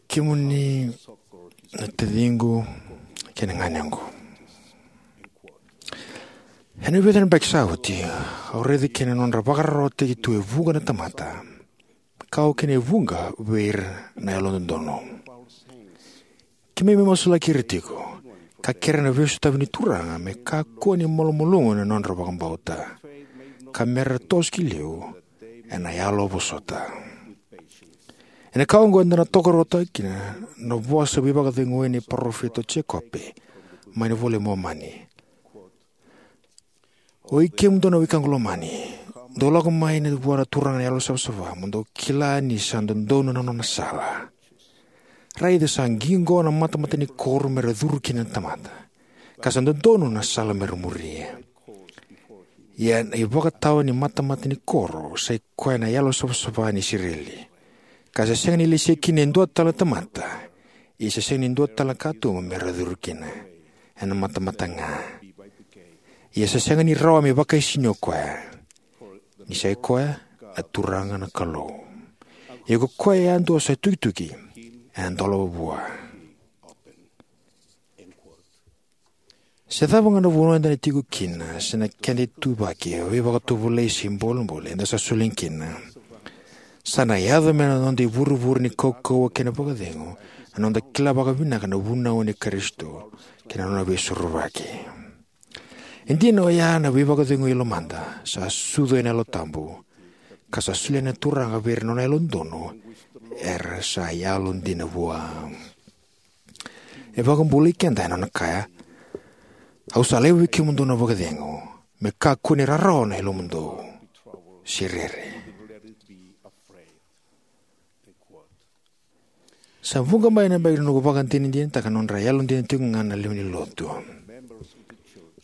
Kemuni na taciqu kei na ganequ, ena vica na yabaki sa oti, au raica kina na nodra vakararawataki tu e vuqa na tamata, ka oka kina e vuqa vei ira na yalododonu. Keimami masulaki ira tiko, ka kerea na veisotavi ni Turaga me kakua ni malumalumu na nodra vakabauta, ka mera toso ki liu ena yalo vosota. Ena ka oqo eda na tokaruataka kina na vosa veivakaceguya ni parofita o Jekope mai na iVola i Momani: Oi kemudou na wekaqu lomani, dou lako mai vua na Turaga na Yalo Savasava, mo dou kila ni sa dodonu na nona sala. Raica, sa qiqo na matamata ni koro mera curu kina na tamata, ka sa dodonu na sala mera muria. Ia na ivakatawa ni matamata ni koro sa i koya na Yalo Savasava ni Isireli, ka sa sega ni lesi kina e dua tale na tamata, ia sa sega ni dua tale na katuba mera curu kina, ena matamata ga. Ia sa sega ni rawa me vakaisini o koya, ni sa i koya na Turaga na Kalou. Ia ko koya yadua sa tukituki, ena dolava vua. Se cava ga na vanua eda na tiko kina, se na keda ituvaki, veivakatovolei se bolebole eda sa soli kina, sa na yaco mai na noda ivurevure ni kaukauwa kei na vakacegu na noda kila vakavinaka na vunau nei Karisito kei na nona veisorovaki. E dina oya na veivakacegui e lomada sa sucu ena Yalo Tabu, ka sa solia na Turaga vei ira na nona yalododonu era sa yalodina vua. E vakabulai keda ena nona kaya: Au sa laiva vei kemudou na vakacegu, me kakua ni rarawa na yalomudou, se rere. Sa vuqa mai na yabaki na noqu vakadinadinataka na nodra yalodina tiko ga na lewe ni Lotu.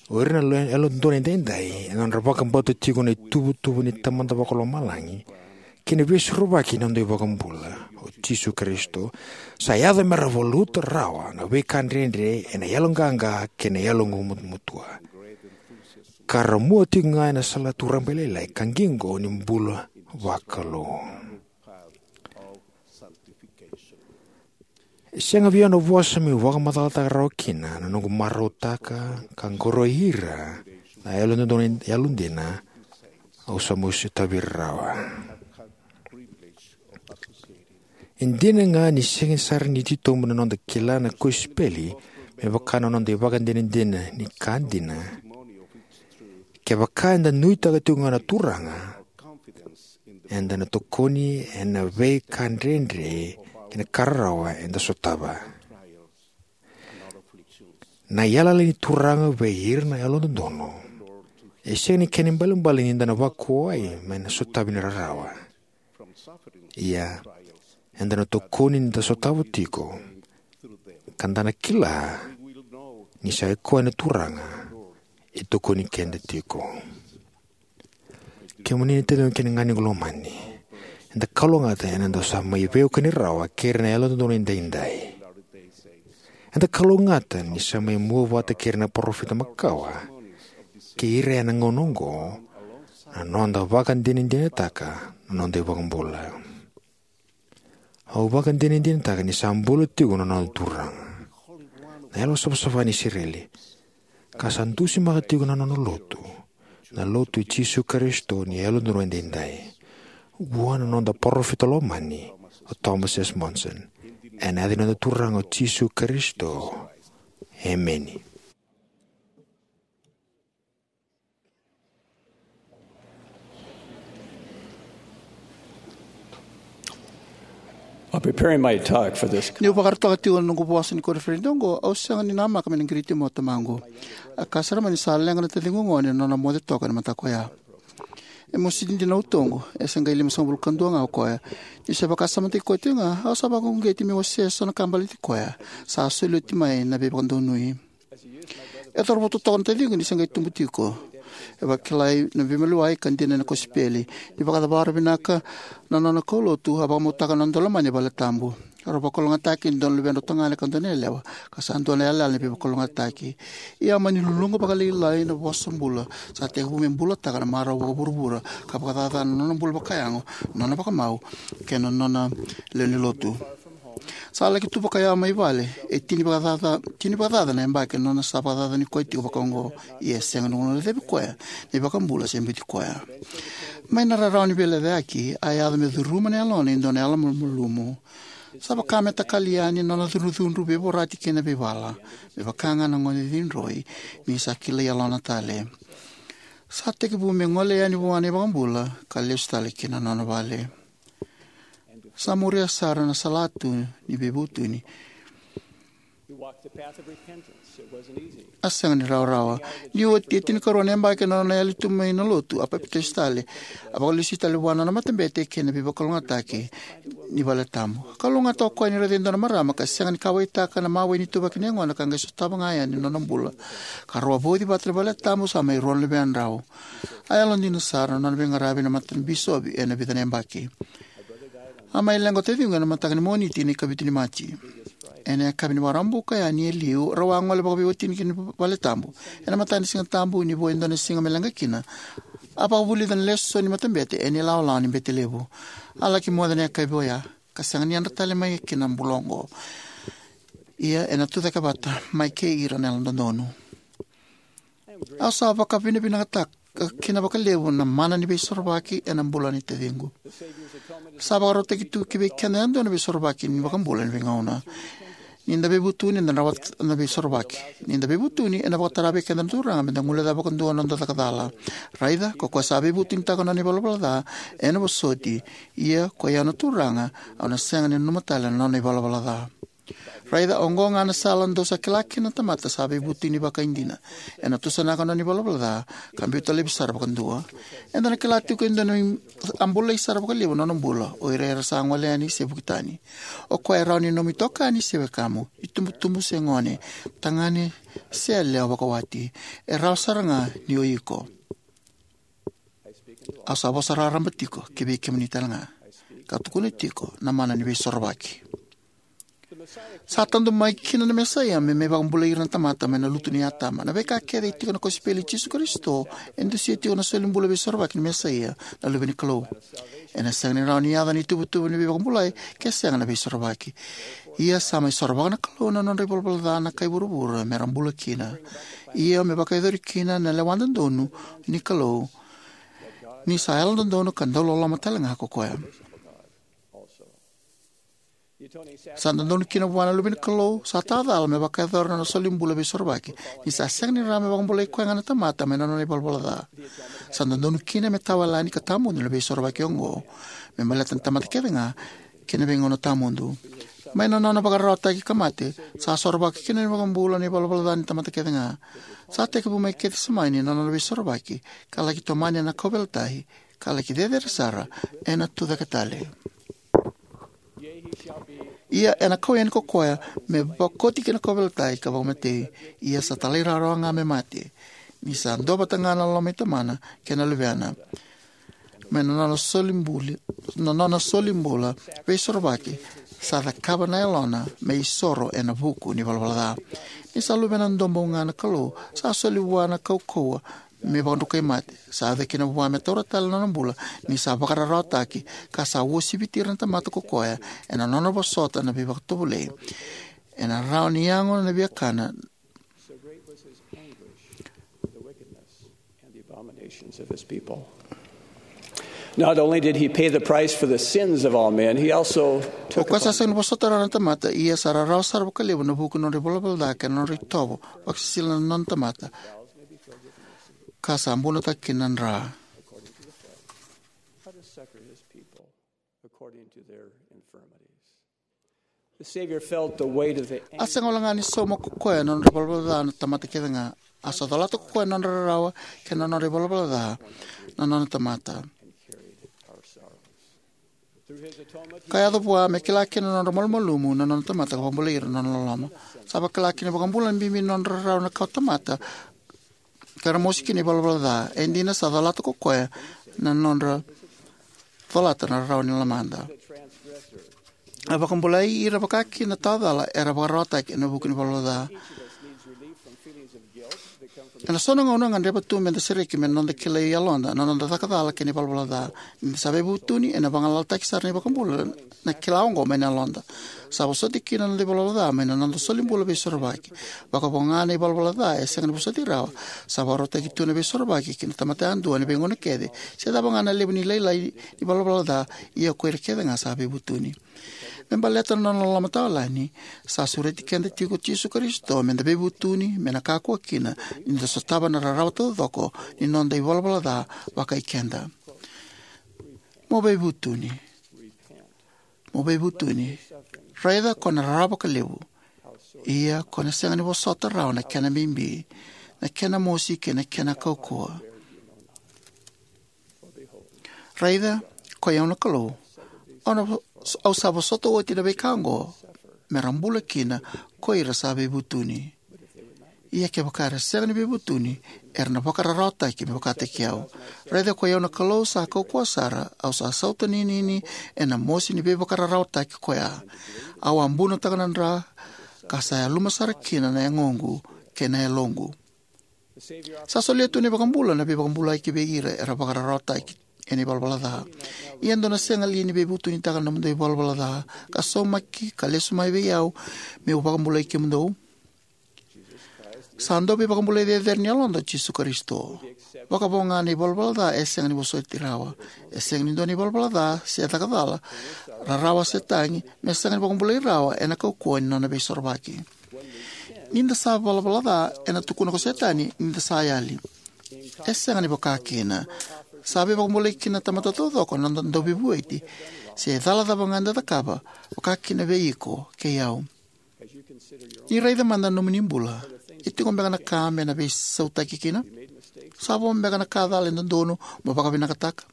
O ira na yalododonu edaidai, ena nodra vakabauta tiko na ituvatuva ni Tamada Vakalomalagi kei na Veisorovaki ni noda iVakabula, o Jisu Karisito, sa yaco mera valuta rawa na veika dredre ena yaloqaqa kei na yaloqu matumatua, ka ra mua tiko ga ena salatu rabailailai ka qiqo ni bula vakalou. E sega vei au na vosa meu vakamacalataka rawa kina na noqu marautaka ka qoroi ira na yalododonu yalodina au sa mai sotavi ira rawa. E dina ga ni sega sara ni titobu na noda kila na kosipeli me vaka na noda ivakadinadina ni ka dina, kevaka eda nuitaka tiko ga na Turaga, eda na tokoni ena veika dredre kei na ka rarawa eda sotava. Na yalayala ni Turaga vei ira na yalododonu e sega ni kena ibalebale ni da na vakuwai mai na sotavi ni rarawa. Ia, eda na tokoni ni da sotava tiko, ka da na kila ni sa i koya na Turaga e tokoni keda tiko. Kemuni na taciqu kei na ganequ lomani, eda kalougata ena noda sa mai veiwekani rawa kei ira na yalododonu edaidai. Eda kalougata ni sa mai mua vata kei ira na parofita makawa kei ira ena gauna oqo na noda vakadinadinataka na noda iVakabula. Au vakadinadinataka ni sa bula tiko na noda Turaga, na Yalosavasava ni Isireli, ka sa dusimaka tiko na nona lotu, na Lotu i Jisu Karisito ni Yalododonu Edaidai, vua na noda parofita lomani o Thomas S. Monson. Ena yaca ni noda Turaga o Jisu Karisito, emeni. I'll be preparing my talk for this. Niu vakarautaka tiko na noqu vosa ni koniferedi oqo, au sega ni namaka me na qiriti mai o tamaqu. A ka sara mai ni sa leqa na taciqu gone ena nona moce toka ena mataka oya. E mosi dina na utoqu, e se qai limasagavulu ka dua ga o koya. Niu se vakasamataki koya tiko ga, au sa vakauqeti meu wasea eso na ka baleti koya. Sa soli oti mai na veivakadonui. E cauravou totoka na taciqu ni se qai tubu tiko. E vakilai na veimaliwai ka dina na kosipeli. Ni vakacavara vinaka na nona kaulotu, a vakamautaka na nona daulomani e valetabu. Rau vakalougatataki e dua na luvedrau tagane ka dua na yalewa, ka sa dua na yalayala ni veivakalougatataki. Ia a mani luluqa vakalailai na vosa bula, sa tekivu me bulataka na marau vakavuravura, ka vakacacana na nona bula vakayago, nona vakamau, kei na nona lewe ni lotu. Sa laki tu vakayawa mai vale, e tini vakacaca, tini vakacaca na yabaki na nona sa vakacacani koya tiko vakaoqo, ia e sega ni guilecavi koya na iVakabula se biuti koya. Mai na rarawa ni veilecayaki, a yaco me curuma na yalona e dua na yalomalumalumu. Sa vaka me takali yani na nona cudrucudru, veivorati kei na veivala, me vaka ga na gone cidroi, ni sa kilai yalona tale. Sa tekivu me gole yani vua na iVakabula, ka lesu tale ki na nona vale. Sa muria sara na salatu ni veivutuni. A sega ni rawarawa. Ni oti e tinikarua na yabaki na nona yali tu mai na lotu, a papitaiso tale. A vakalesui tale vua na nona matabete kei na veivakalougatataki ni valetabu. Kalougata o koya ni raica e dua na marama ka sega ni kauwaitaka na mawe ni ituvaki ni yagona ka qai sotava ga yani na nona bula. Ka rau a vauci vata na valetabu, sa mai rua na luvedrau. A yalodina sara na nona veiqaravi na matabisopi ena vica na yabaki. A mai leqa o taciqu ena mataka ni Moniti ni ikavitu ni Maji. Ena yakavi ni Vakaraubuka yani e liu, rau a gole vakaveiwatini ki na valetabu. Ena mataka ni Sigatabu, ni vo e dua na siga me leqa kina, a vakavulica na lesoni ni matabete ena ilawalawa ni bete levu. A laki moce na yakavi oya, ka sega ni yadra tale mai ki na bula oqo. Ia ena tucake vata mai kei ira na yalododonu. Au sa vakavinavinakataka kina vakalevu na mana ni veisorovaki ena bula ni taciqu. Sa vakarautaki tu ki vei keda yadua na veisorovaki ni iVakabula ena veigauna. Ni da veivutuni, eda rawata na veisorovaki. Ni da veivutuni, ena vakatara vei keda na Turaga me da guilecava vakadua na noda caka cala. Raica, ko koya sa veivutunitaka na nona ivalavala ca, ena vosoti, ia ko i au na Turaga, au na sega ni nanuma tale na nona ivalavala ca. Raica, oqo ga na sala dou sa kila kina na tamata sa veivutuni vakaidina. Ena tusanaka na nona ivalavala ca, ka biuta laivi sara vakadua. Eda na kila tiko e dua na i-, a bulai sara vakalevu na nona bula, o ira era sa gole yani se vuki tani. O koya e rawa ni nomu itokani se wekamu, itubutubu se gone, tagane se yalewa vakawati. E rawa sara ga ni o iko. Au sa vosa raraba tiko ki vei kemuni tale ga, ka tukuna tiko na mana ni veisorovaki. Sa tadu mai kina na Mesaia me mai vakabulai ira na tamata mai na lutu nei Atama. Na veika kece e tiko na kosipeli i Jisu Karisito e dusia tiko na solibula veisorovaki ni Mesaia, na Luve ni Kalou. Ena sega ni rawa ni yaco na ituvatuva ni veivakabulai ke sega na veisorovaki. Ia sa mai sorovaka na Kalou na nodra ivalavala ca na kai vuravura me ra bula kina. Ia me vakayacori kina na lewa dodonu ni Kalou, ni sa yalododonu ka dauloloma tale ga ko koya. Sa dodonu kina vua na Luve ni Kalou sa tawa cala me vakayacora na nona solibula veisorovaki, ni sa sega ni rawa me vakabulai koya ga na tamata mai na nona ivalavala ca. Sa dodonu kina me tawayalani ka tawamudu na veisorovaki oqo, me baleta na tamata kece ga, kei na veigauna tawamudu. Mai na nona vakararawataki ka mate, sa sorovaka kina na iVakabula na ivalavala ca ni tamata kece ga. Sa tekivu mai Kecisemani na nona veisorovaki, ka laki tomani ena kauveilatai, ka laki cecere sara ena tucake tale. Ia ena kau yani ko koya me vakoti ki na kauveilatai ka vakamatei, ia sa talairawarawa ga me mate, ni sa duavata ga na loma i Tamana kei na Luvena. Mai na nona solibula, na nona solibula veisorovaki, sa cakava na yalona me isoro ena vuku ni valavala ca. Ni sa luvena duabau ga na Kalou, sa soli vua na kaukauwa me vakadrukai mate. Sa yaco kina vua me taura tale na nona bula, ni sa vakararawataki, ka sa uasiviti ira na tamata ko koya ena nona vosota na veivakatovolei. Ena rawa ni yago na viakana. So great was his anguish for the wickedness and the abominations of his people. Not only did he pay the price for the sins of all men, he also O took koya sa upon sega ni vosota rawa na tamata, ia sa rarawa sara vakalevu na vuku ni nodra ivalavala ca kei na nodra itovo vakasisila na nona tamata, ka sa bunotaka kina na dra. Let us succor his people according to their infirmities. The Savior felt the weight of the A sega wale ga ni sauma ko koya na nodra ivalavala ca na tamata kece ga. A sa colata ko koya na nodra rarawa kei na nodra ivalavala ca na nona tamata, ka yaco vua me kila kina na nodra malumalumu na nona tamata ka vakabulai ira ena nona loloma. Sa vakila kina na iVakabula na bibi ni nodra rarawa na kawatamata ka ra mosi kina na ivalavala ca. E dina, sa colata ko koya na nodra colata na rarawa ni lomada. A vakabulai ira vaka kina na tawa cala era vakararawataki ena vuku ni ivalavala ca. Ena so na gauna e gadreva tu meda sereki mai na noda kilai yaloda na noda caka cala kei na ivalavala ca. Ni da sa veivutuni, ena vagalalataki sara na iVakabula na kila oqo mai na yaloda. Sa vosoti kina na noda ivalavala ca mai na noda solibula veisorovaki. Vakavo ga na ivalavala ca e sega ni vosoti rawa, sa vakarautaki tu na veisorovaki ki na tamata yadua ena veigauna kece, se cava ga na levu ni lailai ni ivalavala ca, ia ko ira kece ga sa veivutuni. Me baleta na nona loloma tawayalani, sa sureti keda tiko o Jisu Karisito meda veivutuni, me na kakua kina ni da sotava na rarawa taucoko ni noda ivalavala ca vakai keda. Mo veivutuni. Mo veivutuni. Raica ko na rarawa vakalevu, ia ko na sega ni vosota rawa na kena bibi, na kena mosi kei na kena kaukauwa. Raica, ko i au na Kalou, au na vo-, au sa vosota oti na veika oqo, me ra bula kina ko ira sa veivutuni. Ia kevaka era sega ni veivutuni, era na vakararawataki me vakataki au. Raica, ko i au na Kalou sa kaukauwa sara, au sa sautaninini ena mosi ni veivakararawataki ko ya. Au a bunotaka na dra, ka sa yaluma sara kina na yagoqu kei na yaloqu. Sa solia tu na iVakabula na veivakabulai ki vei ira era vakararawataki ena ivalavala ca. Ia dou na sega li ni veivutunitaka na nomudou ivalavala ca, ka saumaki ka lesu mai vei au, meu vakabulai kemudou? Sa dau veivakabulai cecere ni yaloda o Jisu Karisito. Vakavo ga na ivalavala ca e sega ni vosoti rawa. E sega ni dua na ivalavala ca se caka cala, rarawa se tagi, me sega ni vakabulai rawa ena kaukauwa ni nona veisorovaki. Ni da sa valavala ca, ena tukuna ko Setani ni da sa yali. E sega ni vaka kina. Sa veivakabulai kina na tamata taucoko na noda Dauveivueti, se cala cava ga eda cakava, vaka kina vei iko kei au. Ni raica mada na nomuni bula. E tiko beka na ka me na veisautaki kina? Sa vo beka na ka cala e dodonu mo vakavinakataka?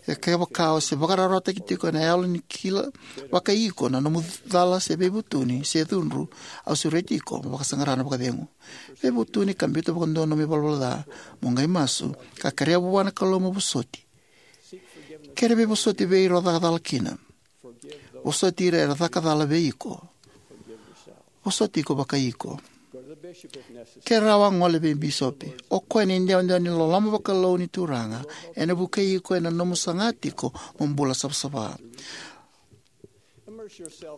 E kevaka o se vakararawataki tiko ena yalo ni kila vakai iko na nomu cala se veivutuni se cudru, au sureti iko mo vakasaqara na vakacegu. Veivutuni ka biuta vakadua na nomu ivalavala ca, mo qai masu, ka kerea vua na Kalou mo vosoti. Kere veivosoti vei ira o caka cala kina. Vosoti ira era caka cala vei iko. Vosoti iko vakai iko. Ke rawa, gole vei bisopi. O koya na idewadewa ni loloma vakalou ni Turaga, ena vukei iko ena nomu saga tiko mo bula savasava.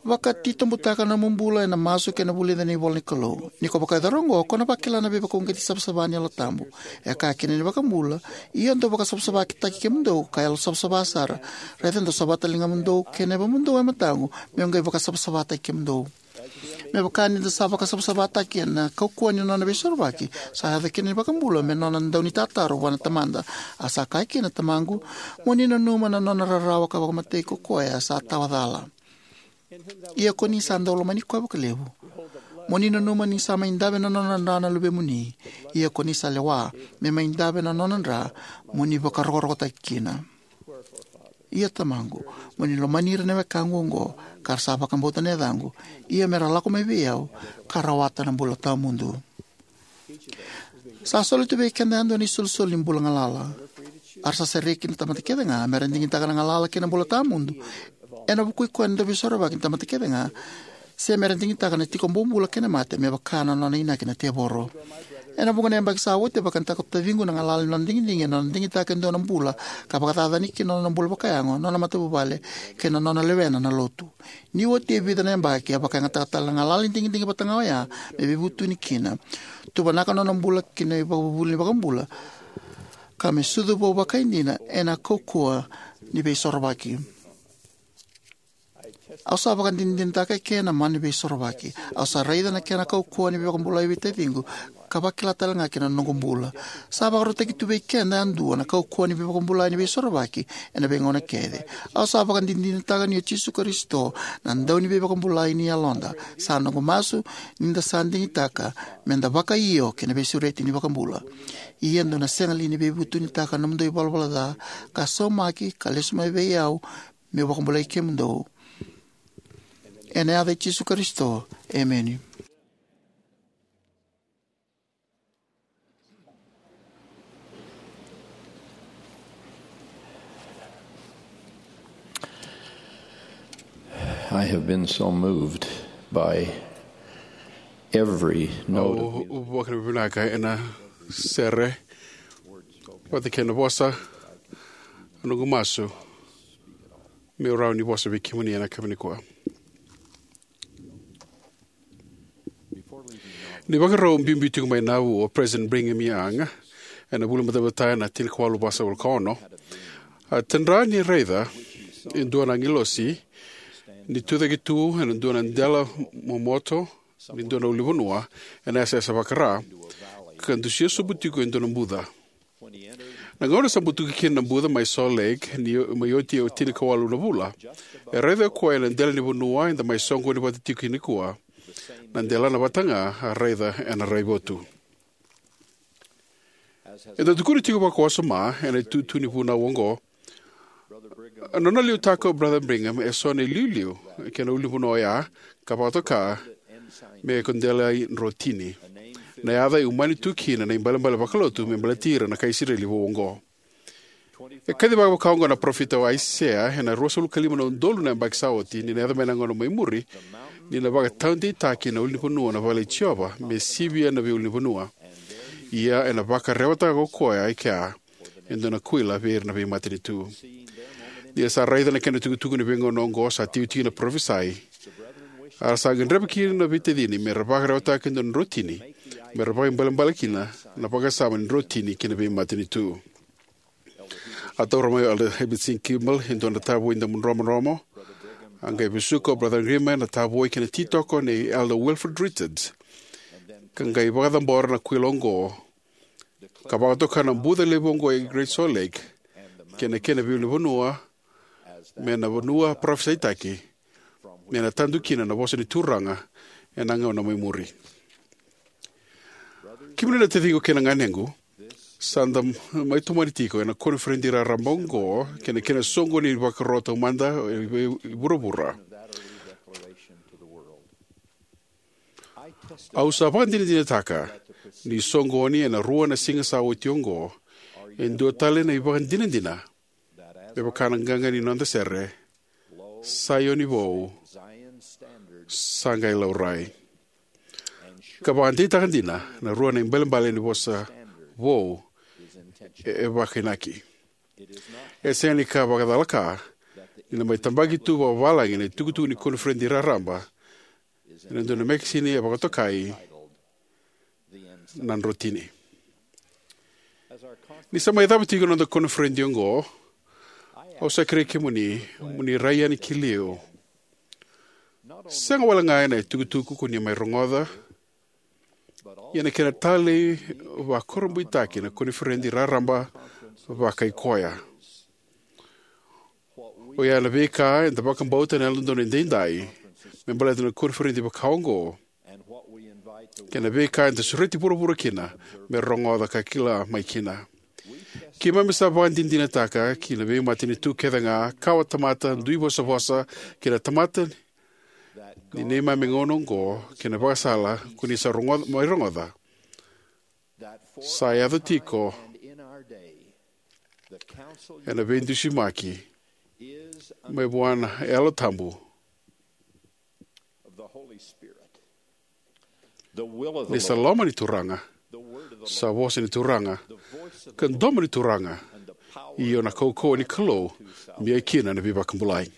Vakatitobutaka na nomu bula ena masu kei na vulica na ivola ni Kalou. Ni ko vakayacora oqo, ko na vakila na veivakauqeti savasava ni Yalo Tabu. E kaya kina na iVakabula, ia dou vakasavasavataki kemudou ka yalo savasava sara. Raica, dou savata na ligamudou kei na yavamudou e mataqu, meu qai vakasavasavataki kemudou. Me vaka ni da sa vakasavasavataki ena kaukauwa ni nona veisorovaki, sa yaco kina na iVakabula me nona daunitataro vua na Tamada. A sa kaya kina, Tamaqu, mo ni nanuma na nona rarawa ka vakamatei ko koya sa tawa cala. Ia ko ni sa dau lomani koya vakalevu, mo ni nanuma ni sa mai dave na nona dra na luvemuni. Ia ko ni sa lewa me mai dave na nona dra, mo ni vakarokorokotaki kina. Ia Tamaqu, mo ni lomani ira na wekaqu oqo, ka ra sa vakabauta na yacaqu, ia me ra lako mai vei au, ka rawata na bula tawamudu. Sa soli tu vei keda yadua na isolisoli ni bula galala. A ra sa sereki na tamata kece ga me ra digitaka na galala kei na bula tawamudu ena vukui koya na Dauveisorovaki ni tamata kece ga, se me ra digitaka na tiko bobula kei na mate, me vaka na nona inaki na tevoro. Ena vuqa na yabaki sa oti, a vakayagataka o taciqu na galala ni nona digidigi ena nona digitaka e dua na bula ka vakacacani kina na nona bula vakayago, nona matavuvale, kei na nona lewena na Lotu. Ni oti e vica na yabaki, a vakayagataka tale na galala ni digidigi vata ga oya me veivutuni kina. Tuvanaka na nona bula ki na ivakavuvuli ni iVakabula, ka me sucu vou vakaidina ena kaukauwa ni Veisorovaki. Au sa vakadinadinataka eke na mana ni veisorovaki. Au sa raica na kena kaukauwa ni veivakabulai vei taciqu, ka vakila tale ga kina na noqu bula. Sa vakarautaki tu vei keda yadua na kaukauwa ni veivakabulai ni veisorovaki ena veigauna kece. Au sa vakadinadinataka ni o Jisu Karisito na dau ni veivakabulai ni yaloda. Sa noqu masu ni da sa digitaka me da vakaio ki na veisureti ni iVakabula. Ia dou na sega li ni veivutunitaka na nomudou ivalavala ca, ka saumaki, ka lesu mai vei au, meu vakabulai kemudou. Ena yaca i Jisu Karisito, emeni. I have been so moved by every note of music. Au vakavinavinaka ena sere vata kei na vosa, na noqu masu meu rawa ni vosa vei kemuni ena kena nikua. Ni vakarau biubiu tiko mai Nauvoo o President Brigham Young ena vula ni Batabata ena tinikawalu vasagavulu ka ono, a tadra ni raica e dua na agilosi ni tucake tu ena dua na dela momoto ni dua na ulunivanua ena yasayasa vaka-Ra, ka dusia sobu tiko e dua na buca. Na gauna sa butuka kina na buca mai Salt Lake, ni mai oti e tinikawalu na vula, e raica o koya ena dela ni vanua eda mai soqoni vata tiko kina nikua, na delana vata ga a raica ena raivotu. Eda tukuna tiko vakawasoma ena itutu ni vunau oqo, na nona liutaka o Brother Brigham e so na iliuliu ki na ulunivanua oya, ka vakatoka me ko Delai Drotini, na yaca e umani tu kina na ibalebale vakalotu me baleti ira na kai Isireli vou oqo. E kacivaka vaka oqo na parofita o Aisea ena ruasagavulu ka lima na udolu na yabaki sa oti, ni na yaco mai na gauna mai muri, ni na vakataudeitaki na ulunivanua na vale i Jiova me sivia na veiulunivanua. Ia ena vakarewataka ko koya e kea e dua na kuila vei ira na veimatanitu. Ni ra sa raica na kena itukutuku ni veigauna oqo sa tiotio na parofisai, a ra sa gadreva kina na veitacini me ra vakarewataka e dua na drotini me ra vakaibalebale kina na vakasama ni drotini ki na veimatanitu. A taura mai o Elder Heber C. Kimball e dua na tavoi damu dromodromo. A qai vesuka o Brother Grima na tavoi kei na titoko nei Elder Wilford Richards, ka qai vakacabora na kuila oqo, ka vakatoka na buca levu oqo e Great Salt Lake kei na kena veiulunivanua me na vanua parofisaitaki, me na tadu kina na vosa ni Turaga ena gauna mai muri. Kemuni na taciqu kei na ganequ, sa da mai tomani tiko ena koniferedi raraba oqo kei na kena soqoni ni vakaro taumada e vuravura. Au sa vakadinadinataka ni soqoni ena rua na siga sa oti oqo e dua tale na ivakadinadina, me vaka na qaqa ni noda sere, Saioni vou sa qai laurai. Ka vakadeitaka dina na rua na ibalebale ni vosa vou e, e vakainaki. E sega ni ka vakacalaka ni na mai tabaki tu vakavalagi na itukutuku ni koniferedi raraba ena dua na mekesini e vakatokai na drotini. Ni sa mai cava tiko na noda koniferedi oqo, au sa kerei kemuni mo ni rai yani ki liu, sega wale ga ena itukutuku ko ni mai rogoca, ia na kena talei vakurabuitaki na koniferedi raraba vakaikoya. Oya na veika eda vakabauta ena Yalododonu Edaidai me baleta na koniferedi vaka oqo, kei na veika eda sureti vuravura kina me rogoca ka kila mai kina. Keimami sa vakadinadinataka ki na veimatanitu kece ga, kawatamata, duivosavosa, kei na tamata ni neimami gauna oqo, kei na vakasala ko ni sa rogoca, mai rogoca, sa yaco tiko ena veidusimaki mai vua na Yalo Tabu. Ni sa loma ni Turaga, sa vosa ni Turaga, ka domo ni Turaga, io na kaukauwa ni Kalou me ia kina na veivakabulai.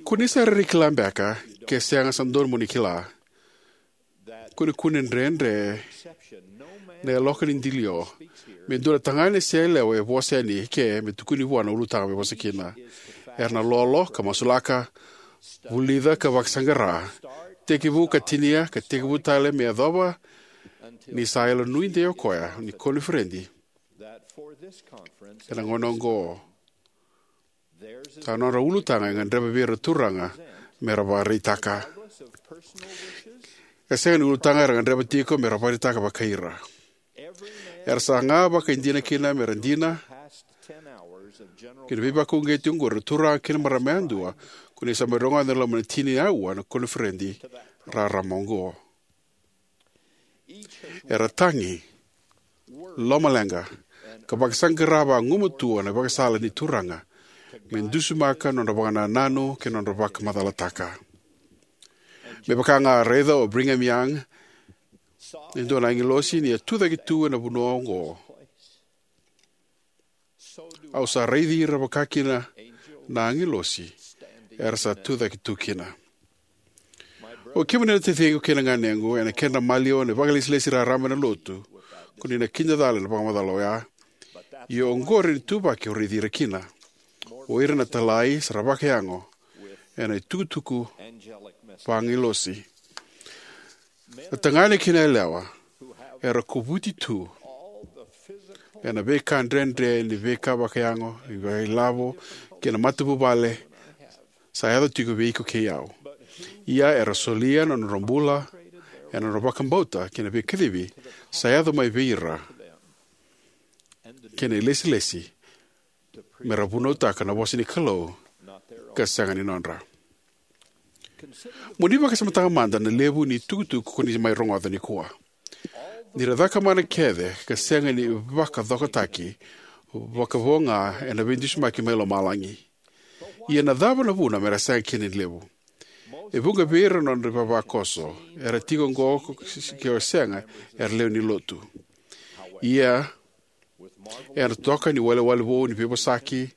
Ko ni sa rairai kila beka, ke sega sa dodonu mo ni kila, ko ni kune dredre na yaloka ni dilio me dua na tagane se yalewa e vosa yani ke me tukuni vua na ulutaga me vosa kina. Era na lolo ka masulaka, vulica ka vakasaqara, tekivu ka tinia ka tekivu tale me yacova ni sa yalonuidei o koya ni koniferedi ena gauna oqo sa nodra ulutaga e gadreva vei ira na turaga me ra vakaraitaka. E sega ni ulutaga era gadreva tiko me ra vakaraitaka vakai ira. Era saga vakaidina kina me ra dina ki na veivakauqeti oqori na turaga kei na marama yadua ko ni sa mai rogoca ena loma ni tini aua na koniferedi raraba oqo. Era tagi, lomaleqa, ka vakasaqara vagumatua na ivakasala ni Turaga me dusimaka na nodra vakanananu kei na nodra vakamacalataka. Me vaka ga a raica o Brigham Young, e dua na agilosi ni a tucake tu ena vanua oqo, au sa raici ira vakakina na agilosi era sa tucake tu kina. O kemuni na taciqu kei na ganequ, ena kedra maliwa na vakailesilesi raraba ena Lotu, ko ni na kida cala ena vakamacala oya. Ia oqori na ituvaki o raici ira kina, o ira na italai sa ra vakayago ena itukutuku vaagilosi. Na tagane kei na yalewa era kovuti tu ena veika dredre ni veika vakayago, vakailavo, kei na matavuvale sa yaco tiko vei iko kei au. Ia era solia na nodra bula ena nodra vakabauta kei na veikacivi sa yaco mai vei ira kei na ilesilesi me ra vunautaka na vosa ni Kalou ka sega ni nodra. Mo ni vakasamataka mada na levu ni itukutuku ko ni mai rogoca nikua. Ni ra cakamana kece ka sega ni vakacokotaki vakavo ga ena veidusimaki mai lomalagi. Ia na cava na vuna me ra sega kina ni levu? E vuqa vei ira na nodra ivavakoso era tiko oqo ke o sega era lewe ni Lotu. Ia ena totoka ni iwalewale vou ni veivosaki,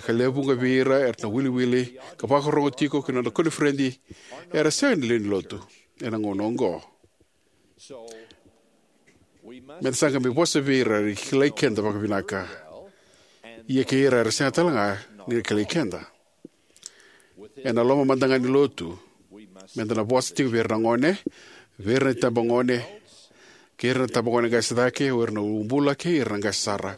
ka lewe vuqa vei ira era na wiliwili ka vakarorogo tiko ki na nodra koniferedi, era sega ni lewe ni Lotu ena gauna oqo. Meda sa qai mai vosa vei ira era kilai keda vakavinaka, ia kei ira era sega tale ga ni ra kilai keda. Ena loma mada ga ni Lotu, meda na vosa tiko vei ira na gone, vei ira na itabagone, kei ira na itabagone qase cake, o ira na uabula kei ira na qase sara.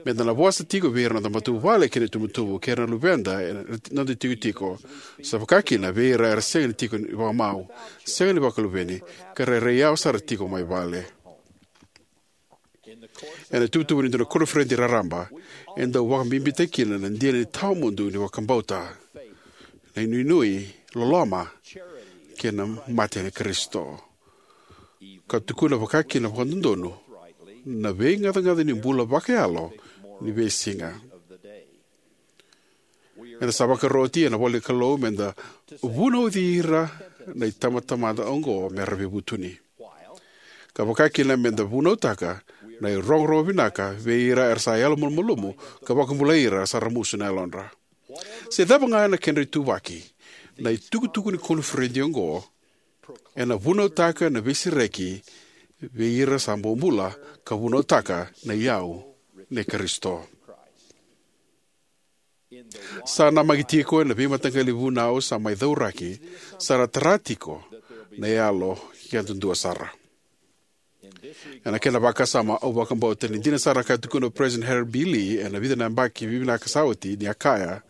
Meda na vosa tiko vei ira na noda matavuvale kei na itubutubu, kei ira na luveda ena noda itikotiko, sa vaka kina vei ira era sega ni tiko vakamau, sega ni vakaluveni, ka rairai yawa sara tiko mai vale. Ena ituvatuva ni dua na koniferedi raraba, e dau vakabibitaki kina na dina ni tawamudu ni vakabauta, na inuinui, loloma, kei na mate ni Karisito, ka tukuna vakakina vakadodonu na veigacagaca ni bula vakayalo ni veisiga. Eda sa vakaroti ena ivola ni Kalou meda vunauci ira na itabatamata oqo me ra veivutuni, ka vakakina meda vunautaka na irogorogo vinaka vei ira era sa yalomalumalumu ka vakabulai ira sa ramusu na yalodra. Se cava ga na kedra ituvaki, na itukutuku ni koniferedi oqo ena vunautaka na veisereki vei ira sa bobula ka vunautaka na iyau nei Karisito. Sa namaki tiko ena veimataqali vunau sa mai cauraki, sa ra tara tiko na yalo yadudua sara. Ena kena vakasama, au vakabauta ni dina sara ka tukuna o President Harold B. Lee ena vica na yabaki vivinaka sa oti, ni a kaya,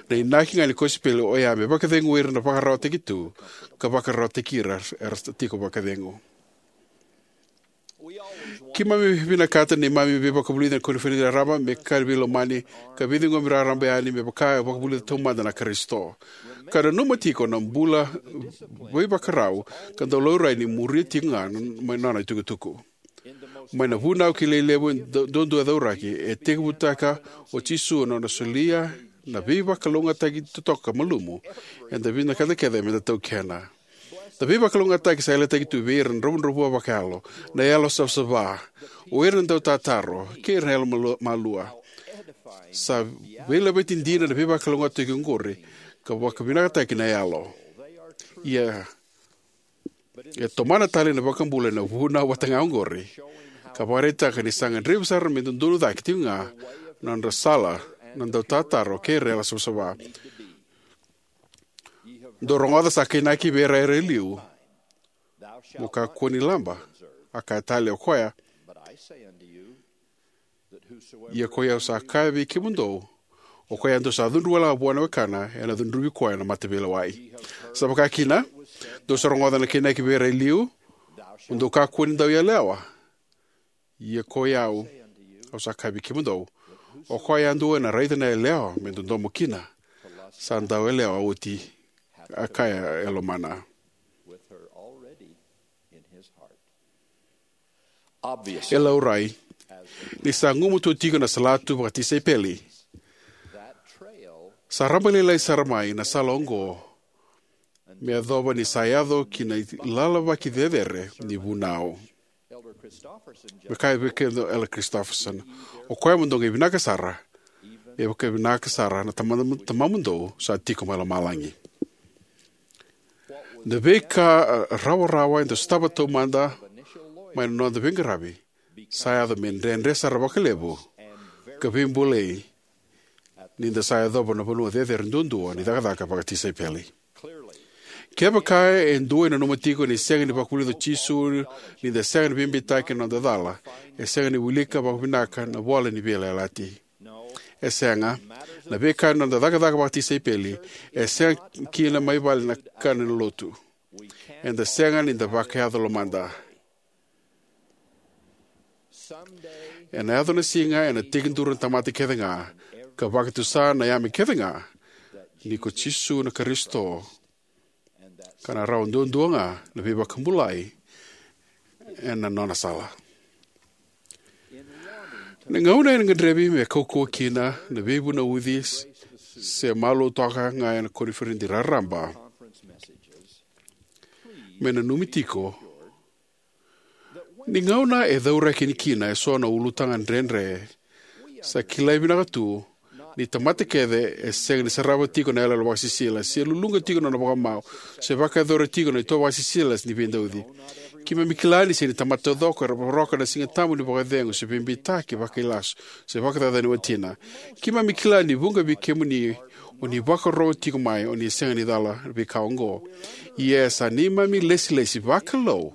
na inaki ga ni kosipeli oya me vakacegui ira na vakararawataki tu ka vakararawataki ira era tiko vakacegu. Keimami vinakata na neimami veivakavulici ena koniferedi raraba me ka veilomani ka veiciqomi raraba yani, me vaka e vakavulica taumada na Karisito, ka nanuma tiko na bula veivakarau ka dau laurai ni muria tiko ga mai nona itukutuku. Mai na vunau kilai levu e du- duadua e cauraki, e tekivutaka o Jisu na nona solia na veivakalougatataki totoka malumu eda vinakata kece meda taukena. Na veivakalougatataki sa yalataki tu vei ira na dravudravua vakayalo, na yalo savasava, o ira na dautataro, kei ira na yalo malu- malua. Sa veilaveti dina na veivakalougatataki oqori ka vakavinakataki na yalo. Ia, e tomana tale na iVakabula ena vunau vata ga oqori, ka vakaraitaka ni sa gadrevi sara me dodonu cake tiko ga na nodra sala na dautataro kei ira era savasava. Dou rogoca sa kainaki vei ira era e liu, mo kakua ni laba. A kaya tale o koya, ia koi au sa kaya vei kemudou, o koya yadua sa cudru wale ga vua na wekana, ena cudruvi koya na mataveilewai. Sa vaka kina, dou sa rogoca na kainaki vei ira e liu, mo dou kakua ni dau yalewa. Ia koi au, au sa kaya vei kemudou, o koya yadua ena raica na yalewa me dodomo kina, sa dau yalewa oti, a kaya e lomana. E laurai, ni sa gumatua tiko na salatu vakatisaipeli, sa rabailailai sara mai na sala oqo me yacova ni sa yaco ki na ilalavaki cecere ni vunau. Me kaya vei keda o Elder Christofferson, o koya mo dou qai vinaka sara, me vaka vinaka sara na Tama, Tamamudou sa tiko mai lomalagi. Na veika, a, rawarawa eda sotava taumada mai na noda veiqaravi sa yaco me dredre sara vakalevu ka veibolei ni da sa yacova na vanua cecere duadua ni cakacaka vakatisaipeli. Kevaka e dua e nanuma tiko ni sega ni vakavulica o Jisu ni da sega ni veibeitaki ena noda cala, e sega ni wilika vakavinaka na ivola ni veiyalayalati. E sega. Na veika ena noda cakacaka vakatisaipeli e sega kina mai vale na kana ni lotu. Eda sega ni da vakayaco lomada. Ena yaco na siga ena tekiduru na tamata kece ga ka vakatusa na yame kece ga ni ko Jisu na Karisito, ka na rawa duadua ga na veivakabulai ena nona sala. Na gauna ena gadrevi me kaukauwa kina na veivunauci se malua toka ga ena koniferedi raraba, me nanumi tiko ni gauna e cauraki kina eso na ulutaga dredre, sa kilai vinaka tu ni tamata kece e sega ni sarava tiko na iyaloyalo vakasisila, se luluqa tiko na nona vakamau, se vakayacora tiko na itovo vakasisila ni veidauci. Keimami kila ni sega ni tamata taucoko era voroka na Siga Tabu ni vakacegu se veibeitaki vakailasu se vakacacani watina. Keimami kila ni vuqa vei kemuni o ni vakarorogo tiko mai o ni sega ni cala veika oqo. Ia sa neimami ilesilesi vakalou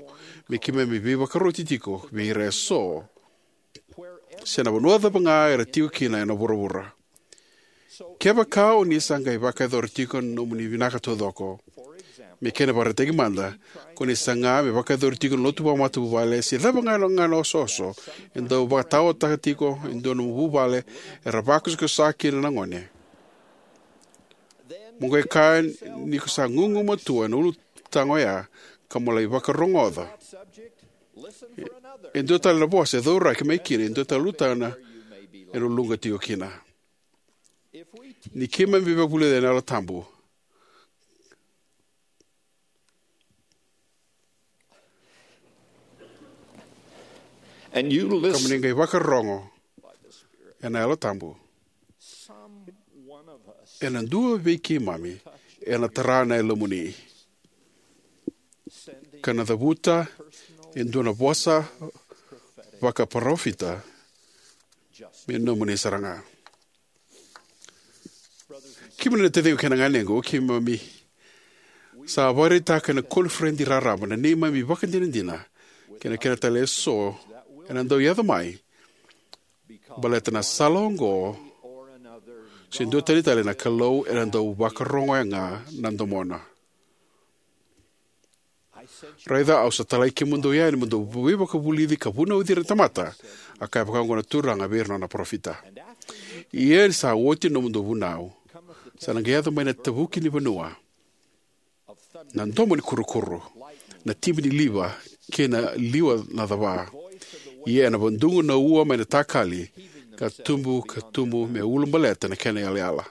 me keimami veivakaroti tiko vei ira eso, se na vanua cava ga era tiko kina ena vuravura. Kevaka o ni sa qai vakayacora tiko na nomuni vinaka taucoko, me kena ivakaraitaki mada, ko ni saga me vakayacori tiko na lotu vakamatavuvale se cava ga na osooso e dau vakataotaka tiko e dua na vuvale era vakosakosa kina na gone, mo qai kaya ni ko sa gugumatua ena ulutaga oya ka mo lai vakarogoca e dua tale na vosa e cauraki mai kina e dua tale na ulutaga ena uluqa tiko kina. Ni keimami veivakavulici ena Yalo Tabu, and you ka mo ni listen, qai vakarorogo ena Yalo Tabu, some one of us ena dua vei keimami ena tara na yalomuni ka na cavuta e dua na vosa vakaparofita me nomuni sara ga. Kemuni na taciqu kei na ganequ, keimami sa vakaraitaka ena koniferedi raraba na neimami ivakadinadina kei na kena tale eso ena dau yaco mai baleta na sala oqo se dua tani tale na Kalou ena dau vakarogoya ga na domona. Raica, au sa talai kemudou yani mo dou veivakavulici ka vunauci ira na tamata, a kaya vakaoqo na Turaga vei ira na nona parofita. Ia ni sa oti na nomudou vunau, sa na qai yaco mai na tavuki ni vanua, na domo ni kurukuru, na tibi ni liva, kei na liwa na cava. Ia ena vadugu na ua mai na takali, ka tubu ka tubu me ulabaleta na kena iyalayala.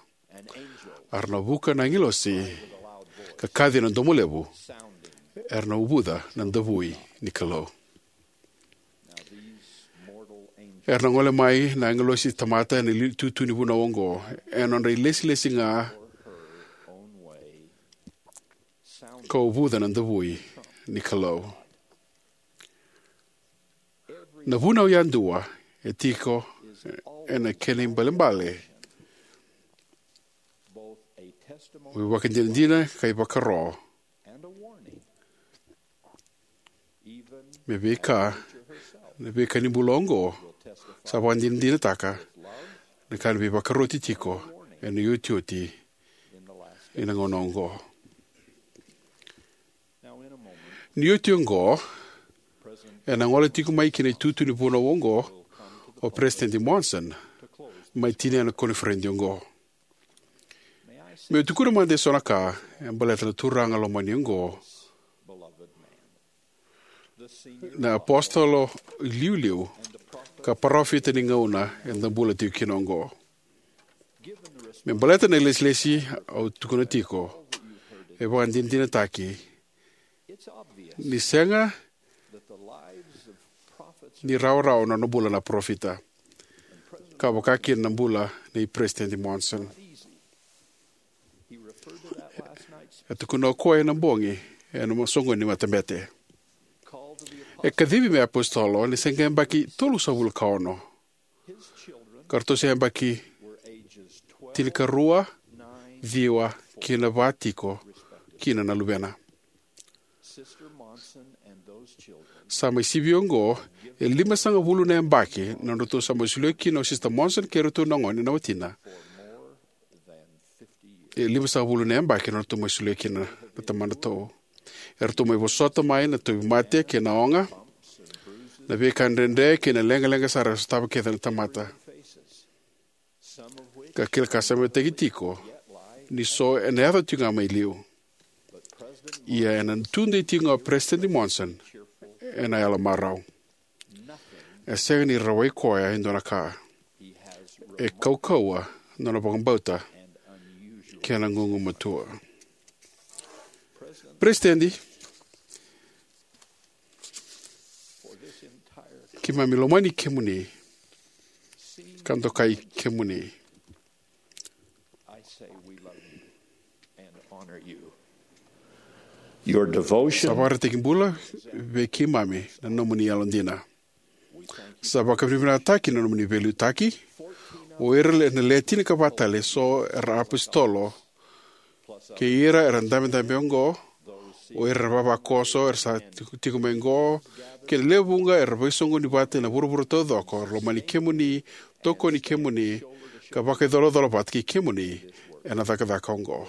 A ra na vuka na agilosi ka kaci ena domo levu, era na uvuca na davui ni Kalou. Era na gole mai na agilosi tamata ena li-, tutu ni vunau oqo, ena nodra ilesilesi ga ka uvuca na davui ni Kalou. Na vunau yadua e tiko ena kena ibalebale Mo ivakadinadina ka ivakaro. Me veika na veika ni bula oqo sa vakadinadinataka na ka ni veivakaroti tiko ena iotioti ni na gauna oqo. Ni oti oqo, ena gole tiko mai ki na itutu ni vunau oqo o Peresitedi Monson, mai tinia na koniferedi oqo. Meu tukuna mada eso na ka e baleta na turaga lomani oqo, na apositolo iliuliu ka parofita ni gauna eda bula tiko kina oqo. Me baleta na ilesilesi au tukuna tiko, e vakadinadinataki ni sega ni rawarawa na nona bula na parofita, ka vaka kina na bula nei Peresitedi Monson. E tukuna o koya ena bogi ena soqoni ni matabete. E kacivi me apositolo ni se qai yabaki tolusagavulu ka ono, ka ratou se yabaki tinikarua, ciwa kei na va tiko kina na luvena. Sa mai sivi oqo e limasagavulu na yabaki na nodratou sa mai solia kina o Sisita Monson kei iratou na gone na watina. E limasagavulu na yabaki na nodratou mai solia kina na tamadratou. Eratou mai vosota mai na tauvimate kei na oga, na veika dredre kei na leqaleqa sara e sotava kece na tamata, ka kila ka sa mai tiko ni so ena yaco tiko ga mai liu. Ia ena tudei tiko ga o Peresitedi Monson ena yalo marau. E sega ni rawai koya e dua na ka. E kaukauwa na nona vakabauta kei na gugumatua. Peresitedi, keimami lomani kemuni ka dokai kemuni. Sa vakaraitaki bula vei keimami na nomuni yalodina. Sa vakavinavinakataki na nomuni veiliutaki. O ira na le tinikava tale eso era apositolo kei ira era dabedabe oqo, o ira era vavakoso era sa tiko, tiko mai oqo, kei na lewe vuqa era veisoqoni vata ena vuravura taucoko, era lomani kemuni, tokoni kemuni, ka vakaicolacola vata kei kemuni ena cakacaka oqo.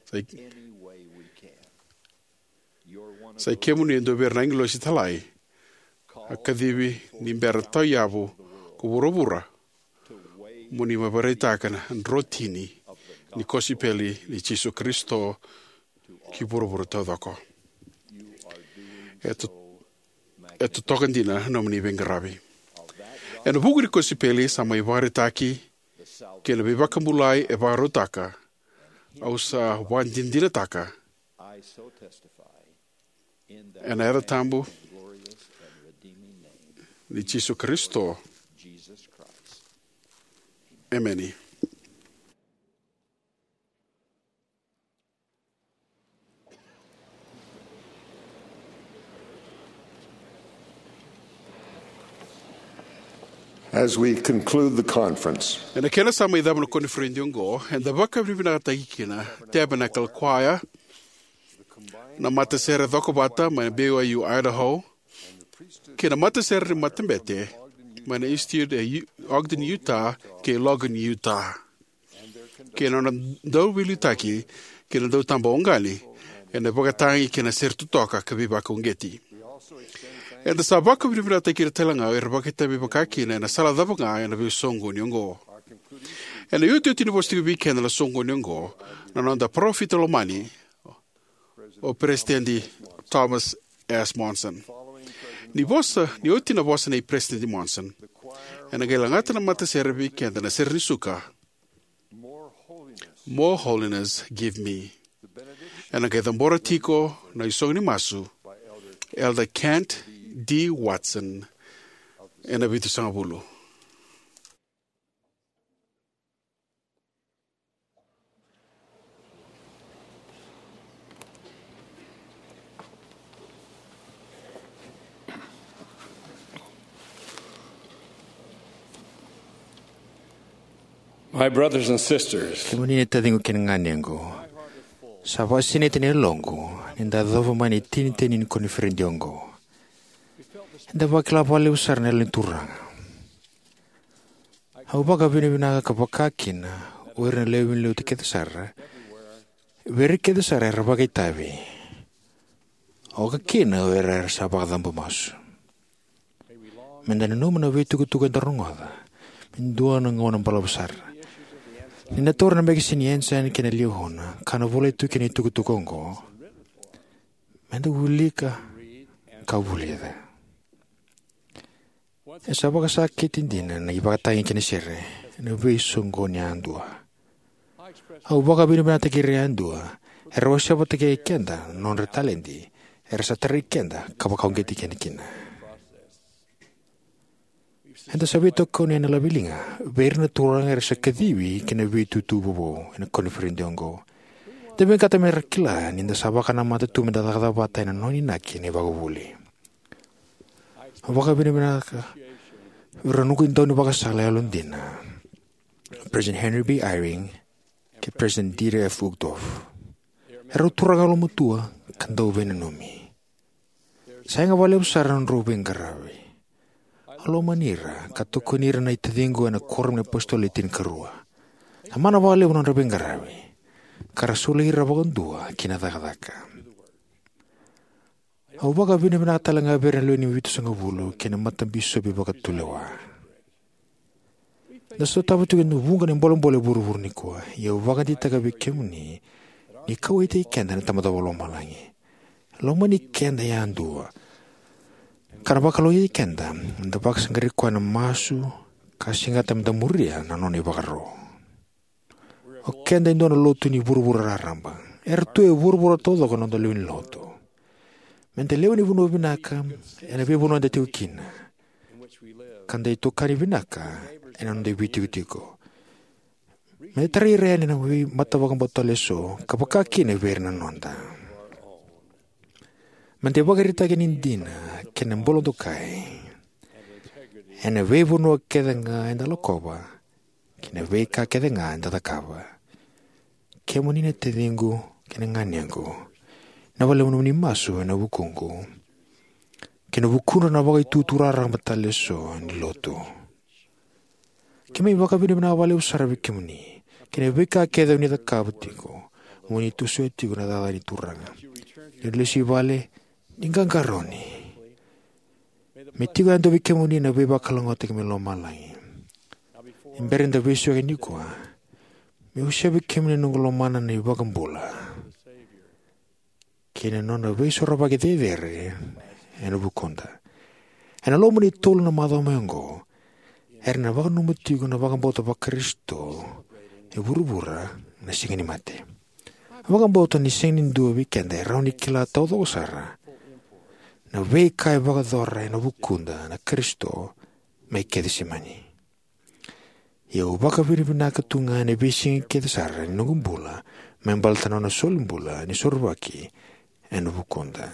Sa i, sa i kemuni e dua vei ira na agilosi talai a kacivi ni bera tauyavu ko vuravura mo ni mai vakaraitaka na drotini ni kosipeli ni Jisu Karisito ki vuravura taucoko. E to, e totoka dina na nomuni veiqaravi. Ena vuku ni kosipeli sa mai vakaraitaki kei na veivakabulai e vakarautaka, au sa vakadinadinataka ena yaca tabu ni Jisu Karisito. Emeni. As we conclude the conference, ena kena sa mai cava na koniferedi oqo, eda vakavinavinakataki kina Tabernacle Choir, na matasere cokovata mai na B Y U Idaho, kei na matasere ni matabete mai na Institute e U-, Ogden, Utah, kei Logan, Utah, kei na nona dauveiliutaki kei na dautaba oqani ena vakatagi kei na sere totoka ka veivakauqeti. Eda sa vakavinavinakataki ira tale ga era vakaitavi vakakina ena sala cava ga ena veisoqoni oqo. Ena iotioti ni vosa tiko vei keda na soqoni oqo na noda parofita lomani, o Peresitedi Thomas S. Monson. Ni vosa, ni oti na vosa nei Peresitedi Monson, ena qai lagata na matasere vei keda na sere ni suka, More Holiness Give Me. Ena qai cabora tiko na isogo ni masu, Elder Kent D. Watson, ena vitusagavulu. My brothers and sisters, kemuni na taciqu kei na ganequ, sa vakasinaiti na yaloqu ni da yacova mai na itinitini ni koniferedi oqo. Eda vakila vakalevu sara na Yalo ni Turaga. Au vakavinavinaka ka vaka kina o ira na lewe ni lotu kece sara, vei ira kece sara era vakaitavi, oka kina o ira era sa vakacabo masu. Me da nanuma na veitukutuku eda rogoca me dua na gauna balavu sara. Ni da taura na mekesini Ensign kei na Liahona ka na volai tu kina na itukutuku oqo, me da wilika ka vulica. E sa vakasakiti dina na ivakatagi kei na sere ena veisoqoni yadua. Au vakavinavinakataki ira yadua era wasea vata kei keda na nodra taledi era sa tarai keda ka vakauqeti keda kina. Eda sa veitokoni ena laveliga vei ira na turaga era sa kacivi ki na veitutu vovou ena koniferedi oqo. Eda vinakata me ra kila ni da sa vakanamata tu me da cakacaka vata ena nona inaki na ivakavuvuli. Au vakavinavinaka vei ira na noqu idaunivakasala yalodina, President Henry B. Eyring kei President Dieter F. Uchtdorf. Erau turaga yalomatua ka dau veinanumi. Sa yaga vakalevu sara na nodrau veiqaravi. Au lomani ira ka tokoni ira na itaciqu ena Kuoramu ni iApositolo Le Tinikarua. Sa mana vakalevu na nodra veiqaravi ka ra soli ira vakadua ki na cakacaka. Au vakavinavinaka tale ga vei ira na lewe ni Vitusagavulu kei na matabisopi vakatulewa. Da sotava tiko e vuqa na bolebole e vuravura nikua, ia au vakadeitaka vei kemuni ni kauwaitaki keda na Tamada Vakalomalagi. E lomani keda yadua ka na vakalougatataki keda me da vakasaqarai koya ena masu ka segata me da muria na nona ivakaro. O keda e dua na lotu ni vuravura raraba. Era tu e vuravura taucoko na noda lewe ni lotu. Me da lewe ni vanua vinaka ena veivanua eda tiko kina, ka da itokani vinaka ena noda veitikotiko. Me da tarai ira yani na veimatavakabauta tale eso ka vaka kina vei ira na noda. Me da ivakaraitaki ni dina kei na bula dokai ena veivanua kece ga eda lakova kei na veika kece ga eda cakava. Kemuni na taciqu kei na ganequ, na vakalevu nomuni masu ena vukuqu kei na vukudra na vakaitutu raraba tale eso ni lotu. Keimami vakavinavinaka vakalevu sara vei kemuni kei na veika kece o ni cakava tiko mo ni tosoya tiko na cakacaka ni Turaga. Ni lesu i vale, ni qaqarauni. Me tiko yadua vei kemuni na veivakalougatataki mai lomalagi. Ni bera ni da veisiko nikua, meu wasea vei kemuni na noqu lomana na iVakabula kei na nona veisorovaki cecere ena vukuda. Ena loma ni tolu na macawa mai oqo, era na vakananuma tiko na vakabauta vaKarisito e vuravura na Siga ni Mate. Vakabauta ni sega ni dua vei keda e rawa ni kila taucoko sara na veika e vakayacora ena vukuda na Karisito mai Kecisemani. Ia au vakavinavinaka tu ga ena veisiga kece sara ni noqu bula me baleta na nona solibula ni sorovaki ena vukuda.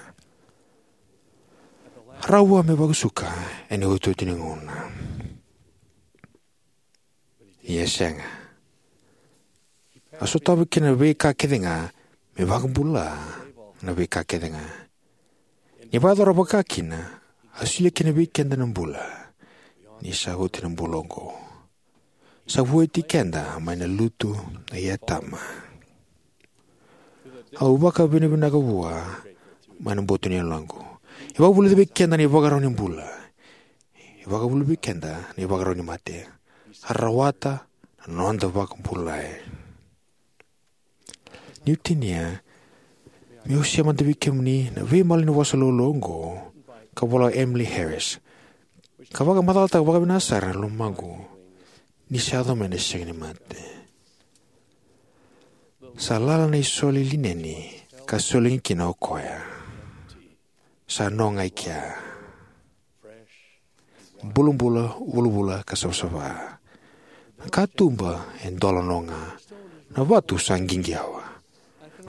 Rawa me vakasuka ena iotioti ni gauna. Ia sega. A sotava kina na veika kece ga me vakabula na veika kece ga. Ni vakayacora vaka kina, a solia kina vei keda na bula ni sa oti na bula oqo. Sa vueti keda mai na lutu i Atama. Au vakavinavinaka vua mai na boto ni yaloqu. E vakavulica vei keda na ivakarau ni bula. E vakavulica vei keda na ivakarau ni mate. A rawata na noda vakabulai. Niu tinia, meu wasea mada vei kemuni na veimalanivosa laulau oqo ka vola o Emily Harris, ka vakamacalataka vakavinaka sara na lomaqu ni sa yaco mai na Siga ni Mate. Sa lala na isole lineni ka solegi kina o koya. Sa no ga i kea. Bulabula, vulavula ka savasava. Na katuba e dola no ga. Na vatu sa qiqi yawa.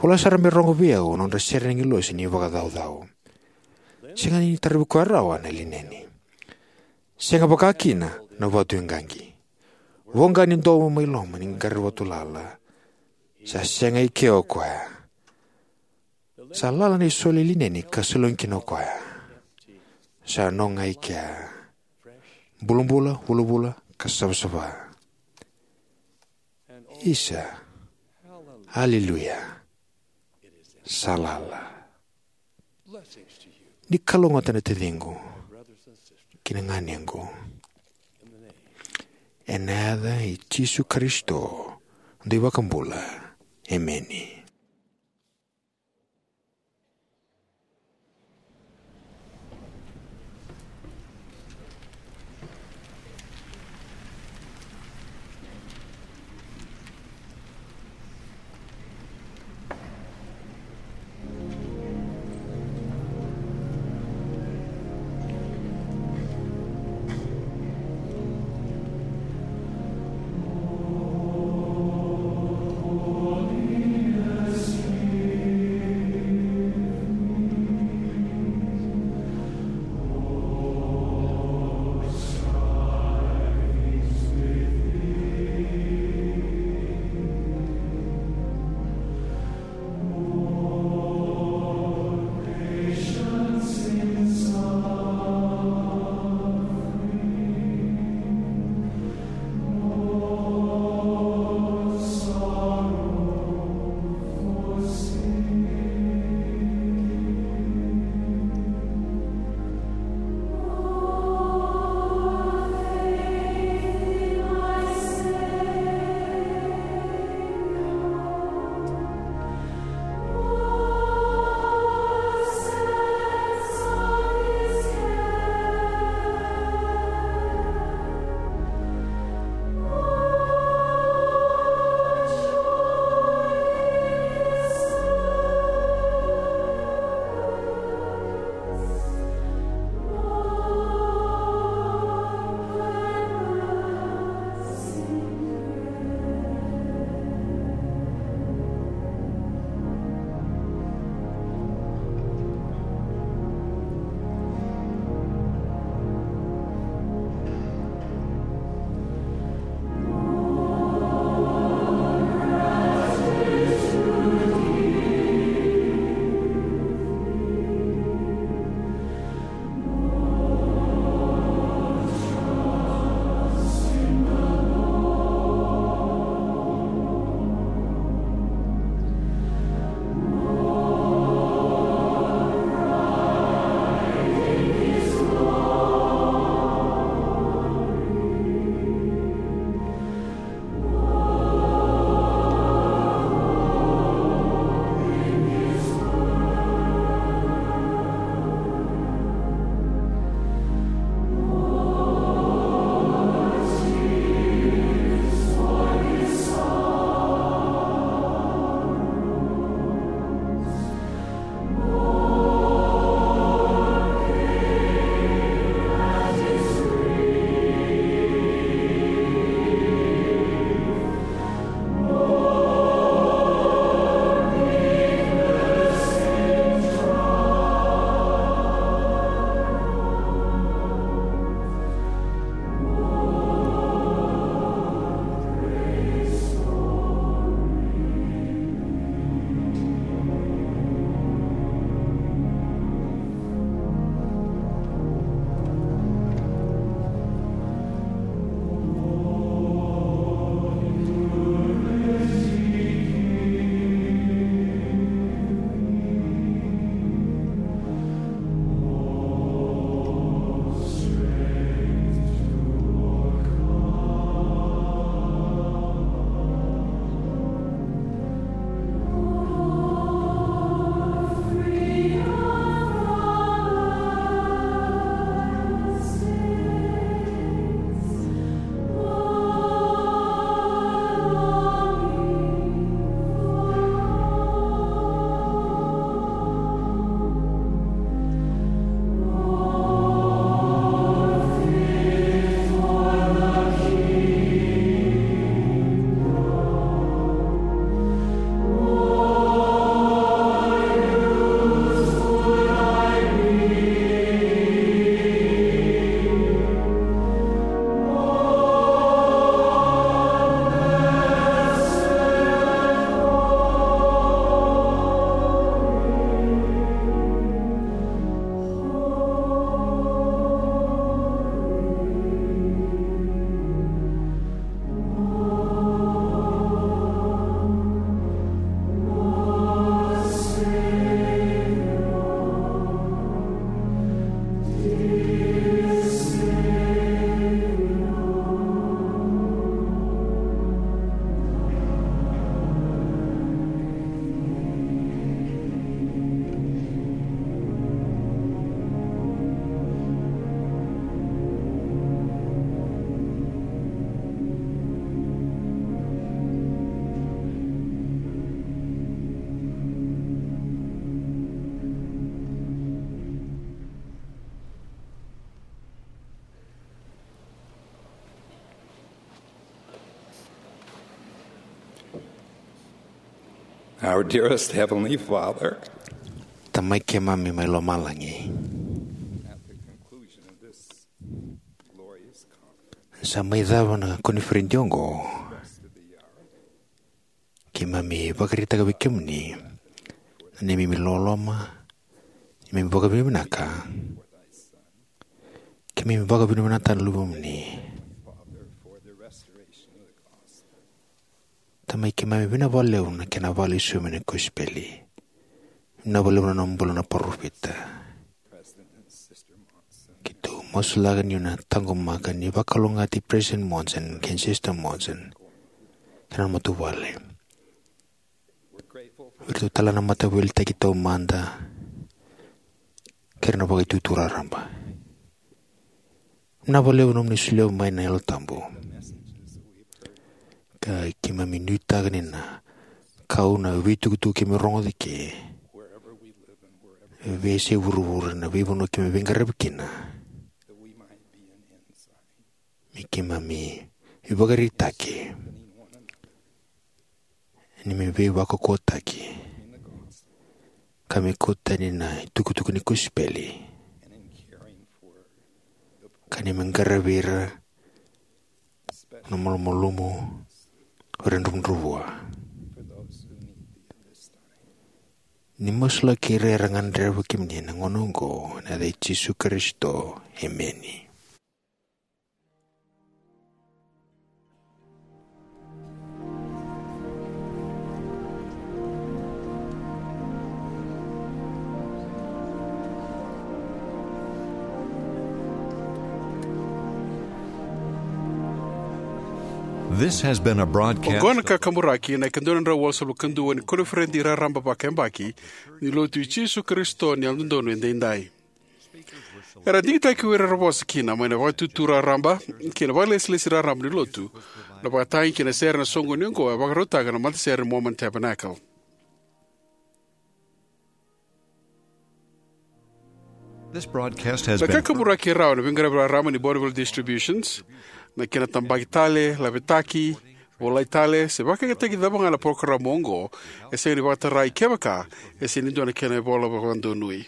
Voleka sara me rogo vei au na nodra sere na agilosi ni vakacaucau. Sega ni taravi koya rawa na lineni. Sega vaka kina na vatu e qaqi. Voqa ni domo mai loma ni qaravi vatu lala. Sa sega i kea o koya. Sa lala na isole lineni ka salogi kina o koya. Sa no ga i kea. Bulabula, vulavula, ka savasava. Isa. Aleluya. Sa lala. Ni kalougata na taciqu kei na ganequ. Ena yaca i Jisu Karisito, dui vakabula. Emeni. Our dearest Heavenly Father, Tamai keimami mai lomalagi, sa mai cava na koniferedi oqo. Keimami vakaraitaka vei kemuni na neimami loloma, neimami vakavinavinaka. Keimami vakavinavinaka na luvemuni. Tamai keimami, vinaka vakalevu na kena vale i somi na kosipeli. Vinaka vakalevu na nomu bula na parofita. Keitou masulaka ni na taqomaka ni vakalougatataki President Monson kei Sister Monson kei na matavuvale. Vei iratou tale na mataveiliutaki taumada kei na vakaitutu raraba. Vinaka vakalevu nomuni solia mai na Yalo Tabu. Ka keimami nuitaka ni na kau na veitukutuku keimami rogoca eke, veiyasai vuravura, na veivanua keimami veiqaravi kina, me keimami veivakaraitaki, ni me veivakaukauwataki, ka me kauta tani na itukutuku ni kosipeli, ka ni me qaravi ira na malumalumu, o ira na dravudravua. Ni masulaki ira era gadreva kemuni ena gauna oqo, ena yaca i Jisu Karisito. Emeni. This has been a broadcast. Oqo na kakaburaki ena ikaduadrau walusagavulu ka dua ni koniferedi raraba vakayabaki ni Lotu i Jisu Karisito ni Yalododonu Edaidai. Era digitaki o ira era vosa kina mai na vakaitutu raraba kei na vakalesilesi raraba ni Lotu. Na vakatagi kei na sere ena soqoni oqo e vakarautaka na matasere Mormon Tabernacle. This broadcast has Na been kakaburaki e rawa ena veiqaravi raraba ni Bonneville Distributions. Na kena tabaki tale, lavetaki, volai tale, se vakayagataki cava ga na parokaramu oqo, e sega ni vakatarai kevaka e sega ni dua na kena ivola vakadonui.